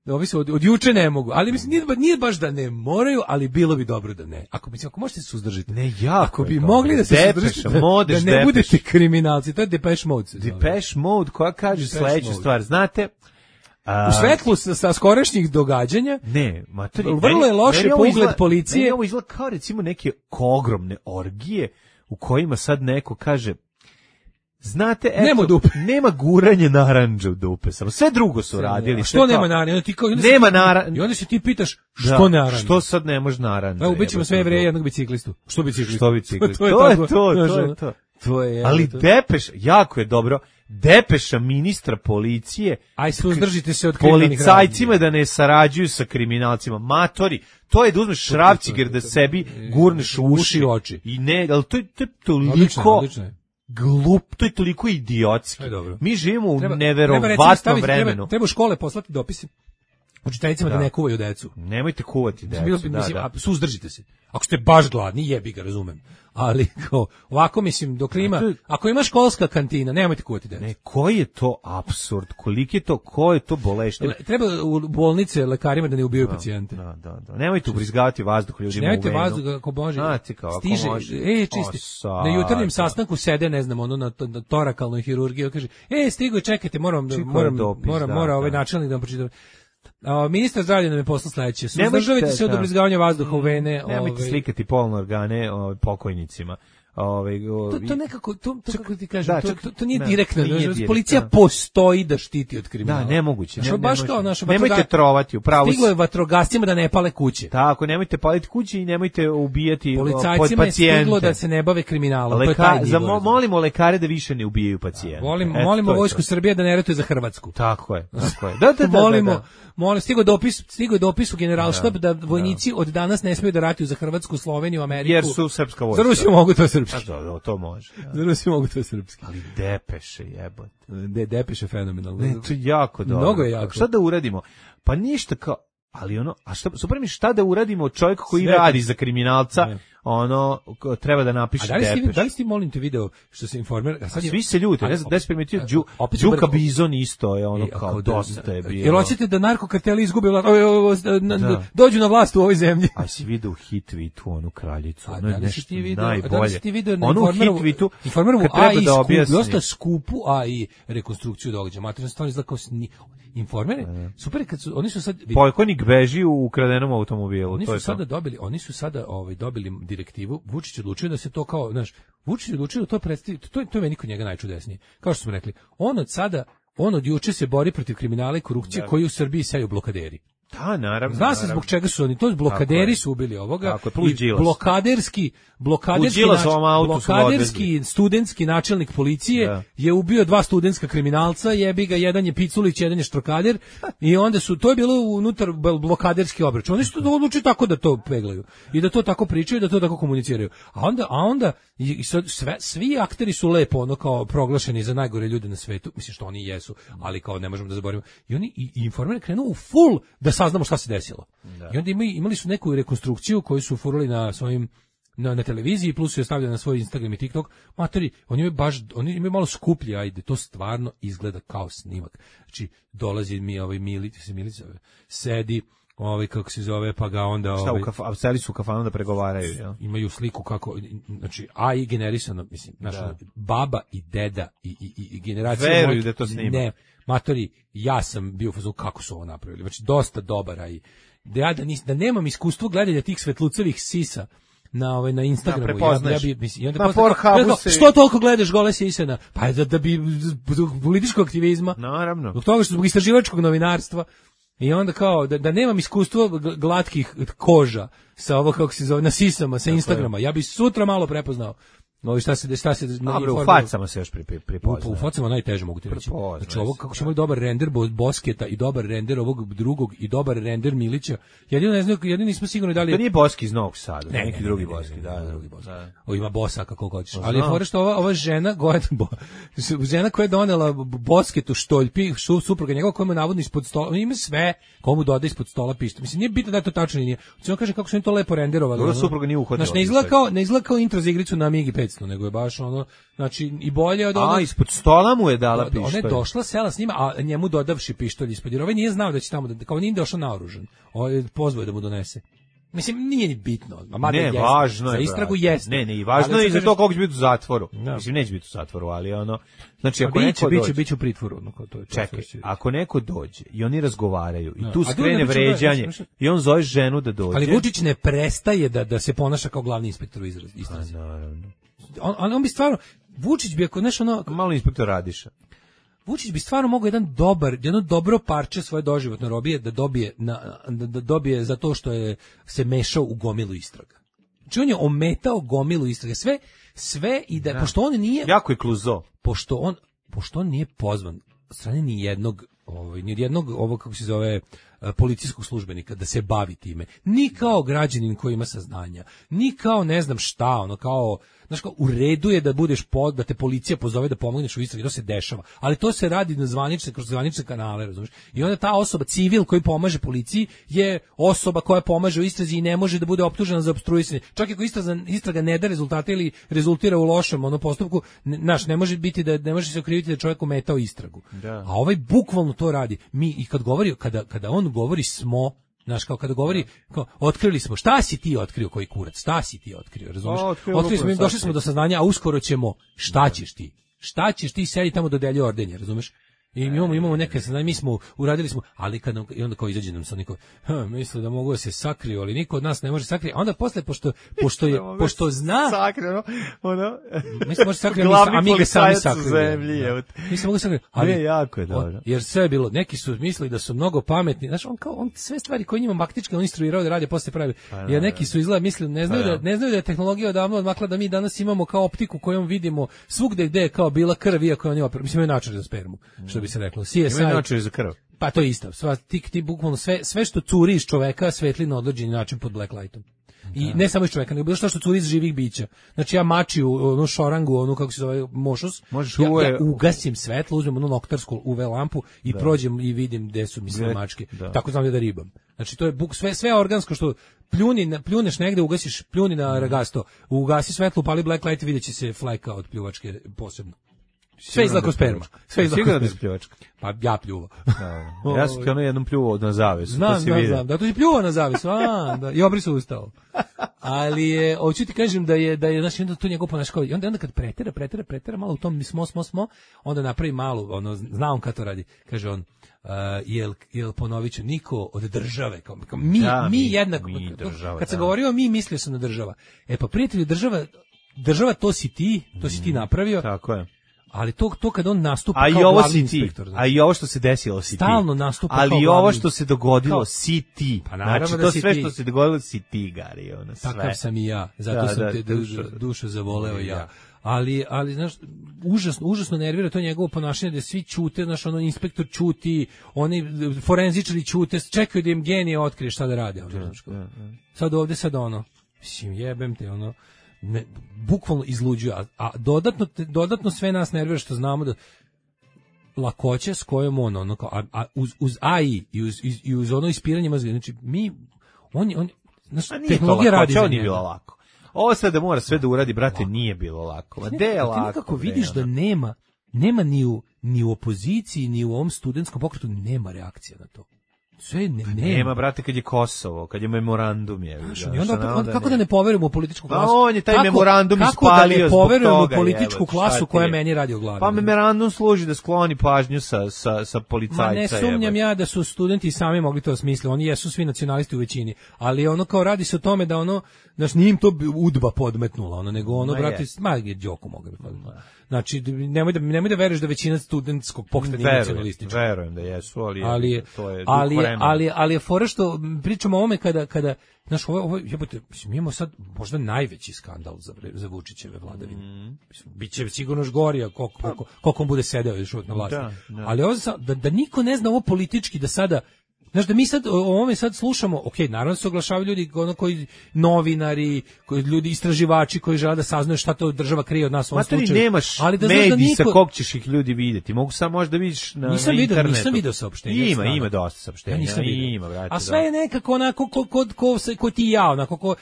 ovi su od juče ne mogu, ali mislim nije baš da ne moraju, ali bilo bi dobro da ne. Ako možete se suzdržiti. Ne, jako. Ako bi mogli da se suzdržite, da ne budete kriminalci, to je Depeche Mode. Depeche Mode koja kaže sledeću stvar, znate, u svetlu sa skorašnjih događanja, vrlo je loše pogled policije. Meni ovo izgleda kao recimo neke ogromne orgije u kojima sad neko kaže: znate, nema guranje narandža u dupe, samo sve drugo su radili. Što nema narandža? Nema narandža. I onda se ti pitaš što narandža? Što sad ne može narandža? Evo, ubićemo sve Jevreje jednog biciklistu. Što biciklistu? To je. Ali Depeš, jako je dobro, depeša ministra policije. Aj, suzdržite se od kriminalnih policajcima da ne sarađuju sa kriminalcima. Matori, to je da uzmeš šrafciger da sebi gurneš u uši. I ne, ali to je toliko glup, to je toliko idiotski. Mi živimo u neverovatnom vremenu. Treba u škole poslati dopise učiteljicama da ne kuvaju decu. Nemojte kuvati decu. Suzdržite se. Ako ste baš gladni, jebi ga, razumem. Ali ovako, mislim, dok ima, ako ima školska kantina, nemojte kuvati decu. Ne, koji je to apsurd? Ko je to boleština? Treba u bolnice lekarima da ne ubijaju pacijente. Da. Nemojte ubrizgavati vazduh ljudima u venu. Nemojte vazduh, ako može. Stiže, čisti. Na jutarnjem sastanku sede, ne znam, na torakalnoj hirurgiji, kaže: stigo, čekajte, mora ovaj načelnik da vam pročitam. Ministar zdravlja nam je poslao sledeće: suzdržavajte se od ubrizgavanja vazduha u vene. Nemojte slikati polne organe pokojnicima. To nekako, kako ti kažem, to nije direktno. Policija postoji da štiti od kriminala. Da, nemoguće. Nemojte trovati, upravo. Stiglo je vatrogascima da ne pale kuće. Tako, nemojte paliti kuće i nemojte ubijati pacijente. Policajcima je stiglo da se ne bave kriminalom. Molimo lekare da više ne ubijaju pacijente. Molimo Vojsku Srbije da ne ratuje za Hrvatsku. Tako je. Molimo, stigo je dopis u Generalštab da vojnici od danas ne smiju da ratuju za Hrvatsku, Sloveniju, Ameriku. Jer su srpska vojska. Za Rusiju mogu to srpski. To može. Za Rusiju mogu to srpski. Ali Depeše, jebote. Depeše je fenomenalno. Ne, to je jako dobro. Mnogo je jako. Šta da uradimo? Pa ništa kao, ali super mi šta da uradimo čovjek koji radi za kriminalca, treba da napiše Depeš. Da li ste, molim te, video što se Informer... Svi se ljute, ne znam, da se primetio, Đuka Bizon isto je kao dosta je bio. Jer hoćete da narkokarteli izgube dođu na vlast u ovoj zemlji. A si vidio u hit tweetu onu kraljicu, ono je nešto najbolje. Da li si ti video na Informerovu AI dosta skupu AI rekonstrukciju događaja. Materijalno stvarno izgleda kao Informere. Super, kad su, oni su sad... Pojkonik beži u ukradenom automobilu. Oni su sada dobili direktivu. Vučić odlučio da se to kao, Vučić odlučio da to predstavi, to je meni kod njega najčudesnije. Kao što smo rekli, on od juče se bori protiv kriminala i korupcije koji u Srbiji seju blokaderi. Da, naravno. Zna se zbog čega su oni, to blokaderi su ubili ovoga. Tako je, plus Đilas. Blokaderski studentski načelnik policije je ubio 2 studentska kriminalca, jebi ga, jedan je Piculić, jedan je Štrokader, i onda to je bilo unutar blokaderski obračun. Oni su to odlučili tako da to peglaju i da to tako pričaju, da to tako komuniciraju. A onda svi akteri su lepo kao proglašeni za najgore ljude na svetu, mislim što oni jesu, ali kao ne možemo da zaboravimo. I oni Informer krenuo u full da saznamo šta se desilo. Da. I onda imali su neku rekonstrukciju koju su furali na svojim na televiziji, plus su je stavljali na svoj Instagram i TikTok. Matori, oni imaju malo skuplji, ajde, to stvarno izgleda kao snimak. Znači, dolazi mi Milica, sedi, kako se zove, pa ga onda... A celi su u kafanu da pregovaraju, jel? Imaju sliku kako, znači, AI generisano, mislim, baba i deda i generacija... Veruju da to snima. Ne, matori, ja sam bio u fazonu kako su ovo napravili, znači, dosta dobar AI. Da nemam iskustvo gledanja tih svetlucevih sisa na Instagramu, što toliko gledaš gole sisena? Pa da bi zbog političkog aktivizma, naravno, zbog toga što zbog istraživačkog novinarstva. I onda kao da nemam iskustvo glatkih koža sa ovo kako se zove na sisama sa Instagrama. Ja bih sutra malo prepoznao. No šta se u facama se još prepoznaje. U facama najteže mogu ti reći. Znači ovo kako smo imali dobar render Bosketa i dobar render ovog drugog i dobar render Milića. Jedino nismo sigurni da li to nije Boski iz Novog Sada, neki drugi Boski, drugi Boski. O ima Bosa kako hoćeš. Ali je fora što ova žena žena koja je donela Bosketu štoljpi, supruga njegova koja mu navodno ispod stola, ima sve, komu doda ispod stola pištolj. Mislim nije bitno da je to tačno nije. Hoćemo kaže kako su oni to lepo renderovali. Dobro supruga nije uhodila. Znači ne izgleda kao intro za igricu na Amigi 500, nego je baš ono, znači i bolje od onog. Ispod stola mu je dala pištolj. Ona je došla, sela s njima, a njemu dodavši pištolj ispod. Jer ovaj nije znao da će tamo kao nije došao naoružan. Ovaj pozvao da mu donese. Mislim nije ni bitno. Ne, važno je. Za istragu jeste. Ne, i važno je i za to kako će biti u zatvoru. Mislim neće biti u zatvoru, ali ono, znači ako neko dođe, biće u pritvoru, no to je. Čekaj, ako neko dođe i oni razgovaraju i tu skrene vređanje i on zove ženu da dođe. Ali Vučić ne prestaje da se ponaša kao glavni inspektor u istrazi. Naravno. On bi stvarno Vučić bi ako nešto ono malo inspektor Radiša. Vučić bi stvarno mogao jedno dobro parče svoje doživotne robije da dobije za to što je se mešao u gomilu istraga. Znači on je ometao gomilu istrage, sve i da pošto on nije jako je kluzo. Pošto on nije pozvan od strane ni jednog ovog kako se zove policijskog službenika da se bavi time. Ni kao građanin koji ima saznanja, ni kao ne znam šta, ono kao znaš kao, u redu je da budeš da te policija pozove da pomogneš u istragi, to se dešava, ali to se radi kroz zvanične kanale, razumiješ? I onda ta osoba, civil koji pomaže policiji, je osoba koja pomaže u istrazi i ne može da bude optužena za opstruisanje. Čak i ako istraga ne da rezultate ili rezultira u lošem postupku, ne može biti ne može se okriviti da je čovjek ometao istragu. Da. A ovaj bukvalno to radi. Mi i kada on govori smo, znaš, kao kada govori, kao, otkrili smo, šta si ti otkrio koji kurac, šta si ti otkrio, razumiješ? Otkrili smo, došli smo do saznanja, a uskoro ćemo, šta ćeš ti sedi tamo dodeljuje ordenje, razumiješ? I imamo neke saznanja, uradili smo, ali i onda kao izađe nam sa niko, misle da mogu da se sakriju, ali niko od nas ne može sakriti, a onda posle, pošto zna, mislim može sakriti, a mi ga sami sakriju. Mislim mogu sakriti, ali jako je dobro. Jer sve je bilo, neki su mislili da su mnogo pametni, znaš, on sve stvari koje njima maktički on instruirao da rade, posle pravi, jer neki su izgleda mislili, ne znaju da je tehnologija odavno odmakla, da mi danas imamo kao optiku kojom vidimo svugde gde je kao bila krv, iako on ima, mislim, imaju način za spermu, što bi se reklo. CSI. Ima način za krv. Pa to je isto. Ti bukvalno sve što curi iz čoveka svetli na određeni način pod blacklightom. I ne samo iz čoveka, nego bilo što curi iz živih bića. Znači ja mačiju, onu šorangu, kako se zove, mošus, ja ugasim svetlo, uzmem onu noktarsku UV lampu i prođem i vidim gde su mi mačke. Tako znam da ribam. Znači to je sve organsko što pljuneš negde, ugasiš, pljuni na ragasto, ugasi svetlo, upali blacklight i vidjet će se fleka od pljuvačke posebno. Sve izgleda kao sperma. Sigurno da je pljuvačka. Pa ja pljuvao. Ja sam kao jednom pljuvao na zavesu. Znam. Da, to si pljuvao na zavesu. Da. I obrisao ustao. Ali hoću ti kažem da je znači onda to njegov ponašanje. I onda kad pretera malo u tom smo, onda napravi malo, zna on kad to radi. Kaže on, jel ponovit ću, niko od države, kao mi jednako. Kad sam govorio mi, mislio sam na država. Pa prijatelju, država to si ti napravio. Tako je. Ali to kad on nastupa kao glavni inspektor. A i ovo što se desilo si ti. Stalno nastupa kao glavni. Ali ovo što se dogodilo si ti. Pa naravno znači, da to sve što se dogodilo si ti, Gari. Sve. Takav sam i ja. Zato sam te dušu zavoleo ja. Ali znaš, užasno nervira to njegovo ponašanje da svi ćute, znaš, inspektor ćuti, oni forenzičari ćute, čekaju da im genije otkrije šta da rade. Sad ovde, mislim, jebem te, bukvalno izluđuje, a dodatno sve nas nervira što znamo da lakoće s kojom uz AI i uz ono ispiranje mozga, znači tehnologija radi za njega. Nije bilo lako. Ovo sad da mora sve da uradi, brate, nije bilo lako. Ti nekako vidiš da nema ni u opoziciji, ni u ovom studentskom pokretu nema reakcija na to. Sve nema, brate, kad je Kosovo, kad je memorandum je. Onda kako da ne poverujemo u političku klasu? On je taj memorandum ispalio zbog toga. Kako da ne poverujemo u političku klasu koja meni radi o glavi? Pa memorandum služi da skloni pažnju sa policajca. Ma ne sumnjam ja da su studenti sami mogli to smisliti. Oni jesu svi nacionalisti u većini, ali kao radi se o tome da znaš, nije im to udba podmetnula, nego brate, je Đoko mogao bi podmetnuti. Znači, nemoj da veruješ da većina studentskog pokreta nije nacionalistička. Verujem da jesu, ali ali je fora što pričamo o ovome kada znaš, ovo jebote, mi imamo sad možda najveći skandal za Vučićeve vladavine. Biće sigurno još gorija koliko on bude sedeo još na vlasti. Ali ovo da niko ne zna ovo politički, da sada znaš, da mi sad o ovome sad slušamo, naravno se oglašavaju ljudi koji novinari, koji ljudi istraživači koji žele da saznaju šta to država krije od nas u ovom slučaju. Nemaš mediji sa kog ćeš ih ljudi vidjeti. Mogu samo možda vidiš na internetu. Nisam video saopštenja. Ima dosta saopštenja. Ja nisam vidio. Ima, brate, a sve je nekako onako ko ti i ja, onako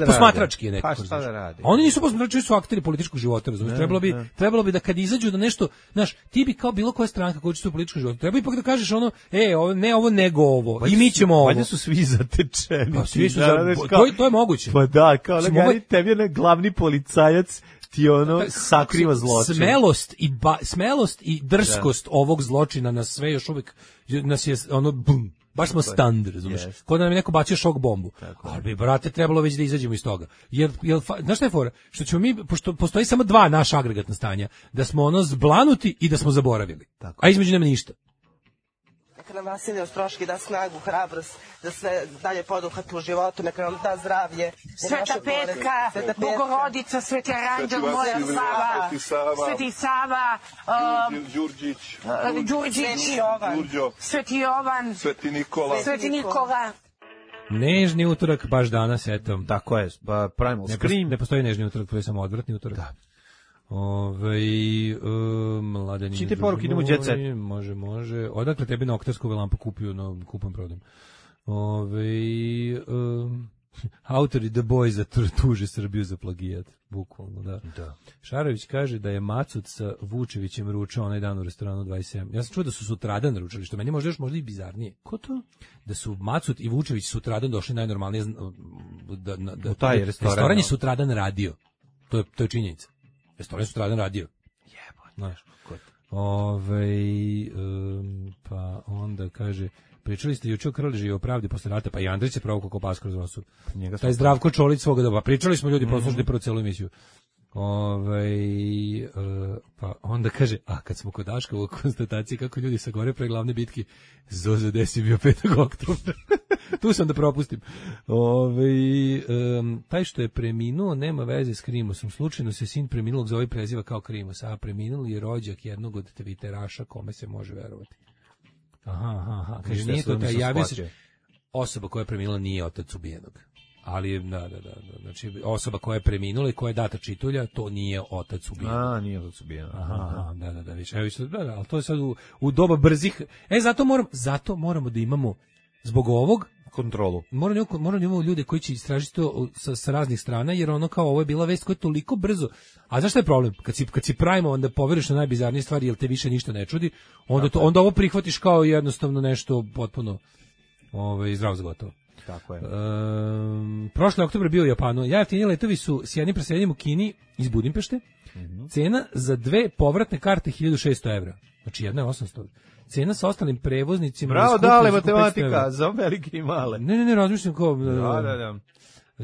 posmatrački je nekako. Pa šta da radi? Oni nisu posmatrači, su akteri političkog života, razumiješ? Trebalo bi da kad izađu da nešto, znaš, ti bi kao bilo koja stranka koja učestvuje u političkom životu, treba ipak da kažeš ono, ovo nego ovo. Pa i mi ćemo ovo. Valjda su svi zatečeni. Pa svi su to je moguće. Pa da, kao da gari tebi je glavni policajac ti ono sakriva zločin. Smelost i drskost ovog zločina nas sve još uvijek nas je ono bum. Baš smo stand, razumiješ? Kao da nam je neko bacio šok bombu. Ali bi, brate, trebalo već da izađemo iz toga. Znaš šta je fora? Što ćemo mi, pošto postoji samo dva naša agregatna stanja, da smo ono zblanuti i da smo zaboravili. A između nema ništa. Neka nam Vasilij Ostroški da snagu, hrabrost, da sve dalje poduhati u životu, neka nam da zdravlje. Sveta Petka, Bogorodica, Sveti Aranđel, moja Sava, Sveti Sava, Đurđić, Sveti Jovan, Sveti Nikola. Nežni utorak, baš danas, eto. Tako je, Primal Scream. Ne postoji nežni utorak, to je samo odvratni utorak. Da. Mladeni. Čite poruke, idemo u Jet Set. Može. Odakle tebi na oktarsku lampu kupio, kupujem prodam. Autori The Boys tuže Srbiju za plagijat. Bukvalno, da. Šarović kaže da je Macut sa Vučevićem ručao onaj dan u restoranu 27. Ja sam čuo da su sutradan ručali, što meni možda i bizarnije. Ko to? Da su Macut i Vučević sutradan došli najnormalnije u taj restoran je sutradan radio. To je činjenica. Restoran sutradan radio. Znaš. Pa onda kaže, pričali ste juče o Krleži i o pravdi posle rata, pa i Andrić je pravo kako pas kroz nosu. Taj Zdravko Čolić svoga doba. Pričali smo ljudi, proslušali prvo celu emisiju. Pa onda kaže, kad smo kod Daška u konstataciji kako ljudi sa gore pre glavne bitke, Zozo desi bio 5. oktobra. Tu sam da propustim. Taj što je preminuo nema veze s Krimosom. Slučajno se sin preminulog zove preziva kao Krimos, a preminuli je rođak jednog od Twitteraša kome se može verovati. Aha. Kaže, nije to taj, javio se osoba koja je preminula nije otac ubijenog. Ali, da. Znači, osoba koja je preminula i koja je data čitulja, to nije otac ubijenog. Nije otac ubijenog. Aha, da, više. Ali to je sad u doba brzih. Zato moramo da imamo, zbog ovog, kontrolu. Moramo imamo ljude koji će istražiti to sa raznih strana, jer ono kao ovo je bila vest koja je toliko brzo. A znaš šta je problem? Kad si pravimo, onda poveriš na najbizarnije stvari, jer te više ništa ne čudi, onda ovo prihvatiš kao jednostavno nešto potpuno zdravo za gotovo. Tako je. Prošle oktobre bio u Japanu. Jeftiniji letovi su s jednim preseljenjem u Kini iz Budimpešte. Cena za 2 povratne karte 1600 evra. Znači jedna je 800. Cena sa ostalim prevoznicima... Bravo, dale, matematika, za velike i male. Ne, razmišljam kao... Da.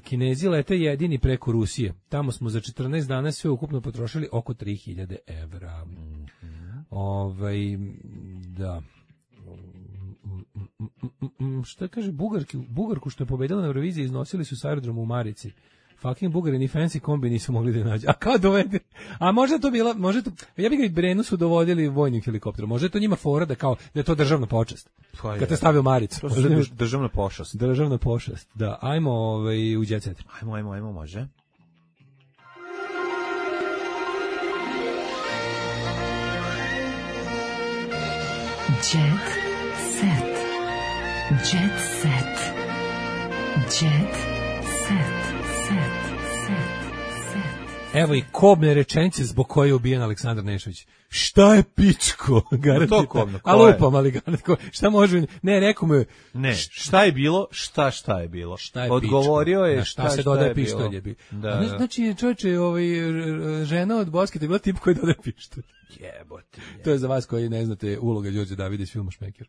Kinezi lete jedini preko Rusije. Tamo smo za 14 dana sve ukupno potrošili oko 3000 evra. Da... Šta kaže Bugarku što je pobedila na Euroviziji iznosili su s aerodromu u Marici. Fucking Bugari ni fancy kombi nisu mogli da nađu. A kao dovede? A možda to bila, ja bih ga i Brenu su dovodili vojnim helikopterom. Možda je to njima fora da je to državna počast. Kad te stavio Maricu. To je državna pošast. Državna pošast. Da, ajmo u Jet Set. Ajmo, može. Jet Set. Jet Set. Jet Set. Evo i kobne rečenice zbog koje je ubijen Aleksandar Nešović. Šta je pičko? A lupam, ali šta može... Ne, rekao mu je... Ne, šta je bilo, šta je bilo. Odgovorio je šta se dodaje pištolje. Znači, čovječe, žena od Boske, to je bila tip koji dodaje pištolje. Jebote. To je za vas koji ne znate uloga Đorđe Davida iz filma Šmeker.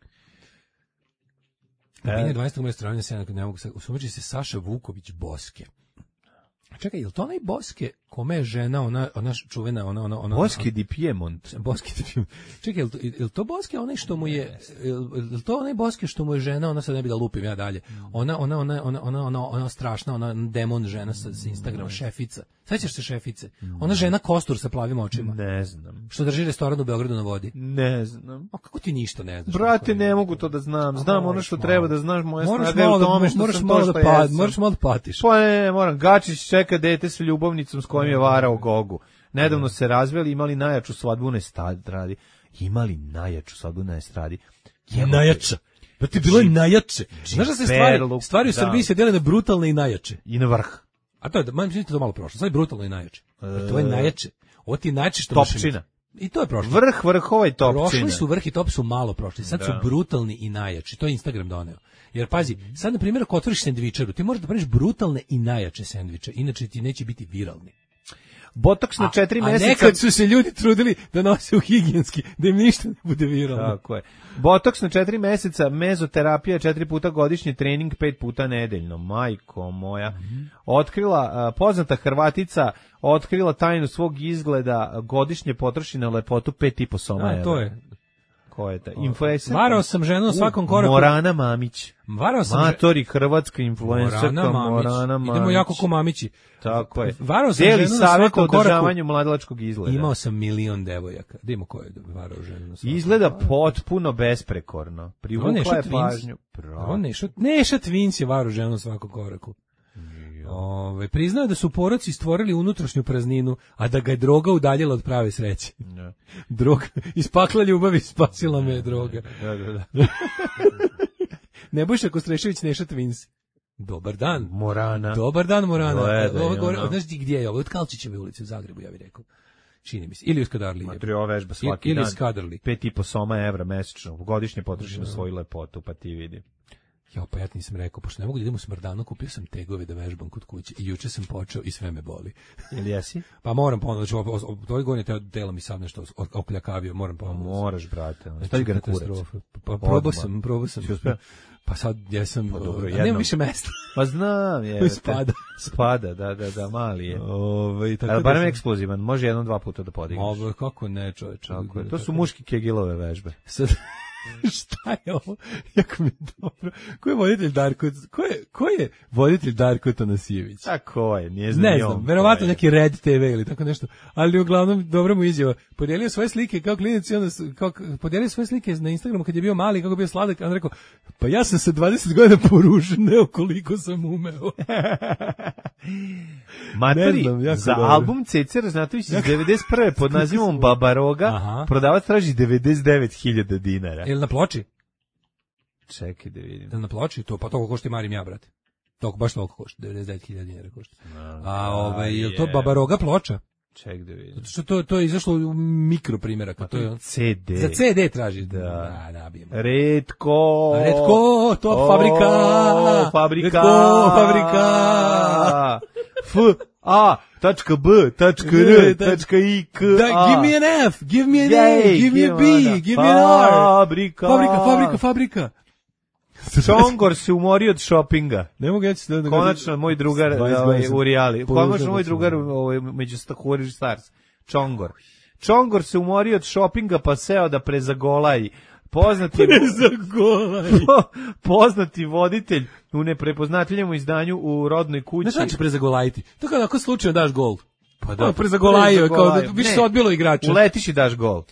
Na 20. moje strane ne mogu se usumeći se Saša Vuković Boske. Čekaj, je li to onaj Boske kome je žena, ona čuvena, ona Boschi di Piemont. Boschi di Piemont. Čekaj, je li to Boschi onaj što mu je, je to onaj Boschi što mu je žena, ona sad ne bi da lupim ja dalje. Ona strašna, ona demon žena sa Instagrama, šefica. Sećaš se šefice? Ona žena kostur sa plavim očima. Ne znam. Što drži restoran u Beogradu na vodi. Ne znam. A kako ti ništa ne znaš? Brate, ne mogu to da znam. Znam ono što treba da znaš, moja snaga je u tome što sam to što jesam. Moraš malo da patiš. Pa ne, moram. Gačić čeka dete sa ljubavnicom s kojom je varao Gogu. Nedavno se razveli, imali najjaču svadbu na estradi. Imali najjaču svadbu na estradi. Najjača. Brate, bilo je najjače. Znaš da se stvari u Srbiji se dele na brutalne i najjače. I na vrh. A to je, mislim to malo prošlo. Sad je brutalno i najjače. To je najjače. Ovo ti je najjače što Topčina. I to je prošlo. Vrh vrhova i topčina. Prošli su vrh i top su malo prošli. Sad su brutalni i najjači. To je Instagram doneo. Jer pazi, sad na primjer ako otvoriš sendvičaru, ti možeš da praviš brutalne i najjače sendviče. Inače ti neće biti viralni. Botoks na 4 meseca. A nekad su se ljudi trudili da nose u higijenski, da im ništa ne bude viralno. Tako je. Botoks na 4 meseca, mezoterapija 4 puta godišnje, trening 5 puta nedeljno. Majko moja. Otkrila, poznata Hrvatica, otkrila tajnu svog izgleda, godišnje potroši na lepotu 5,5 soma. To je. Ko je ta? Influencer. Varao sam ženu na svakom koraku. Morana Mamić. Varao sam Matori, hrvatska influencerka Morana Mamić. Idemo jako ko Mamići. Tako je. Varao sam Deli ženu na svakom koraku. održavanju mladilačkog izgleda. Imao sam 1.000.000 devojaka. Da imamo ko je varao ženu na svakom. Izgleda potpuno besprekorno. Privukla je pažnju. Neša Twins je varao ženu na svakom koraku. Priznao je da su poroci stvorili unutrašnju prazninu, a da ga je droga udaljila od prave sreće. Droga, iz pakla ljubavi spasila me je droga. Da. Nebojša Kostrešević, Neša Twins. Dobar dan. Morana. Dobar dan, Morana. Znaš ti gdje je ovo? Od Kalčićeve ulice u Zagrebu, ja bih rekao. Čini mi se. Ili u Skadarliji. Matrio vežba svaki dan. Ili Skadarli. 5,5 soma evra mesečno. Godišnje potroši na svoju lepotu, pa ti vidi. Ja, pa ja ti nisam rekao, pošto ne mogu da idem u smrdanu, kupio sam tegove da vežbam kod kuće i juče sam počeo i sve me boli. Ili jesi? Pa moram ponovno, znači, ovoj godine telo mi sad nešto okljakavio, moram ponovno. Moraš, brate. Stavi ga na kurac. Pa probao sam. Pa sad jesam, nema više mesta. Pa znam, je. Spada, da, mali je. Ali barem eksplozivan, može 1-2 puta da podigneš. Kako ne, čoveče. To su muški Kegilove vežbe. Sad... Šta je ovo? Jako mi je dobro. Ko je voditelj Darko? Ko je voditelj Darko Tanasijević? A ko je? Ne znam, verovatno neki Red TV ili tako nešto. Ali uglavnom dobro mu izjava. Podijelio svoje slike kao klinac i onda podijelio svoje slike na Instagramu kad je bio mali, kako je bio sladak, a on rekao: "Pa ja sam se 20 godina poružio, koliko sam umeo." Materi, za dobro. Album Ceca Raznatović iz 91. pod nazivom Babaroga prodavac traži 99.000 dinara. Ili na ploči? Čekaj da vidim. Ili na ploči? To, pa toliko košta i Marim ja, brate. Baš toliko košta, 99.000 dinara košta. Je to Babaroga ploča? Ček da vidim. Što to je izašlo u mikro primjeraka. To je CD. Za CD traži. Da. Nabijemo. Redko, top fabrika. Fabrika. Redko, fabrika. F.A.B.R.I.K. Give me an F, give me an A, give me a B, give me an R. Fabrika. Čongor se umorio od šopinga. Ne mogu ja ću da... Konačno moj drugar u Rijali. Konačno moj drugar među Stahuri Stars. Čongor se umorio od šopinga pa seo da prezagolaji. Poznati voditelj u neprepoznatljivom izdanju u rodnoj kući. Ne znači prezagolajiti. To kao ako slučajno daš gol. Pa da, prezagolajio, kao da više se odbilo igrača. Uletiš i daš gol.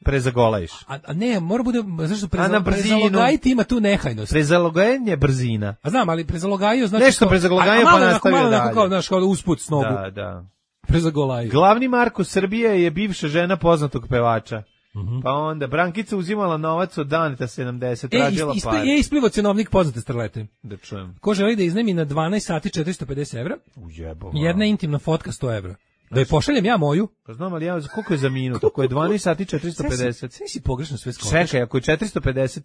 Prezagolajiš. A ne, mora bude, zašto prezalogajiti ima tu nehajnost. Prezalogajanje je brzina. A znam, ali prezalogajio znači... Nešto prezalogajio pa nastavio dalje. Malo kao usput s nogu. Da. Prezagolajio. Glavni Marko Srbije je bivša žena poznatog pevača. Pa onda Brankica uzimala novac od Daneta 70, tražila par. Isplivo cenovnik poznate starlete. Da čujem. Ko želi da iznajmi na 12 sati 450 evra? Ujebo. Jedna intimna fotka 100 evra. Da je pošaljem ja moju? Pa znam, ali koliko je za minut? Ako je 12 sati 450. Sve si pogrešno sve skočiš. Čekaj, ako je 450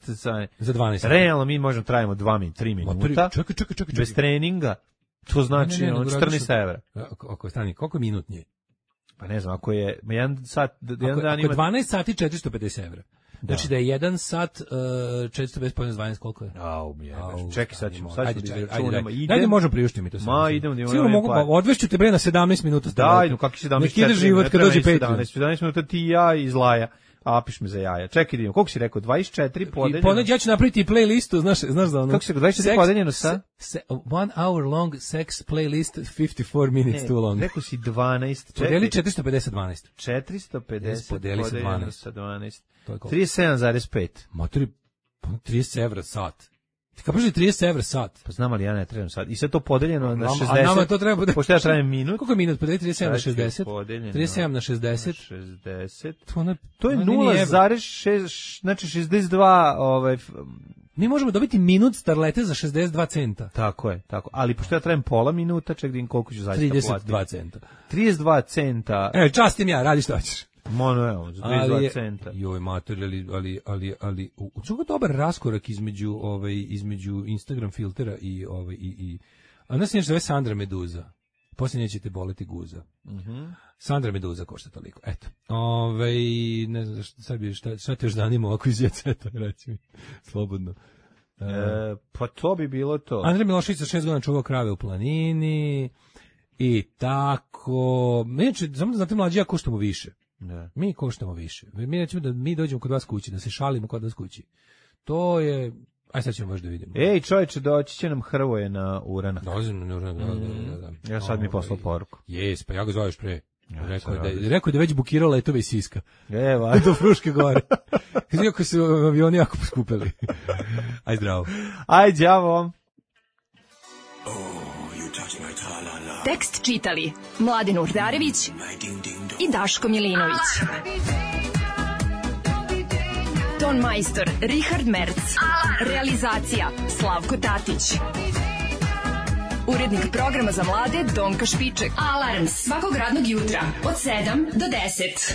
za 12 sati. Realno mi možemo trajimo 3 minuta. Čekaj. Bez treninga. To znači 14 evra. Ako je stani, koliko minutnije? Pa ne znam, ako je jedan dan ima... Ako je 12 sati 450 evra. Znači da je 1 sat 450 pojena 12, koliko je? Čekaj, sad ćemo izračunamo. Ajde, možemo priuštiti mi to. Idemo. Sigurno mogu, odvešću te bre na 17 minuta. Daj, kakvi 17? Nek ide život kad dođe Patreon. 17 minuta ti i ja iz Laja. Apiš me za jaja. Čekaj, idemo. Koliko si rekao? 24 podeljeno? Ja ću napraviti playlistu, znaš da ono... Kako si rekao? 24 podeljeno sa? 1 hour long sex playlist, 54 minutes too long. Rekao si 12. Podeli 450-12. 450 podeli sa 12. Sa 12. 37,5. Matori, 30 evra sat. Ti kapaš li 30 evra sat? Pa znam, ali ja ne trebam sat. I sad to podeljeno na 60. A nama to treba... Pošto ja trebam minut. Koliko je minut? Podeli 37 na 60. 37 na 60. 60. To je 0,6, znači 62... Mi možemo dobiti minut starlete za 62 centa. Tako je, tako. Ali pošto ja trebam pola minuta, ček da im koliko ću zaista platiti. 32 centa. 32 centa. Častim ja, radi što hoćeš. Mono, evo, za 32 centa. Joj, mater, ali u čemu je dobar raskorak između Instagram filtera i a nas nešto zove Sandra Meduza. Poslije nećete boleti guza. Sandra Meduza košta toliko. Eto. Ne znam, šta te još zanima ovako iz Jeceta, reći mi. Slobodno. Pa to bi bilo to. Andrej Milošević sa 6 godina čuvao krave u planini i tako. Samo da znate, mlađi, ja koštamo više. Ne. Mi koštamo više. Mi nećemo da mi dođemo kod vas kući, da se šalimo kod vas kući. To je... Aj sad ćemo možda vidimo. Ej, čovječe, doći će nam Hrvoje na uranak. Dolazim na uranak, da. Ja sad mi poslao poruku. Jes, pa ja ga zoveš pre. Rekao da već bukirao letove iz Siska. Evo. Do Fruške gore. Iako su avioni jako poskupili. Aj zdravo. Aj, đavo. Tekst čitali Mladin Urdarević i Daško Milinović. Ton majstor Richard Merc. Realizacija Slavko Tatić. Urednik programa za mlade Donka Špiček. Alarms svakog radnog jutra od 7 do 10.